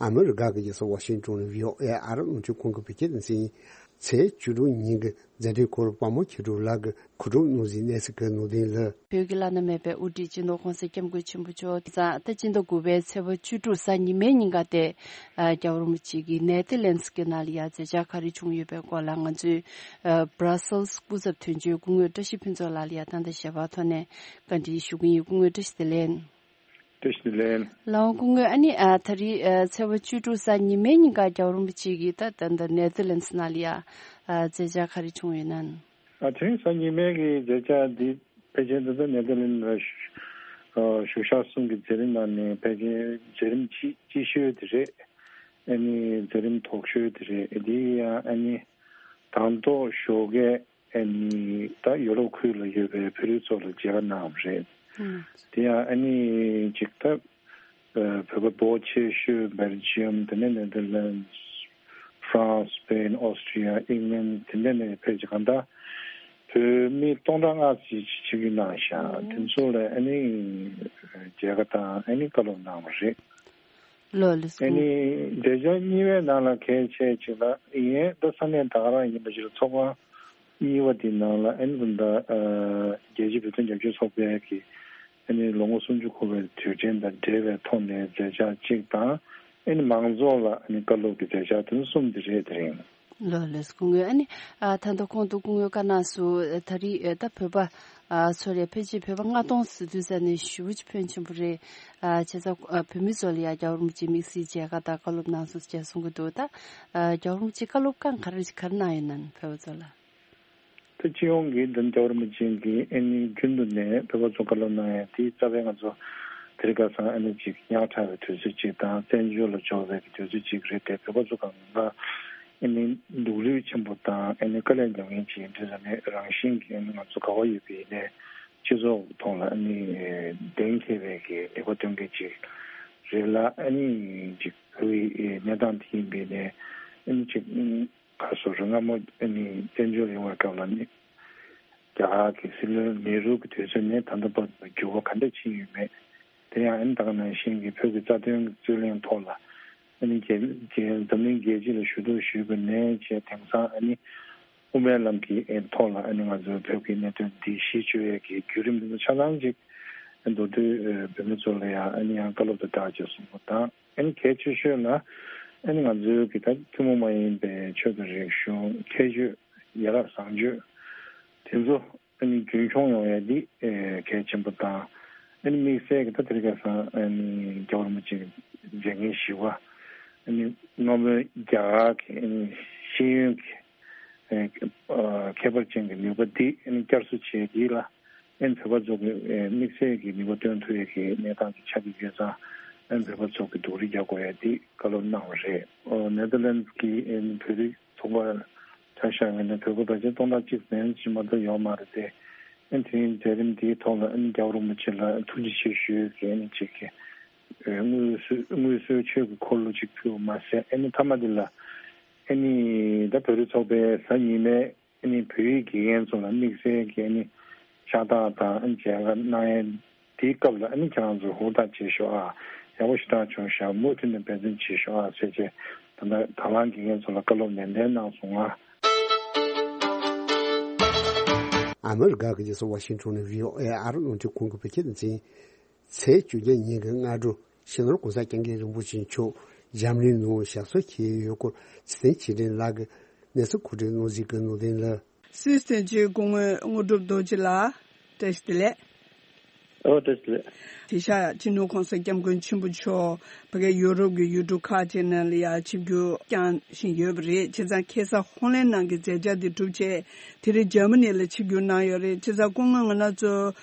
ཨ་མི་རི་ཀ་གི་རྒྱལ་ས་ཝ་ཤིང་ཏོན་ནས་བྷི་ཨོ་ཨེ་ཨ་རི་རླུང་འཕྲིན་ཁང་གི་བོད་སྐད་སྡེ་ཚན་ཡིན། ཚེས་བཅུ་དྲུག་ཉིན་གྱི་མཛད་སྒྲིག་སྐོར་དཔའ་མོ་མཁས་གྲུབ་ལགས་ཀྱིས་གོ་སྒྲིག་གནང་ཟིན་གནས་ཚུལ་གྱི་ནང་དོན་ལ། བོད་ཀྱི་བླ་ན་མེད་པའི་དབུ་ཁྲིད་སྤྱི་ནོར་༸གོང་ས་༸སྐྱབས་མགོན་ཆེན་པོ་མཆོག་གིས་ད་སྤྱི་ཟླ་དགུ་པའི་ཚེས་པ་བཅུ་དྲུག་གཟའ་ཉི་མའི་ཉིན་ཀ་སྟེ། རྒྱལ་བ་རིན་པོ་ཆེ་གིས་ནེ་ཐར་ལེན་སི་གི་ནང་ལ་ཡ་མཛད་འཆར་ག་རེ་བྱུང་ཡོད་པའི་སྐོར་ལ་ང་ཚོའི་བྷ་ར་སེལ་སི་སྐུ་ཚབ་དོན་གཅོད་སྐུ་ངོ་བཀྲ་ཤིས་ཕུན་ཚོགས་ལགས་ལ་ཡ་ད་ལྟ་ཞལ་པར་ཐོག་ནས་བཀའ་འདྲི་ཞུ་གི་ཡིན། སྐུ་ངོ་བཀྲ་ཤིས་བདེ་ལེགས། བཀྲ་ཤིས་བདེ་ལེགས། ལགས་འོང་སྐུ་ངོ། ཨ་ནི་ཨ་ད་རེས་ཨ་ཚེས་པ་བཅུ་དྲུག་གཟའ་ཉི་མའི་ཉིན་ཀ་རྒྱལ་བ་རིན་པོ་ཆེ་གིས་ད་ད་ད་ནེ་ཐར་ལེན་སི་ནང་ལ་ཡ་ཨ་མཛད་འཆར་ག་རེ་བྱུང་ཡོད་ན། ཨ་དེ་རིང་གཟའ་ཉི་མའི་གི་མཛད་འཆར་འདི་ཕལ་ཆེར་ད་ལྟ་ནེ་ཐར་ལེན་སི་ལ་བཞུགས་ཨ་བཞུགས་ཤག་གསུམ་གྱི་མཛད་རིམ་ནང་ནས་ཕལ་ཆེར་མཛད་རིམ་གཅིག་གཅིག་ཤོས་དེ་རེད། ཨ་ནི་མཛད་རིམ་དོག་ཤོས་དེ་རེད། དེ་ཡང་ཨ་ནི་དང་ཐོག་ཞོགས་ཀས་ཨ་ནི་ད་ཡོ་རོབ་ཁུལ་ལ་ཡོད་པའི་བོད་རིགས་ཚོ་ལ་མཇལ་ཁ་གནང་བ་རེད། ཨུམ། དེ་ཡང་ཨ་ནི་ཅིག་ད་བོད་པ་འབོར་ཆེ་ཤོས་སྦེལ་ཇི་ཡམ། དེ་ནས་ནེ་དར་ལེན་ཌི། ཧྥ་རན་སི། སི་པེན། ཨོ་སི་ཀྲི་ཡ། ཨིང་ལན། དེ་འདྲ་ནས་ཕེབས་ཀྱི་གང་ལྟར་བོད་མི་སྟོང་ཕྲག་ལྔ་ཙམ་ཞིག་ཆིབས་བསྒྱུར་གནང་ཤག་དེ་ཚོ་ལ་ཨ་ནི་མཇལ་ཁ་དང་ཨ་ནི་བཀའ་སློབ་གནང་བ་རེད། ལོ་ལེ་ཨ་སྐུ་ངོ། ནི་མཛད་འཆར་གཉིས་པའི་ནང་ལ་གལ་ཆེ་ཅིག་ལ་ཡིན། ད་ས་གནས་ད་ག་རང་ཡིན་པ་ཞིག་ལ་ཚོགས་ཁང་གཉིས་པ་དེའི་ནང་ལ་ཨ་ནི་ད་ལྟ་རྒྱལ་སྤྱིའི་བོད་དོན་རྒྱབ་སྐྱོར་ཚོགས་པའི་གི་ཨ་ནི་ལོ་ངོ་སུམ་ཅུ་འཁོར་བའི་དུས་དྲན་དང་འབྲེལ་བའི་ཐོག་ནས་མཛད་འཆར་གཅིག་དང་། ཨ་ནི་མང་ཚོགས་ལ་ཨ་ནི་བཀའ་སློབ་ཀྱི་མཛད་འཆར་དེ་ཚོ་གསུམ་དེ་རེད། དེ་རིང་། ལོ་ལེ་སྐུ་ངོ། ཨ་ནི་ཨ་ད་ལྟ་གོང་དུ་སྐུ་ངོས་བཀའ་གནང་སོང་། ད་རེས་ཨ་ད་བོད་པ་ཨ་ཚོ་རེ་ཕལ་ཆེར་བོད་པ་ལྔ་སྟོང་ཟེར་དུས་ཙ་ནས་ཞེ་པོ་ཅིག་ཕོན་ཆེན་པོ་རེད། ཨ་བྱས་ཙང་ཨ་བོད་མི་ཚོ་ལ་ཡ་རྒྱལ་བ་རིན་པོ་ཆེ་དམིགས་བསལ་མཇལ་ཁ་དང་བཀའ་སློབ་གནང་སོང་ཅེས་གསུང་གི་འདུག་ད་ཨ་རྒྱལ་བ་རིན་པོ་ཆེ་བཀའ་སློབ་གང་ག་རེ་ག་རེ་གནང་ཡོད་ན་བོད་པ་ཚོ་ལ། ད་སྤྱི་ཡོངས་ཀྱི་འདི་རྒྱལ་བ་རིན་པོ་ཆེ་གིས་ཨ་ནི་རྒྱུན་དུ་ནས་བོད་པ་ཚོ་བཀའ་སློབ་གནང་ཡ་དེའི་རྩ་བའི་ང་ཚོ་དེ་རིང་ཁ་སང་ཨ་ནི་ཅིག་ཉག་ཕྲ་བའི་དུས་ཚོད་ཅིག་དང་བཙན་བྱོལ་ལ་འབྱོར་བའི་གི་དུས་ཚོད་ཅིག་རེད་དེ། བོད་པ་ཚོ་གང་ག་ཨ་ནི་སྡུག་རུས་ཆེན་པོ་དང་ཨ་ནི་དཀའ་ལས་མྱངས་མཁན་ཅིག་ཡིན་དུས་ཙ་ནས་རང་བཞིན་གྱིས་ཨ་ནི་ང་ཚོ་ག་བ་ཡོད་པའི་ནས་སྤྱི་ཚོགས་ཐོག་ལ་ཨ་ནི་གདེང་འཁེལ་བའི་གི་ལས་ཀ་སྟོན་མཁན་ཅིག་རེད་ལ། ཨ་ནི་ཅིག་བོད་ཡི་གནས་སྟངས་དེ་ཡིན་པའི་ནས་ཨ་ནི་ཅིག་ག་སོ་རུ་སྔ་མོ་ཨ་ནི་བཙན་བྱོལ་ཡོང་བའི་སྐབས་ལ་ནི་རྒྱ་གར་གྱི་སྲིད་བློན་ནེ་རུ་གི་དུས་ཚོད་ནས་ད་ལྟ་བར་དུ་འགྱུར་བ་ག་འདྲ་ཕྱིན་ཡོད་མེད། དེ་ཡང་ཨ་ནི་ད་ག་ནང་བཞིན་གྱི་བོད་ཀྱི་རྩ་དོན་རྩོད་གླེང་ཐོག་ལ་ཨ་ནི་རྒྱལ་རྒྱལ་འཛམ་གླིང་རྒྱལ་སྤྱི་ལ་ཞུ་གཏུག་ཞུས་པ་ནས་བྱས་དེང་སང་ཨ་ནི་དབུ་མའི་ལམ་གྱི་ཨ་ཐོག་ལ་ཨ་ནི་ང་ཚོའི་བོད་ཀྱི་གནད་དོན་འདི་གཞི་བཅོལ་ཡས་ཀྱི་བརྒྱུད་རིམ་འདི་ཚོ་ཆ་ཚང་ཅིག་མདོར་བསྡུས་བོད་མི་ཚོ་ལ་ཡང་ཨ་ནི་ཡང་བཀའ་སློབ་དང་སྦྲགས་བྱས་གསུང་པ་དང་། ཨ་ནི་གལ་ཆེ་ཤོས་ལ་ཨ་ནི་ང་ཚོའི་གི་ད་ཐུན་མོང་མ་ཡིན་པའི་ཆོས་དང་རིག་གཞུང་ཁྱད་ཆོས་ཡ་རབས་བཟང་སྤྱོད་དེ་ཚོ་ཨ་ནི་རྒྱུན་འཁྱོངས་ཡོང་ཡ་འདི་ཨེ་གལ་ཆེན་པོ་དང་། ཨ་ནི་དམིགས་བསལ་གི་ད་དེ་རིང་ཁ་སང་ཨ་ནི་རྒྱལ་བ་རིན་པོ་ཆེ་གི་མཛད་འགན་བཞི་པ་ཨ་ནི་སྔ་མོའི་རྒྱ་གར་གི་ཨ་ནི་ཤེས་ཡོན་གི་ཨེ་ཨ་ཁྱད་པར་ཅན་གྱི་ནུས་པ་འདི་ཨ་ནི་བསྐྱར་གསོ་བྱས་འདི་ལ་ཨ་ནི་བོད་པ་ཚོ་གི་ཨེ་དམིགས་བསལ་གྱི་ནུས་པ་བཏོན་ཐུབ་ཡས་ཀྱི་གནས་སྟངས་ཀྱི་ཆགས་ཀྱི་ཡོད་ཙང་། ཨ་ནི་བོད་པ་ཚོ་གི་སྡུག་རུས་རྒྱག་དགོས་ཡས་འདི་བཀའ་སློབ་གནང་བ་རེད། ཨོ་ནེ་དར་ལེན་ཌི་གི་ཨ་ནི་བོད་རིགས་ཚོགས་པ་ཆ་བཞག་ཡོད་ན་བོད་པ་ཕལ་ཆེར་སྟོང་ཕྲག་གཅིག་ཙམ་ཅིག་མ་གཏོགས་ཡོད་མ་རེད་དེ། ཨ་ནི་དེ་རིང་མཛད་རིམ་འདིའི་ཐོག་ལ་ཨ་ནི་རྒྱལ་བ་རིན་པོ་ཆེ་ལ་ཐུགས་རྗེ་ཆེ་ཞུ་གི་ཨ་ནི་ཅིག་གི་ཨེ་དངོས་སུ་དངོས་སུ་ཆོས་ཀྱི་འཁོར་ལོ་ཅིག་ཕུལ་བ་མ་ཟད། ཨ་ནི་མཐའ་མ་འདི་ལ་ཨ་ནི་ད་བོད་རིགས་ཚོགས་པའི་གཟའ་ཉི་མའི་ཨ་ནི་བོད་ཡིག་དགེ་རྒན་ཚོ་ལ་དམིགས་བསལ་གྱི་ཨ་ནི་ཕྱག་རྟགས་དང་ཨ་ནི་མཇལ་ཁ་གནང་ཡས་དེའི་སྐབས་ལ་ཨ་ནི་ཁྱེད་རང་ཚོ་ཧུར་ཐག་བྱེད་ཤོག་ཨ། ཡག་པོ་ཞེ་དྲག་བྱུང་ཤག་མུ་མཐུད་ནས་འབད་བརྩོན་བྱེད་ཤོག་ཨ་ཟེར་བྱས་ད་ལྟ་དང་བླངས་དགེ་རྒན་ཚོ་ལ་བཀའ་སློབ་ནན་ཏན་གནང་སོང་ཨ། ཨ་མི་རི་ཀ་གི་རྒྱལ་ས་ཝ་ཤིང་ཊོན་ནས་བྷི་ཨོ་ཨེ་ཨ་རི་རླུང་འཕྲིན་ཁང་གི་བོད་སྐད་སྡེ་ཚན། ཚེས་བཅོ་བརྒྱད་ཉིན་གྱི་སྔ་དྲོ་སྤྱི་ནོར་༸གོང་ས་༸སྐྱབས་མགོན་རིན་པོ་ཆེ་མཆོག་འཇར་མ་ནི་ནང་ཞབས་སོར་འཁྱེར་ཡོད་སྐོར་རྗེ་བཙུན་ཆོས་སྒྲོན་ལགས་ཀྱིས་གནས་ཚུལ་གོ་སྒྲིག་གནང་གཟིགས་ཀྱི་ནོར་ལྡན་ལགས། སུད་སི་དོན་གཅོད་སྐུ་ངོ་དངོས་གྲུབ་རྡོ་རྗེ་ལགས། བཀྲ་ཤིས་བདེ་ལེགས། ཨོ་བཀྲ་ཤིས་བདེ་ལེགས། དེང་སང་སྤྱི་ནོར་༸གོང་ས་༸སྐྱབས་མགོན་ཆེན་པོ་མཆོག་ཕ་གི་ཡུ་རོབ་ཀྱི་ཡུལ་གྲུ་ཁག་ཅིག་ནང་ལ་ཡང་ཆིབས་བསྒྱུར་བསྐྱངས་བཞིན་ཡོད་པ་རེད། བྱས་ཙང་ཁ་སང་ཧོ་ལན་ནང་གི་མཛད་འཆར་དེ་གྲུབ་རྗེས་དེ་རིང་འཇར་མ་ནི་ལ་ཆིབས་བསྒྱུར་གནང་ཡོད་རེད། བྱས་ཙང་སྐུ་ངོ་ང་རང་ཚོ་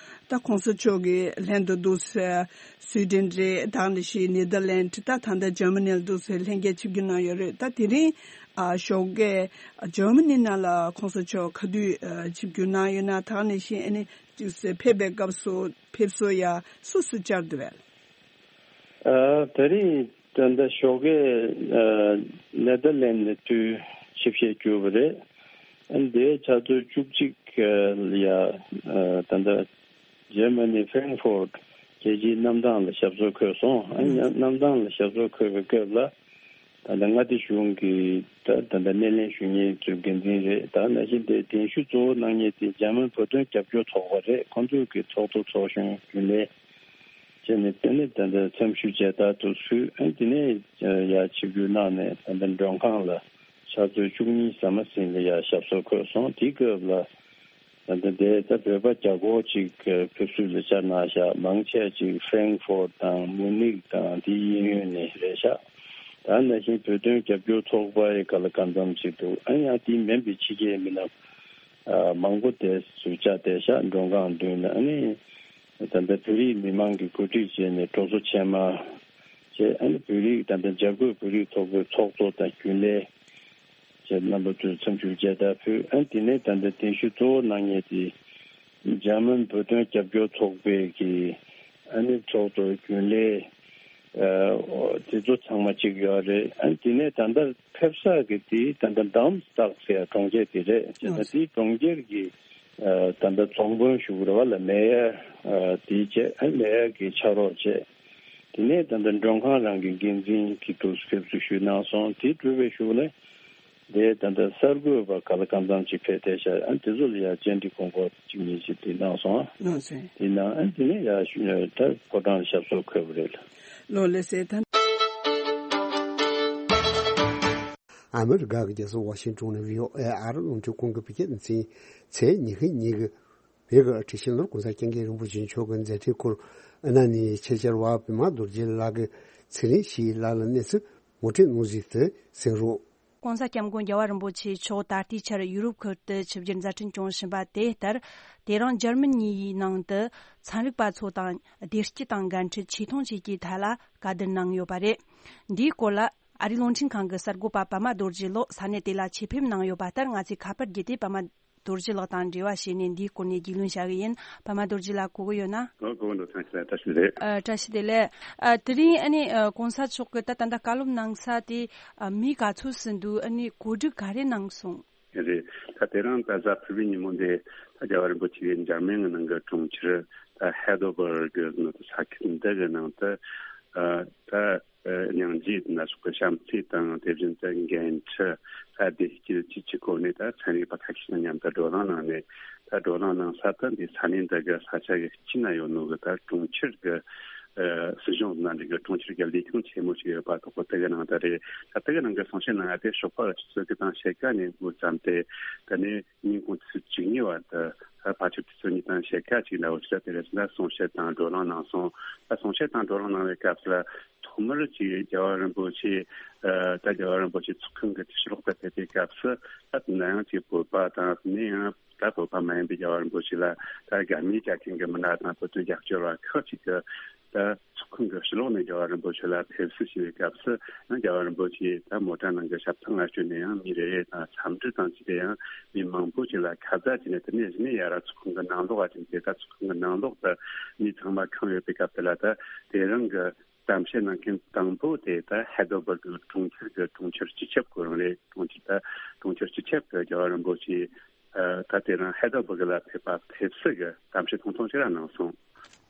ད་༸གོང་ས་མཆོག་གི་ལྷན་དུ་འདུག་སེ་སུའི་ཌེན་རེད། ད་ག་ནང་བཞིན་ནེ་དར་ལེན་ཌི། ད་ད་ལྟ་འཇར་མ་ནི་ལ་འདུག་སེ་ལྷན་རྒྱས་ཆིབས་བསྒྱུར་གནང་ཡོད་རེད། ད་དེ་རིང་ཨ་ཞོགས་ཀས་འཇར་མ་ནི་ནང་ལ་༸གོང་ས་མཆོག་ག་དུས་ཨ་ཆིབས་བསྒྱུར་གནང་ཡོད་ན། ད་ག་ནང་བཞིན་ཨ་ནི་ཅིག་སེ་ཕེབས་པའི་སྐབས་སུ་ཕེབས་བསུ་ཡ་སུ་སུ་བཅར་འདུག་བས། ཨ་ད་རེས་ད་ལྟ་ཞོགས་ཀས་ཨ་ནེ་དར་ལེན་ནས་དུས་ཆིབས་ཞལ་བསྒྱུར་བ་རེད། ཨ་ནི་དེའི་ཆུ་ཚོད་བཅུ་གཅིག་ལ་ཡ་ཨ་ད་ལྟ་འཇར་མ་ནི་ཧྥེང་ཧྥོར་རྒྱལ་སྤྱིའི་གནམ་ཐང་ལ་ཞབས་སོར་འཁོད་སོང་། ཨ་ནི་གནམ་ཐང་ལ་ཞབས་སོར་འཁོད་པའི་སྐབས་ལ་ད་ལྟ་མངའ་སྡེ་གཞུང་གི་ད་ད་ལྟ་སྣེ་ལེན་ཞུ་མཁན་ཚོའི་འགན་འཛིན་རེད། ད་ནང་བཞིན་དེ་གདན་ཞུ་གཙོ་བོ་གནང་མཁན་དེ་འཇར་མན་བོད་དོན་རྒྱབ་སྐྱོར་ཚོགས་པ་རེད། ཁོང་ཚོས་ཀྱི་ཚོགས་གཙོ་ཚོགས་གཞོན་རྒྱུན་ལས་བྱས་ནས་དེ་ནས་ད་ལྟ་འཚམས་ཞུ་མཇལ་དར་དུ་ཕུལ། ཨ་ནི་དེ་ནས་ཡར་ཆིབས་བསྒྱུར་གནང་ནས་ད་ལྟ་མགྲོན་ཁང་ལ་ཆུ་ཚོད་བཅུ་གཉིས་ཟ་མ་ཟིན་ལ་ཡར་ཞབས་སོར་འཁོད་སོང་། དེའི་སྐབས་ལ་ད་ལྟ་དེ་ད་བོད་པ་བརྒྱ་སྐོར་ཅིག་ཕེབས་བསུ་ལ་བཅར་གནང་ཤག་མང་ཆེ་ཅིག་ཧྥེང་ཧྥོར་དང་མུ་ནིག་དང་དེའི་གཡས་གཡོན་ནས་རེད་ཤག་ད་ནང་བཞིན་བོད་དོན་རྒྱབ་སྐྱོར་ཚོགས་པ་ཡི་ག་ལ་གང་འཚམ་ཅིག་འདུག་ཨ་ནི་ཡང་དེའི་མིན་པའི་ཕྱི་རྒྱལ་མི་སྣ་ཨ་མང་པོ་དེ་ཚོ་བཅར་བསྡད་ཤག་མགྲོན་ཁང་མདུན་ན། ཨ་ནི་ད་ལྟ་བོད་རིགས་མི་མང་གིས་གོ་སྒྲིག་བྱས་ནས་སྤྲོ་ཚོགས་ཆེན་མོ་ ཅེས། ཨ་ནི་བོད་རིགས་ད་ལྟ་འཇར་འགོག་བོད་རིགས་ཚོགས་པའི་ཚོགས་གཙོ་དང་རྒྱུན་ལས་བཅས་རྣམ་པ་ཚོས་འཚམས་ཞུ་མཇལ་དར་ཕུལ། ཨ་ནི་དེ་ནས་ད་ལྟ་གདན་ཞུ་གཙོ་བོ་གནང་མཁན་དེ་འཇར་མན་བོད་དོན་རྒྱབ་སྐྱོར་ཚོགས་པའི་གི་ཨ་ནི་ཚོགས་གཙོ་རྒྱུན་ལས་ཨ་དེ་ཚོ་ཚང་མ་གཅིག་ཡོད་རེད། ཨ་ནི་དེ་ནས་ད་ལྟ་ཕེབས་ས་གི་དེ་ད་ལྟ་དམ་སྟག་ཟེར་གྲོང་ཁྱེར་དེ་རེད། བྱས་ཙང་དེའི་གྲོང་ཁྱེར་གྱི་ཨ་ད་ལྟ་ཚོང་དཔོན་ཞུ་གི་རེད་བ་ལ། མེ་ཡར་ཨ་དེ་བྱས། ཨ་མེ་ཡར་གྱི་ཕྱག་རོགས་བྱས། དེ་ནས་ད་ལྟ་མགྲོན་ཁང་རང་གི་འགན་འཛིན་གྱི་ཐོག་ཕེབས་བསུ་ཞུས་གནང་སོང་། དེ་གྲུབ་པའི་གཞུག་ནས་དེ་ད་ལྟ་གསར་འགོད་པ་ག་ལ་གང་འཚམ་ཅིག་ཕེབས་བསྡད་ཤག་ཨ་དེ་ཚོ་ལ་ཡང་བཅར་འདྲི་དགོངས་སྐོར་གཅིག་གཉིས་ཤིག་དེ་གནང་སོང་། ལགས་སོ། དེ་ནང་ཨ་དེ་ནས་ཡར་ཞུ་ད་ཕོ་བྲང་ཞབས་སོར་འཁོད་པ་རེད། ལགས་ལགས་སོ། ད་ཨ་མི་རི་ཀ་གི་རྒྱལ་ས་ཝ་ཤིང་ཏོན་ནས་བྷི་ཨོ་ཨེ་ཨ་རི་རླུང་འཕྲིན་ཁང་གི་བོད་སྐད་སྡེ་ཚན་ཚེས་ཉི་ཤུ་ཉིན་གྱི་བོད་ཀྱི་ཁྲི་ཤེས་ལོར་༸གོང་ས་༸སྐྱབས་མགོན་རིན་པོ་ཆེ་མཆོག་གི་མཛད་འཕྲིན་སྐོར་ཨ་ན་ནི་ཆེད་བཅར་བ་པད་མ་རྡོ་རྗེ་ལགས་ཀྱིས་ཚེ་རིང་ཞིག་ལགས་ལ་གནས་ཚུལ་ངོ་སྤྲོད་གནང་ཟིན་དུ་གསན་རོགས། ༸གོང་ས་༸སྐྱབས་མགོན་རྒྱལ་བ་རིན་པོ་ཆེ་མཆོག་ད་ལྟའི་ཆར་ཡུ་རོབ་ཁུལ་དུ་ཆིབས་བསྒྱུར་མཛད་འཕྲིན་སྐྱོང་བཞིན་པ་དེ་ལྟར། དེ་རིང་འཇར་མ་ནིའི་ནང་དུ་ཚན་རིག་པ་ཚོ་དང་བདེ་སྐྱིད་དང་འགན་འཁྲི་ཆེ་མཐོང་བཅས་ཀྱི་ཐད་ལ་བཀའ་བསྡུར་གནང་ཡོད་པ་རེད། འདིའི་སྐོར་ལ་ཨ་རིའི་རླུང་འཕྲིན་ཁང་གི་གསར་འགོད་པ་པད་མ་རྡོ་རྗེ་ལགས་ས་གནས་དེ་ལ་ཆེད་ཕེབས་གནང་ཡོད་པ་ལྟར། ང་ཚོས་ཁ་པར་བརྒྱུད་དེ་པད་མ་རྡོ་རྗེ་ལགས་དང་འབྲེལ་བ་བྱས་ནས་འདིའི་སྐོར་ནས་རྒྱུས་ལོན་བྱ་གི་ཡིན། པད་མ་རྡོ་རྗེ་ལགས་གོ་གི་ཡོད་ན། ཨོ་གོ་གི་འདུག་བཀྲ་ཤིས་བདེ་ལེགས། བཀྲ་ཤིས་བདེ་ལེགས། ཨ་དེ་རིང་ཨ་ནི་ཨ་༸གོང་ས་མཆོག་གིས་ད་ད་ལྟ་བཀའ་སློབ་གནང་ས་དེ་ཨ་མི་ག་ཚོད་ཟིན་འདུག་ཨ་ནི་གོ་སྒྲིག་ག་རེ་གནང་སོང་། རེད། ད་དེ་རིང་ད་གཟའ་ཕུར་བུའི་ཉིན་མོ་འདི་ད་རྒྱལ་བ་རིན་པོ་ཆེ་གིས་འཇར་མན་གྱི་ནང་གི་གྲོང་ཁྱེར་ད་ཧེ་དོ་བར་གི་ནང་དུ་ས་ཁུལ་འདི་གི་ནང་དུ་ཨ་ད་ཨ་སྙིང་རྗེ་ན་སོགས་ཀྱི་བྱམས་བརྩེ་དང་། དེ་བཞིན་དུ་འགན་འཁྲི། ད་བདེ་སྐྱིད་བཅས་ཀྱི་སྐོར་ནས་ད་ཚན་རིག་པ་ཁ་ཤས་དང་མཉམ་དུ་བགྲོ་གླེང་གནང་ནས། ད་བགྲོ་གླེང་གནང་ས་ད་འདི་ས་གནས་འདི་གི་ས་ཆ་གི་དཀྱིལ་ན་ཡོད་ནོ་གི་ད་གྲོང་ཁྱེར་གི་ཨ་སྲིད་གཞུང་ནང་འདི་གི་གྲོང་ཁྱེར་གི་ལས་ཁུངས་ཆེན་མོ་ཞིག་ཡོད་པ་དོག་པོ་དེ་གི་ནང་ད་རེད། ད་དེ་གི་ནང་གི་གསུང་བཤད་གནང་ཡ་དེ་ཞོགས་པ་ཆུ་ཚོད་དགུ་དང་ཕྱེད་ཀ་ནས་འགོ་བརྩམས་ཏེ། ད་ནི་ཉིན་གུང་ཆུ་ཚོད་བཅུ་གཉིས་བར་དུ་ད་ཕལ་ཆེར་ཆུ་ཚོད་གཉིས་དང་ཕྱེད་ཀ་ཅིག་འདྲ་བོ་ཞིག་ལ་དེ་རེད། ད་གསུང་བཤད་དང་བགྲོ་གླེང་གནང་སོང་། ད་གསུང་བཤད་དང་བགྲོ་གླེང་གནང་བའི་སྐབས་སུ་ལ་ཐོག་མར་ཅིག་རྒྱལ་བ་རིན་པོ་ཆེ་ཨ་ད་རྒྱལ་བ་རིན་པོ་ཆེ་ཚོགས་ཁང་གི་ཕྱི་ལོགས་ལ་ཕེབས་པའི་སྐབས་སུ། ད་དེ་ན་ཡང་ཅིག་བོད་པ་དང་། དེ་ནས་ཡང་ད་བོད་པ་མ་ཡིན་པའི་རྒྱལ་བ་རིན་པོ་ཆེ་ལ་ད་དགའ་མོས་རྒྱག་མཁན་གྱི་མི་སྣ་དང་བོད་དོན་རྒྱབ་སྐྱོར་བ་ཁག་ཅིག་གིས་ད་ཚོགས་ཁང་གི་ཕྱི་ལོགས་ནས་རྒྱལ་བ་རིན་པོ་ཆེ་ལ་ཕེབས་བསུ་ཞུ་བའི་སྐབས་སུ། ཡང་རྒྱལ་བ་རིན་པོ་ཆེ་ད་མོ་ཊ་ནང་གི་ཞབས་ཐང་ལ་བསྐྱོད་ནས་ཡང་མི་རེ་རེ་དང་འཚམས་འདྲི་དང་བཅས་ཏེ། ཡང་མི་མང་པོ་ཅིག་ལ་ཁ་བརྡ་བྱས་ནས། དེ་ནས་གཞི་ནས་ཡར་ཚོགས་ཁང་གི་ནང་ལོགས་ལ་ཕྱིན་ཏེ། ད་ཚོགས་ཁང་གི་ནང་ལོགས་དུ་མི་ཚང་མ་ཁེངས་ཡོད་པའི་སྐབས་དེ་ལ། ད་དེ་རིང་གི་གཏམ་བཤད་གནང་མཁན་དང་པོ་དེ་ད་ཧེ་དོ་བར་གི་གྲོང་ཁྱེར་གི་གྲོང་ཁྱེར་སྤྱི་ཁྱབ་ཁོ་རང་རེད། གྲོང་ཁྱེར་ད་གྲོང་ཁྱེར་སྤྱི་ཁྱབ་ཀྱི་རྒྱལ་བ་རིན་པོ་ཆེ་ཨ་ད་དེ་རིང་ཧེ་དོ་བར་གི་ལ་ཕེབས་པ་ཕེབས་བསུ་གི་གཏམ་བཤད་ཐུང་ཐུང་ཞིག་ར་གནང་སོང་།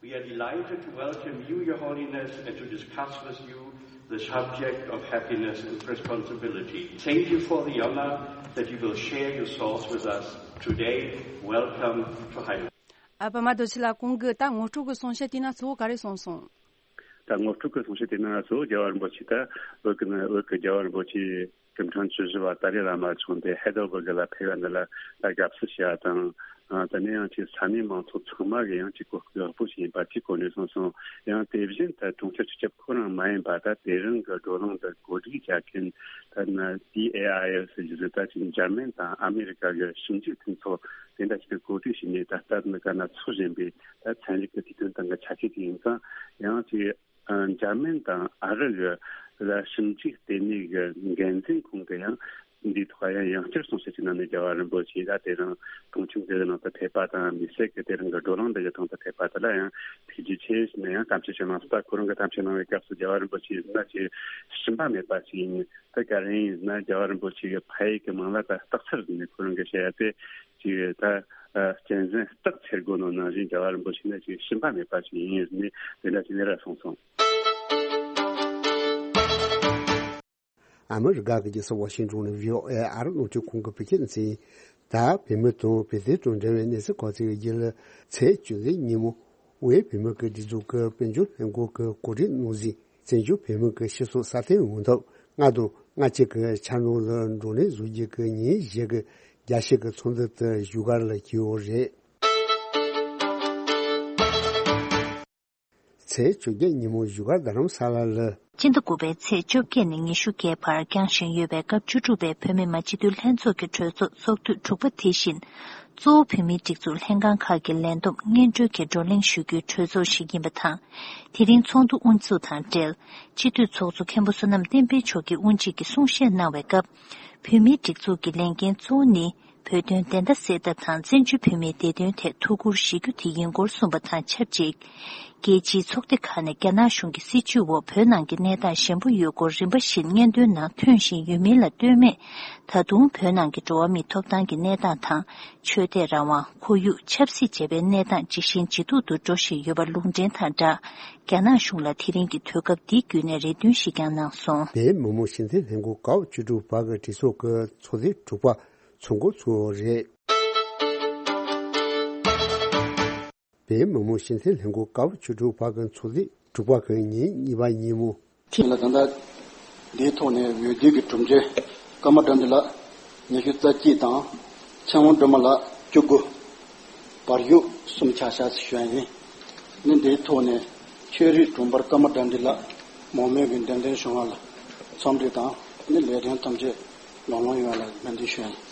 We are delighted to welcome you, Your Holiness, and to discuss with you the subject of happiness and responsibility. Thank you for the honor that you will share your thoughts with us today. Welcome to Highness. ཨ་པད་མ་རྡོ་རྗེ་ལགས། གོང་གི་ད་ངོ་སྤྲོད་ཀྱི་གསུང་བཤད་དེ་ན་གཙོ་བོ་ག་རེ་གསུངས་སོང་། ད་ངོ་སྤྲོད་ཀྱི་གསུང་བཤད་དེ་ན་གཙོ་བོ་རྒྱལ་བ་རིན་པོ་ཆེ་ད་བོད་ཀྱི་ནི་བོད་ཀྱི་རྒྱལ་བ་རིན་པོ་ཆེ་སྐུ་ཕྲེང་བཅུ་བཞི་པ་ཏཱ་ལའི་བླ་མ་མཆོག་འདི་ཧེ་དོ་བར་གི་ལ་ཕེབས་པ་འདི་ལ་ད་དགའ་བསུ་ཞུ་བ་དང་། ཨ་དེ་ནས་ཡང་ཅིག་ས་གནས་མང་ཚོགས་ཚང་མ་གི་ཡང་ཅིག་གོ་སྐབས་ཡག་པོ་ཞིག་ཡིན་པ་ཅིག་གོ་གནས་སོང་སོང་། ཡང་དེ་བཞིན་ད་གྲོང་ཁྱེར་སྤྱི་ཁྱབ་ཁོ་རང་མ་ཡིན་པ། ད་དེ་རིང་གི་བགྲོ་གླེང་འདི་གོ་སྒྲིག་བྱ་མཁན་ད་ན་ཌི་ཨེ་ཨའི་ཨེལ་ཟེར་གྱི་རེད། ད་ཅིག་འཇར་མན་དང་ཨ་མེ་རི་ཀ་གི་ཞིབ་འཇུག་མཐུན་ཚོགས་དེ་འདྲ་ཞིག་གིས་གོ་སྒྲིག་བྱས་ནས། ད་ལྟ་ནི་ག་ན་འཚོགས་བཞིན་པའི་ད་ཚན་རིག་གི་དུས་སྟོན་སྟེང་གི་ཆ་ཤས་ཅིག་ཡིན་ཙང་། ཡང་ཅིག་ཨ་འཇར་མན་དང་ཨ་རི་གི་ལ་ཞིབ་འཇུག་ལྟེ་གནས་ཀྱི་འགན་འཛིན་ཁོང་གིས་ཡང་འདིའི་ཐོག་ཡང་ཡང་བསྐྱར་གསུང་བཤད་ཅིག་གནང་ནས། རྒྱལ་བ་རིན་པོ་ཆེ་ད་དེ་རིང་གྲོང་ཁྱེར་འདི་གི་ནང་དུ་ཕེབས་པ་དང་། མི་སེར་གྱི་དེ་རིང་གི་བགྲོ་གླེང་འདི་གི་སྟེང་དུ་ཕེབས་པ་དེ་ལ་ཡང་ཐུགས་རྗེ་ཆེ་ཞུས་ནས་ཡང་གཏམ་བཤད་ཅིག་གནང་སོང་། ད་ཁོ་རང་གིས་གཏམ་བཤད་གནང་བའི་སྐབས་སུ་རྒྱལ་བ་རིན་པོ་ཆེ་ཡིན་ན་ཅིག་ཞུམ་པ་མེད་པ་ཞིག་ཡིན། ད་ག་རེ་ཡིན་ན་རྒྱལ་བ་རིན་པོ་ཆེ་གི་ཕ་ཡུལ་གྱི་མིང་ལ་ད་སྟག་འཚེར་ཟེར་ནས་ཁོ་རང་གིས་བཤད་ཡ་དེ་ཅིག་ད་ཨ་གཅན་གཟན་སྟག་འཚེར་དགོས་ནོ་ནང་བཞིན། རྒྱལ་བ་རིན་པོ་ཆེ་ནི་ཅིག་ཞུམ་པ་མེད་པ་ཞིག་ཡིན་ཟེར་ནས་དེ་འདྲ་ཞིག་ནས་ར་གསུངས་སོང་། ཨ་མི་རི་ཀ་གི་རྒྱལ་ས་ཝ་ཤིང་ཏོན་ནས་བྷི་ཨོ་ཨེ་ཨ་རི་རླུང་འཕྲིན་ཁང་གི་བོད་སྐད་སྡེ་ཚན། ད་བོད་མི་དང་བོད་དོན་དང་འབྲེལ་བའི་གནས་ཚུལ་གོ་སྐབས་ཀྱི་རྒྱུན་ལས། ཚེས་བཅུ་གཅིག་ཉིན་མོ་དབུས་བོད་མི་གི་སྒྲིག་འཛུགས་ཀྱི་དཔལ་འབྱོར་ལྷན་ཁང་གི་གོ་སྒྲིག་གནང་ཟིན། བཙན་བྱོལ་བོད་མི་གི་སྤྱི་ཚོགས་སྲ་བརྟན་ཡོང་ཐབས། ལྔ་དང་ལྔ་གཅིག་གི་འཆར་སྣང་ལ་བགྲོ་གླེང་བཟོ་རྒྱུ་གི་ཉིན་བཞི་གི་རྒྱ་ཆེ་གི་ཚོགས་འདུ་དེ་བཞུགས་སྒར་ལ་བསྐྱོད་ཡོད་རེད། ཚེས་བཅོ་བརྒྱད་ཉིན་མོ་བཞུགས་སྒར་རྡ་རམ་ས་ལ་ལ། སྤྱི་ཟླ་དགུ་པའི་ཚེས་བཅོ་བརྒྱད་ནས་ཉི་ཤུ་བརྒྱད་བར་བསྐྱངས་བཞིན་ཡོད་པའི་སྐབས་བཅུ་དྲུག་པའི་བོད་མི་མང་སྤྱི་འཐུས་ལྷན་ཚོགས་ཀྱི་གྲོས་ཚོགས་ཚོགས་དུས་དྲུག་པ་དེ་བཞིན། གཙོ་བོ་བོད་མིའི་སྒྲིག་འཛུགས་ལྷན་ཁང་ཁག་གི་ལས་བསྡོམས་སྙན་སྒྲོན་གྱི་བགྲོ་གླེང་ཞུ་རྒྱུའི་གྲོས་ཚོགས་ཤིག་ཡིན་པ་དང་། དེ་རིང་ཚོགས་འདུ་དབུ་འཛུགས་དང་འབྲེལ། སྤྱི་འཐུས་ཚོགས་གཙོ་མཁན་པོ་བསོད་ནམས་བསྟན་འཕེལ་མཆོག་གིས་དབུ་འབྱེད་ཀྱི་གསུང་བཤད་གནང་བའི་སྐབས། བོད་མིའི་སྒྲིག་འཛུགས་ཀྱི་ལས་འགན་གཙོ་བོ་ནི། བོད་དོན་བདེན་མཐའ་གསལ་ཐབས་དང་བཙན་བྱོལ་བོད་མིའི་བདེ་དོན་ཐད་ཐུགས་ཁུར་བཞེས་རྒྱུ་དེ་ཡིན་སྐོར་གསུངས་པ་དང་ཆབས་ཅིག་རྒྱལ་སྤྱིའི་ཚོགས་སྡེ་ཁག་ནས་རྒྱ་ནག་གཞུང་གི་སྲིད་བྱུས་འོག་བོད་ནང་གི་གནས་སྟངས་ཞན་པོ་ཡོད་སྐོར་རིམ་པ་བཞིན་སྙན་ཐོའི་ནང་ཐོན་བཞིན་ཡོད་མིན་ལ་ལྟོས་མེད། ད་དུང་བོད་ནང་གི་འགྲོ་བ་མིའི་ཐོབ་ཐང་གི་གནས་སྟངས་དང་། ཆོས་དད་རང་དབང་། ཁོར་ཡུག་ཆབ་སྲིད་བཅས་པའི་གནས་སྟངས་ཇེ་ཞན་ཇེ་སྡུག་ཏུ་འགྲོ་བཞིན་ཡོད་པ་ལུང་འདྲེན་དང་སྦྲགས། རྒྱ་ནག་གཞུང་ལ་དེ་རིང་གི་དུས་སྐབས་འདི་བརྒྱུད་ནས་རེ་འདུན་ཞིག་ཀྱང་གནང་སོང་། བོད་མི་མང་སྤྱི་འཐུས་ལྷན་ཁང་ཀ་བ་བཅུ་དྲུག་པ་གི་གྲོས་ཚོགས་ཀྱི་ཚོགས་ཐེངས་དྲུག་པ་ཚོགས་འགོ་ཚུགས་པ་རེད། བོད་མི་མང་སྤྱི་འཐུས་ལྷན་ཁང་ཀ་བ་བཅུ་དྲུག་པ་གི་ཚོགས་ཐེངས་དྲུག་པ་གི་ཉིན་གཉིས་པ་ཉིན་མོ། ལ་ད་ལྟ་འདིའི་ཐོག་ནས་འོས་བསྡུ་གི་གྲུབ་འབྲས། ཀརྨ་དགྲ་འདུལ་ལགས་ཉི་ཤུ་རྩ་གཅིག་དང་། ཚེ་དབང་སྒྲོལ་མ་ལགས་བཅུ་དགུ། བར་ཞུགས་གསུམ་ཆགས་བཞག་ཞུ་ཡ་ཡིན། ནི་འདིའི་ཐོག་ནས་ཆོས་རིག་དྲུང་འཕར་ཀརྨ་དགྲ་འདུལ་ལགས་མང་མོས་ཀྱིས་འདེམས་ཐོན་བྱུང་བ་ལ་འཚམས་འདྲི་དང་། ནི་ལས་དོན་ཐམས་ཅད་ལམ་ལྷོང་ཡོང་བ་ལ་སྨོན་འདུན་ཞུ་ཡ་ཡིན།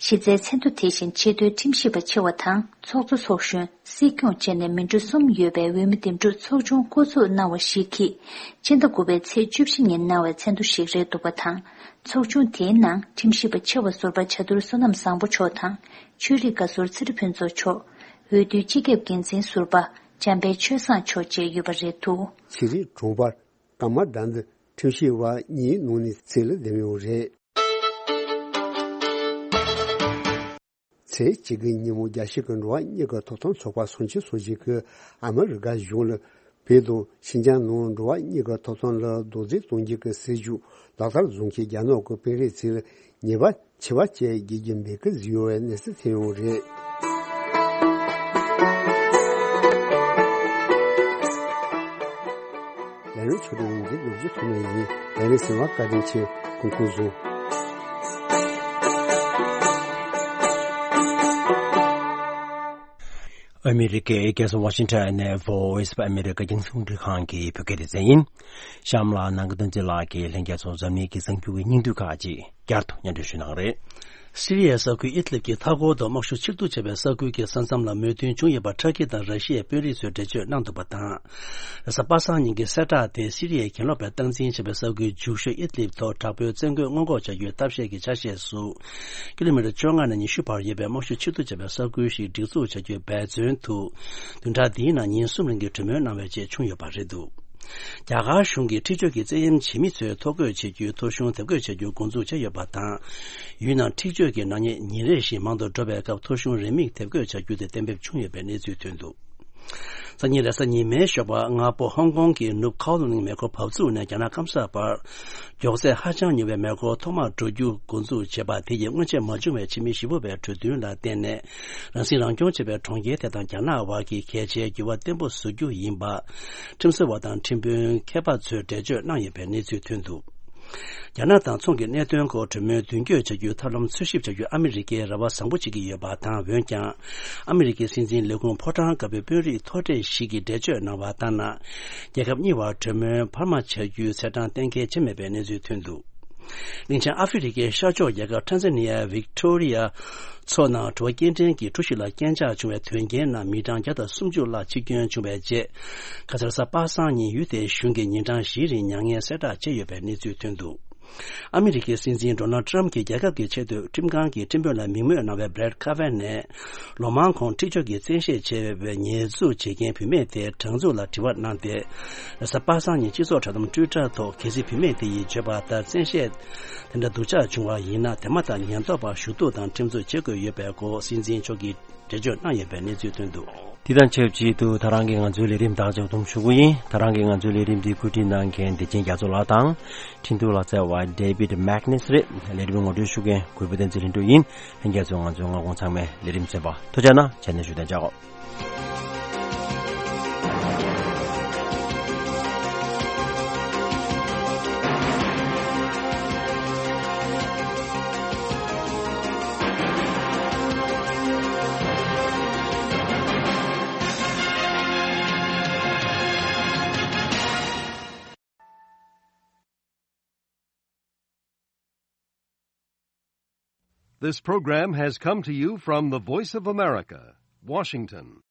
གཞི་རྩའི་མཚན་ཐོ་དེ་བཞིན་ཆེས་མཐོའི་ཁྲིམས་ཞིབ་པ་ཆེ་བ་དང་། ཚོགས་གཙོ། ཚོགས་གཞོན། སྲིད་སྐྱོང་བཅས་ནས་མི་འགྲོ་གསུམ་ཡོད་པའི་འོས་མི་འདེམས་སྒྲུག་ཚོགས་ཆུང་བསྐོ་ཚུགས་གནང་བ་ཞིག་གིས། སྤྱི་ཟླ་དགུ་པའི་ཚེས་བཅུ་བཞི་ཉིན་གནང་བའི་མཚན་ཐོ་ཞིག་རེད་འདུག་པ་དང་། ཚོགས་ཆུང་དེའི་ནང་ཁྲིམས་ཞིབ་པ་ཆེ་བ་ཟུར་པ་བྱ་དུར་བསོད་ནམས་བཟང་པོ་མཆོག་དང་། ཆོས་རིག་བཀའ་ཟུར་ཚེ་རིང་ཕུན་ཚོགས་མཆོག། འོས་བསྡུའི་སྤྱི་ཁྱབ་འགན་འཛིན་ཟུར་པ་འཇམ་དཔལ་ཆོས་བཟང་མཆོག་བཅས་ཡོད་པ་རེད་འདུག། ཆོས་རིག་དྲུང་འཕར་ཀརྨ་དགྲ་འདུལ་ཁྲིམས་ཞིབ་པ་གཉིས་ནང་ནས་རྩིས་ལ་འདེམས་ཡོད་རེད། ཚེས་གཅིག་གི་ཉིན་མོ་རྒྱལ་སྤྱི་གི་འགྲོ་བ་མིའི་ཐོབ་ཐང་ཚོགས་པ་སུང་ཆིང་སོགས་ཀྱིས་ཨ་མི་རི་ཀ་གཞུང་ལ་བོད་དང་ཤིན་ཅང་ནང་འགྲོ་བ་མིའི་ཐོབ་ཐང་ལ་རྡོག་རྫིས་གཏོང་རྒྱུ་གི་སྲིད་ཇུས་ལག་བསྟར་བཟོ་མཁན་རྒྱ་ནག་གི་དཔོན་རིགས་ཚོས་ཉེས་པ་ཆེ་བ་བཅས་འགེལ་རྒྱུ་མེད་ཀི་བཟོས་ཡོད་པའི་གནས་ཚུལ་ཐོན་ཡོད་རེད། ལས་རིམ་ཆོག་འདུག་འདི་ལོ་རྒྱུས་ཐོག་ནས་ཡིན། ལས་རིམ་གསན་པར་བཀའ་དྲིན་ཆེ། སྐུ་ཁམས་བཟང་། ཨ་མི་རི་ཀའི་རྒྱལ་ས་ཝ་ཤིང་ཊོན་ནས་Voice of America་རྒྱང་སྲིང་རླུང་འཕྲིན་ཁང་གི་བོད་སྐད་སྡེ་ཚན་ཡིན། གཤམ་ལ་ནང་ཁུལ་བསྟན་འཛིན་ལགས་ཀྱིས་ལྷན་རྒྱས་ཚོར་འཛམ་གླིང་གི་གསར་འགྱུར་གྱི་སྙིང་བསྡུས་ཁག་ཅིག་བསྐྱར་དུ་སྙན་སྒྲོན་ཞུ་གནང་རེད། སི་རི་ཡའི་ས་ཁུལ་ཨིད་ལིབ་ཀྱི་མཐའ་འཁོར་དུ་དམག་ཤུགས་ཕྱིར་གཏུག་བྱས་པའི་ས་ཁུལ་གྱི་ས་མཚམས་ལ་མོས་མཐུན་བྱུང་ཡོད་པ་ཊར་ཀི་དང་ར་ཤི་ཡའི་དཔོན་རིགས་ཚོས་འགྲེལ་བརྗོད་གནང་འདུག་པ་དང་། རེས་གཟའ་པ་སངས་ཉིན་གྱི་གསལ་བསྒྲགས་དེ་སི་རི་ཡའི་གྱེན་ལོག་པས་སྟངས་འཛིན་བྱས་པའི་ས་ཁུལ་འཇིགས་ཤོག་ཨིད་ལིབ་ཐོག་དྲག་པོའི་བཙན་རྒོལ་སྔོན་འགོག་བྱ་རྒྱུའི་ཐབས་ཤེས་ཀྱི་ཆ་ཤས་སུ། ཀི་ལོ་མི་ཊར་བཅོ་ལྔ་ནས་ཉི་ཤུ་བར་ཡོད་པའི་དམག་ཤུགས་ཕྱིར་གཏུག་བྱས་པའི་ས་ཁུལ་ཞིག་སྒྲིག་འཛུགས་བྱ་རྒྱུའི་འབད་བརྩོན་དུ། བདུན་ཕྲག་འདིའི་ནང་ཉིན་གསུམ་རིང་གི་གྲོས་མོལ་གནང་བའི་རྗེས་བྱུང་ཡོད་པ་རེད་འདུག། རྒྱ་གར་གཞུང་གིས་འཁྲིག་སྤྱོད་ཀྱི་བཙན་གཡེམ་བྱེད་མི་ཚོས་ཐོ་འགོད་བྱེད་རྒྱུའི་ཐོ་གཞུང་དེབ་འགོད་བྱ་རྒྱུ་འགོ་འཛུགས་བྱས་ཡོད་པ་དང་། ཡུལ་ནང་འཁྲིག་སྤྱོད་ཀྱི་ནག་ཉེས་ཉིན་རེ་བཞིན་མང་དུ་འགྲོ་བའི་སྐབས་ཐོ་གཞུང་རེའུ་མིག་དེབ་འགོད་བྱ་རྒྱུ་དེ་གཏན་འབེབས་བྱུང་ཡོད་པའི་གནས་ཚུལ་ཐོན་འདུག། སང་ཉིན་རེས་གཟའ་ཉི་མའི་ཞོགས་པ་སྔ་པོ་ཧོང་ཀོང་གི་ནུབ་ཁའོ་ལུང་མེ་འཁོར་བབས་ཚུགས་ནས་རྒྱ་ནག་སྐམ་ས་བར། མགྱོགས་ཚད་ཧ་ཅང་ཉུང་བའི་མེ་འཁོར་ཐོག་མར་འགྲོ་རྒྱུ་འགོ་འཛུགས་བྱས་པ་དེ་ཡིས་སྔོན་ཆད་མ་བྱུང་བའི་ཕྱི་མི་བཞི་པོ་བའི་གྲོས་མཐུན་ལ་བརྟེན་ནས། རང་སྲིད་རང་སྐྱོང་བྱེད་པའི་གྲོང་ཁྱེར་དེ་དང་རྒྱ་ནག་བར་གྱི་གལ་ཆེའི་འགྱུར་བ་བརྟན་པོ་བཟོ་རྒྱུ་ཡིན་པ། ཁྲིམས་བཟོ་བ་དང་ཁྲིམས་དཔོན་མཁས་པ་ཚོས་འགྲེལ་བརྗོད་གནང་ཡོད་པའི་གནས་ཚུལ་ཐོན་འདུག། རྒྱ་ནག་དང་མཚུངས་ཀྱི་གནད་དོན་སྐོར་གྲོས་མོལ་མདུན་སྐྱོད་བྱ་རྒྱུའི་ཐབས་ལམ་འཚོལ་ཞིབ་བྱ་རྒྱུ་ཨ་མི་རི་ཀས་རེ་བ་བཟང་པོ་བྱེད་ཀྱི་ཡོད་པ་དང་། འོན་ཀྱང་། ཨ་མི་རི་ཀའི་སྲིད་འཛིན་ལས་ཁུངས་ཕོ་བྲང་དཀར་པོའི་དཔོན་རིགས་མཐོ་གྲས་ཤིག་གིས་འགྲེལ་བརྗོད་གནང་བ་ལྟར་ན། རྒྱལ་ཁབ་གཉིས་བར་གྲོས་མོལ་འཕར་མ་བྱ་རྒྱུའི་ཚེས་གྲངས་གཏན་འཁེལ་བྱས་མེད་པའི་གནས་ཚུལ་ཐོན་འདུག། གླིང་ཆེན་ཨ་ཧྥེ་རི་ཁའི་ཤར་ཕྱོགས་རྒྱལ་ཁབ་ཊན་ཟ་ནི་ཡ་ཝིག་ཊོ་རི་ཡ་མཚོ་ནང་དྲོ་པ་སྐྱེལ་འདྲེན་གྱི་གྲུ་ཞིག་ལ་རྐྱེན་ཆག་བྱུང་བའི་དོན་རྐྱེན་ནང་མི་གྲངས་བརྒྱ་དང་སུམ་ཅུ་ལྷག་འཆི་སྐྱོན་བྱུང་བའི་རྗེས། ཁ་སང་རེས་གཟའ་པ་སངས་ཉིན་ཡུལ་དེའི་གཞུང་གིས་ཉིན་གྲངས་བཞིའི་རིང་མྱ་ངན་གསལ་བསྒྲགས་བྱས་ཡོད་པའི་གནས་ཚུལ་ཐོན་འདུག། ཨ་མི་རི་ཀའི་སྲིད་འཛིན་ཌོ་ནལ་ཊམ་གྱི་རྒྱལ་ཁབ་ཀྱི་ཆེས་མཐོའི་ཁྲིམས་ཁང་གི་ཁྲིམས་དཔོན་ལ་མིང་སྨོས་གནང་བའི་བྷི་རེད་ཁ་ཝན་ནས། ལོ་མང་གོང་འཁྲིག་སྤྱོད་ཀྱི་བཙན་ཤེད་བྱས་པའི་ཉེས་འཛུགས་བྱེད་མཁན་བུད་མེད་དེའི་དྲང་འཛུགས་ལ་དྲི་བ་གནང་སྟེ། རེས་གཟའ་པ་སངས་ཉིན་སྤྱི་ཚོགས་དྲ་དམ་ཊུའི་ཊར་ཐོག་གལ་སྲིད་བུད་མེད་དེ་ཡིས་བརྗོད་པ་ལྟར་བཙན་ཤེད་དེ་འདྲ་སྡུག་ཅག་བྱུང་བ་ཡིན་ན། དེ་མ་ཐག་ཉེན་རྟོག་པར་ཞུ་གཏུག་དང་ཁྲིམས་རྩོད་བྱེད་དགོས་ཡོད་པའི་སྐོར་སྲིད་འཛིན་མཆོག་གིས་འགྲེལ་བརྗོད་གནང་ཡོད་པའི་གནས་ཚུལ་ཐོན་འདུག། དེ་དང་ཆབས་ཅིག་ཏུ་ད་རང་གི་ང་ཚོའི་ལས་རིམ་དག་ཆ་བསྡོམས་ཞུ་གི་ཡིན། ད་རང་གི་ང་ཚོའི་ལས་རིམ་འདི་བཀོད་སྒྲིག་གནང་མཁན་བདེ་ཆེན་རྒྱ་མཚོ་ལགས་དང་། འཕྲིན་གཏོང་ལག་རྩལ་བ་David Magnus་རེད། ལས་རིམ་ངོ་སྤྲོད་ཞུ་མཁན་གུས་པ་བསྟན་འཛིན་ལྷུན་གྲུབ་ཡིན། ལྷན་རྒྱས་ཚོས་ང་ཚོའི་སྔ་དགོང་ཚང་མའི་ལས་རིམ་གསན་པར་ཐུགས་རྗེ་གནང་། ཆ་ནས་བཞུགས་གདན་འཇགས། This program has come to you from the Voice of America, Washington.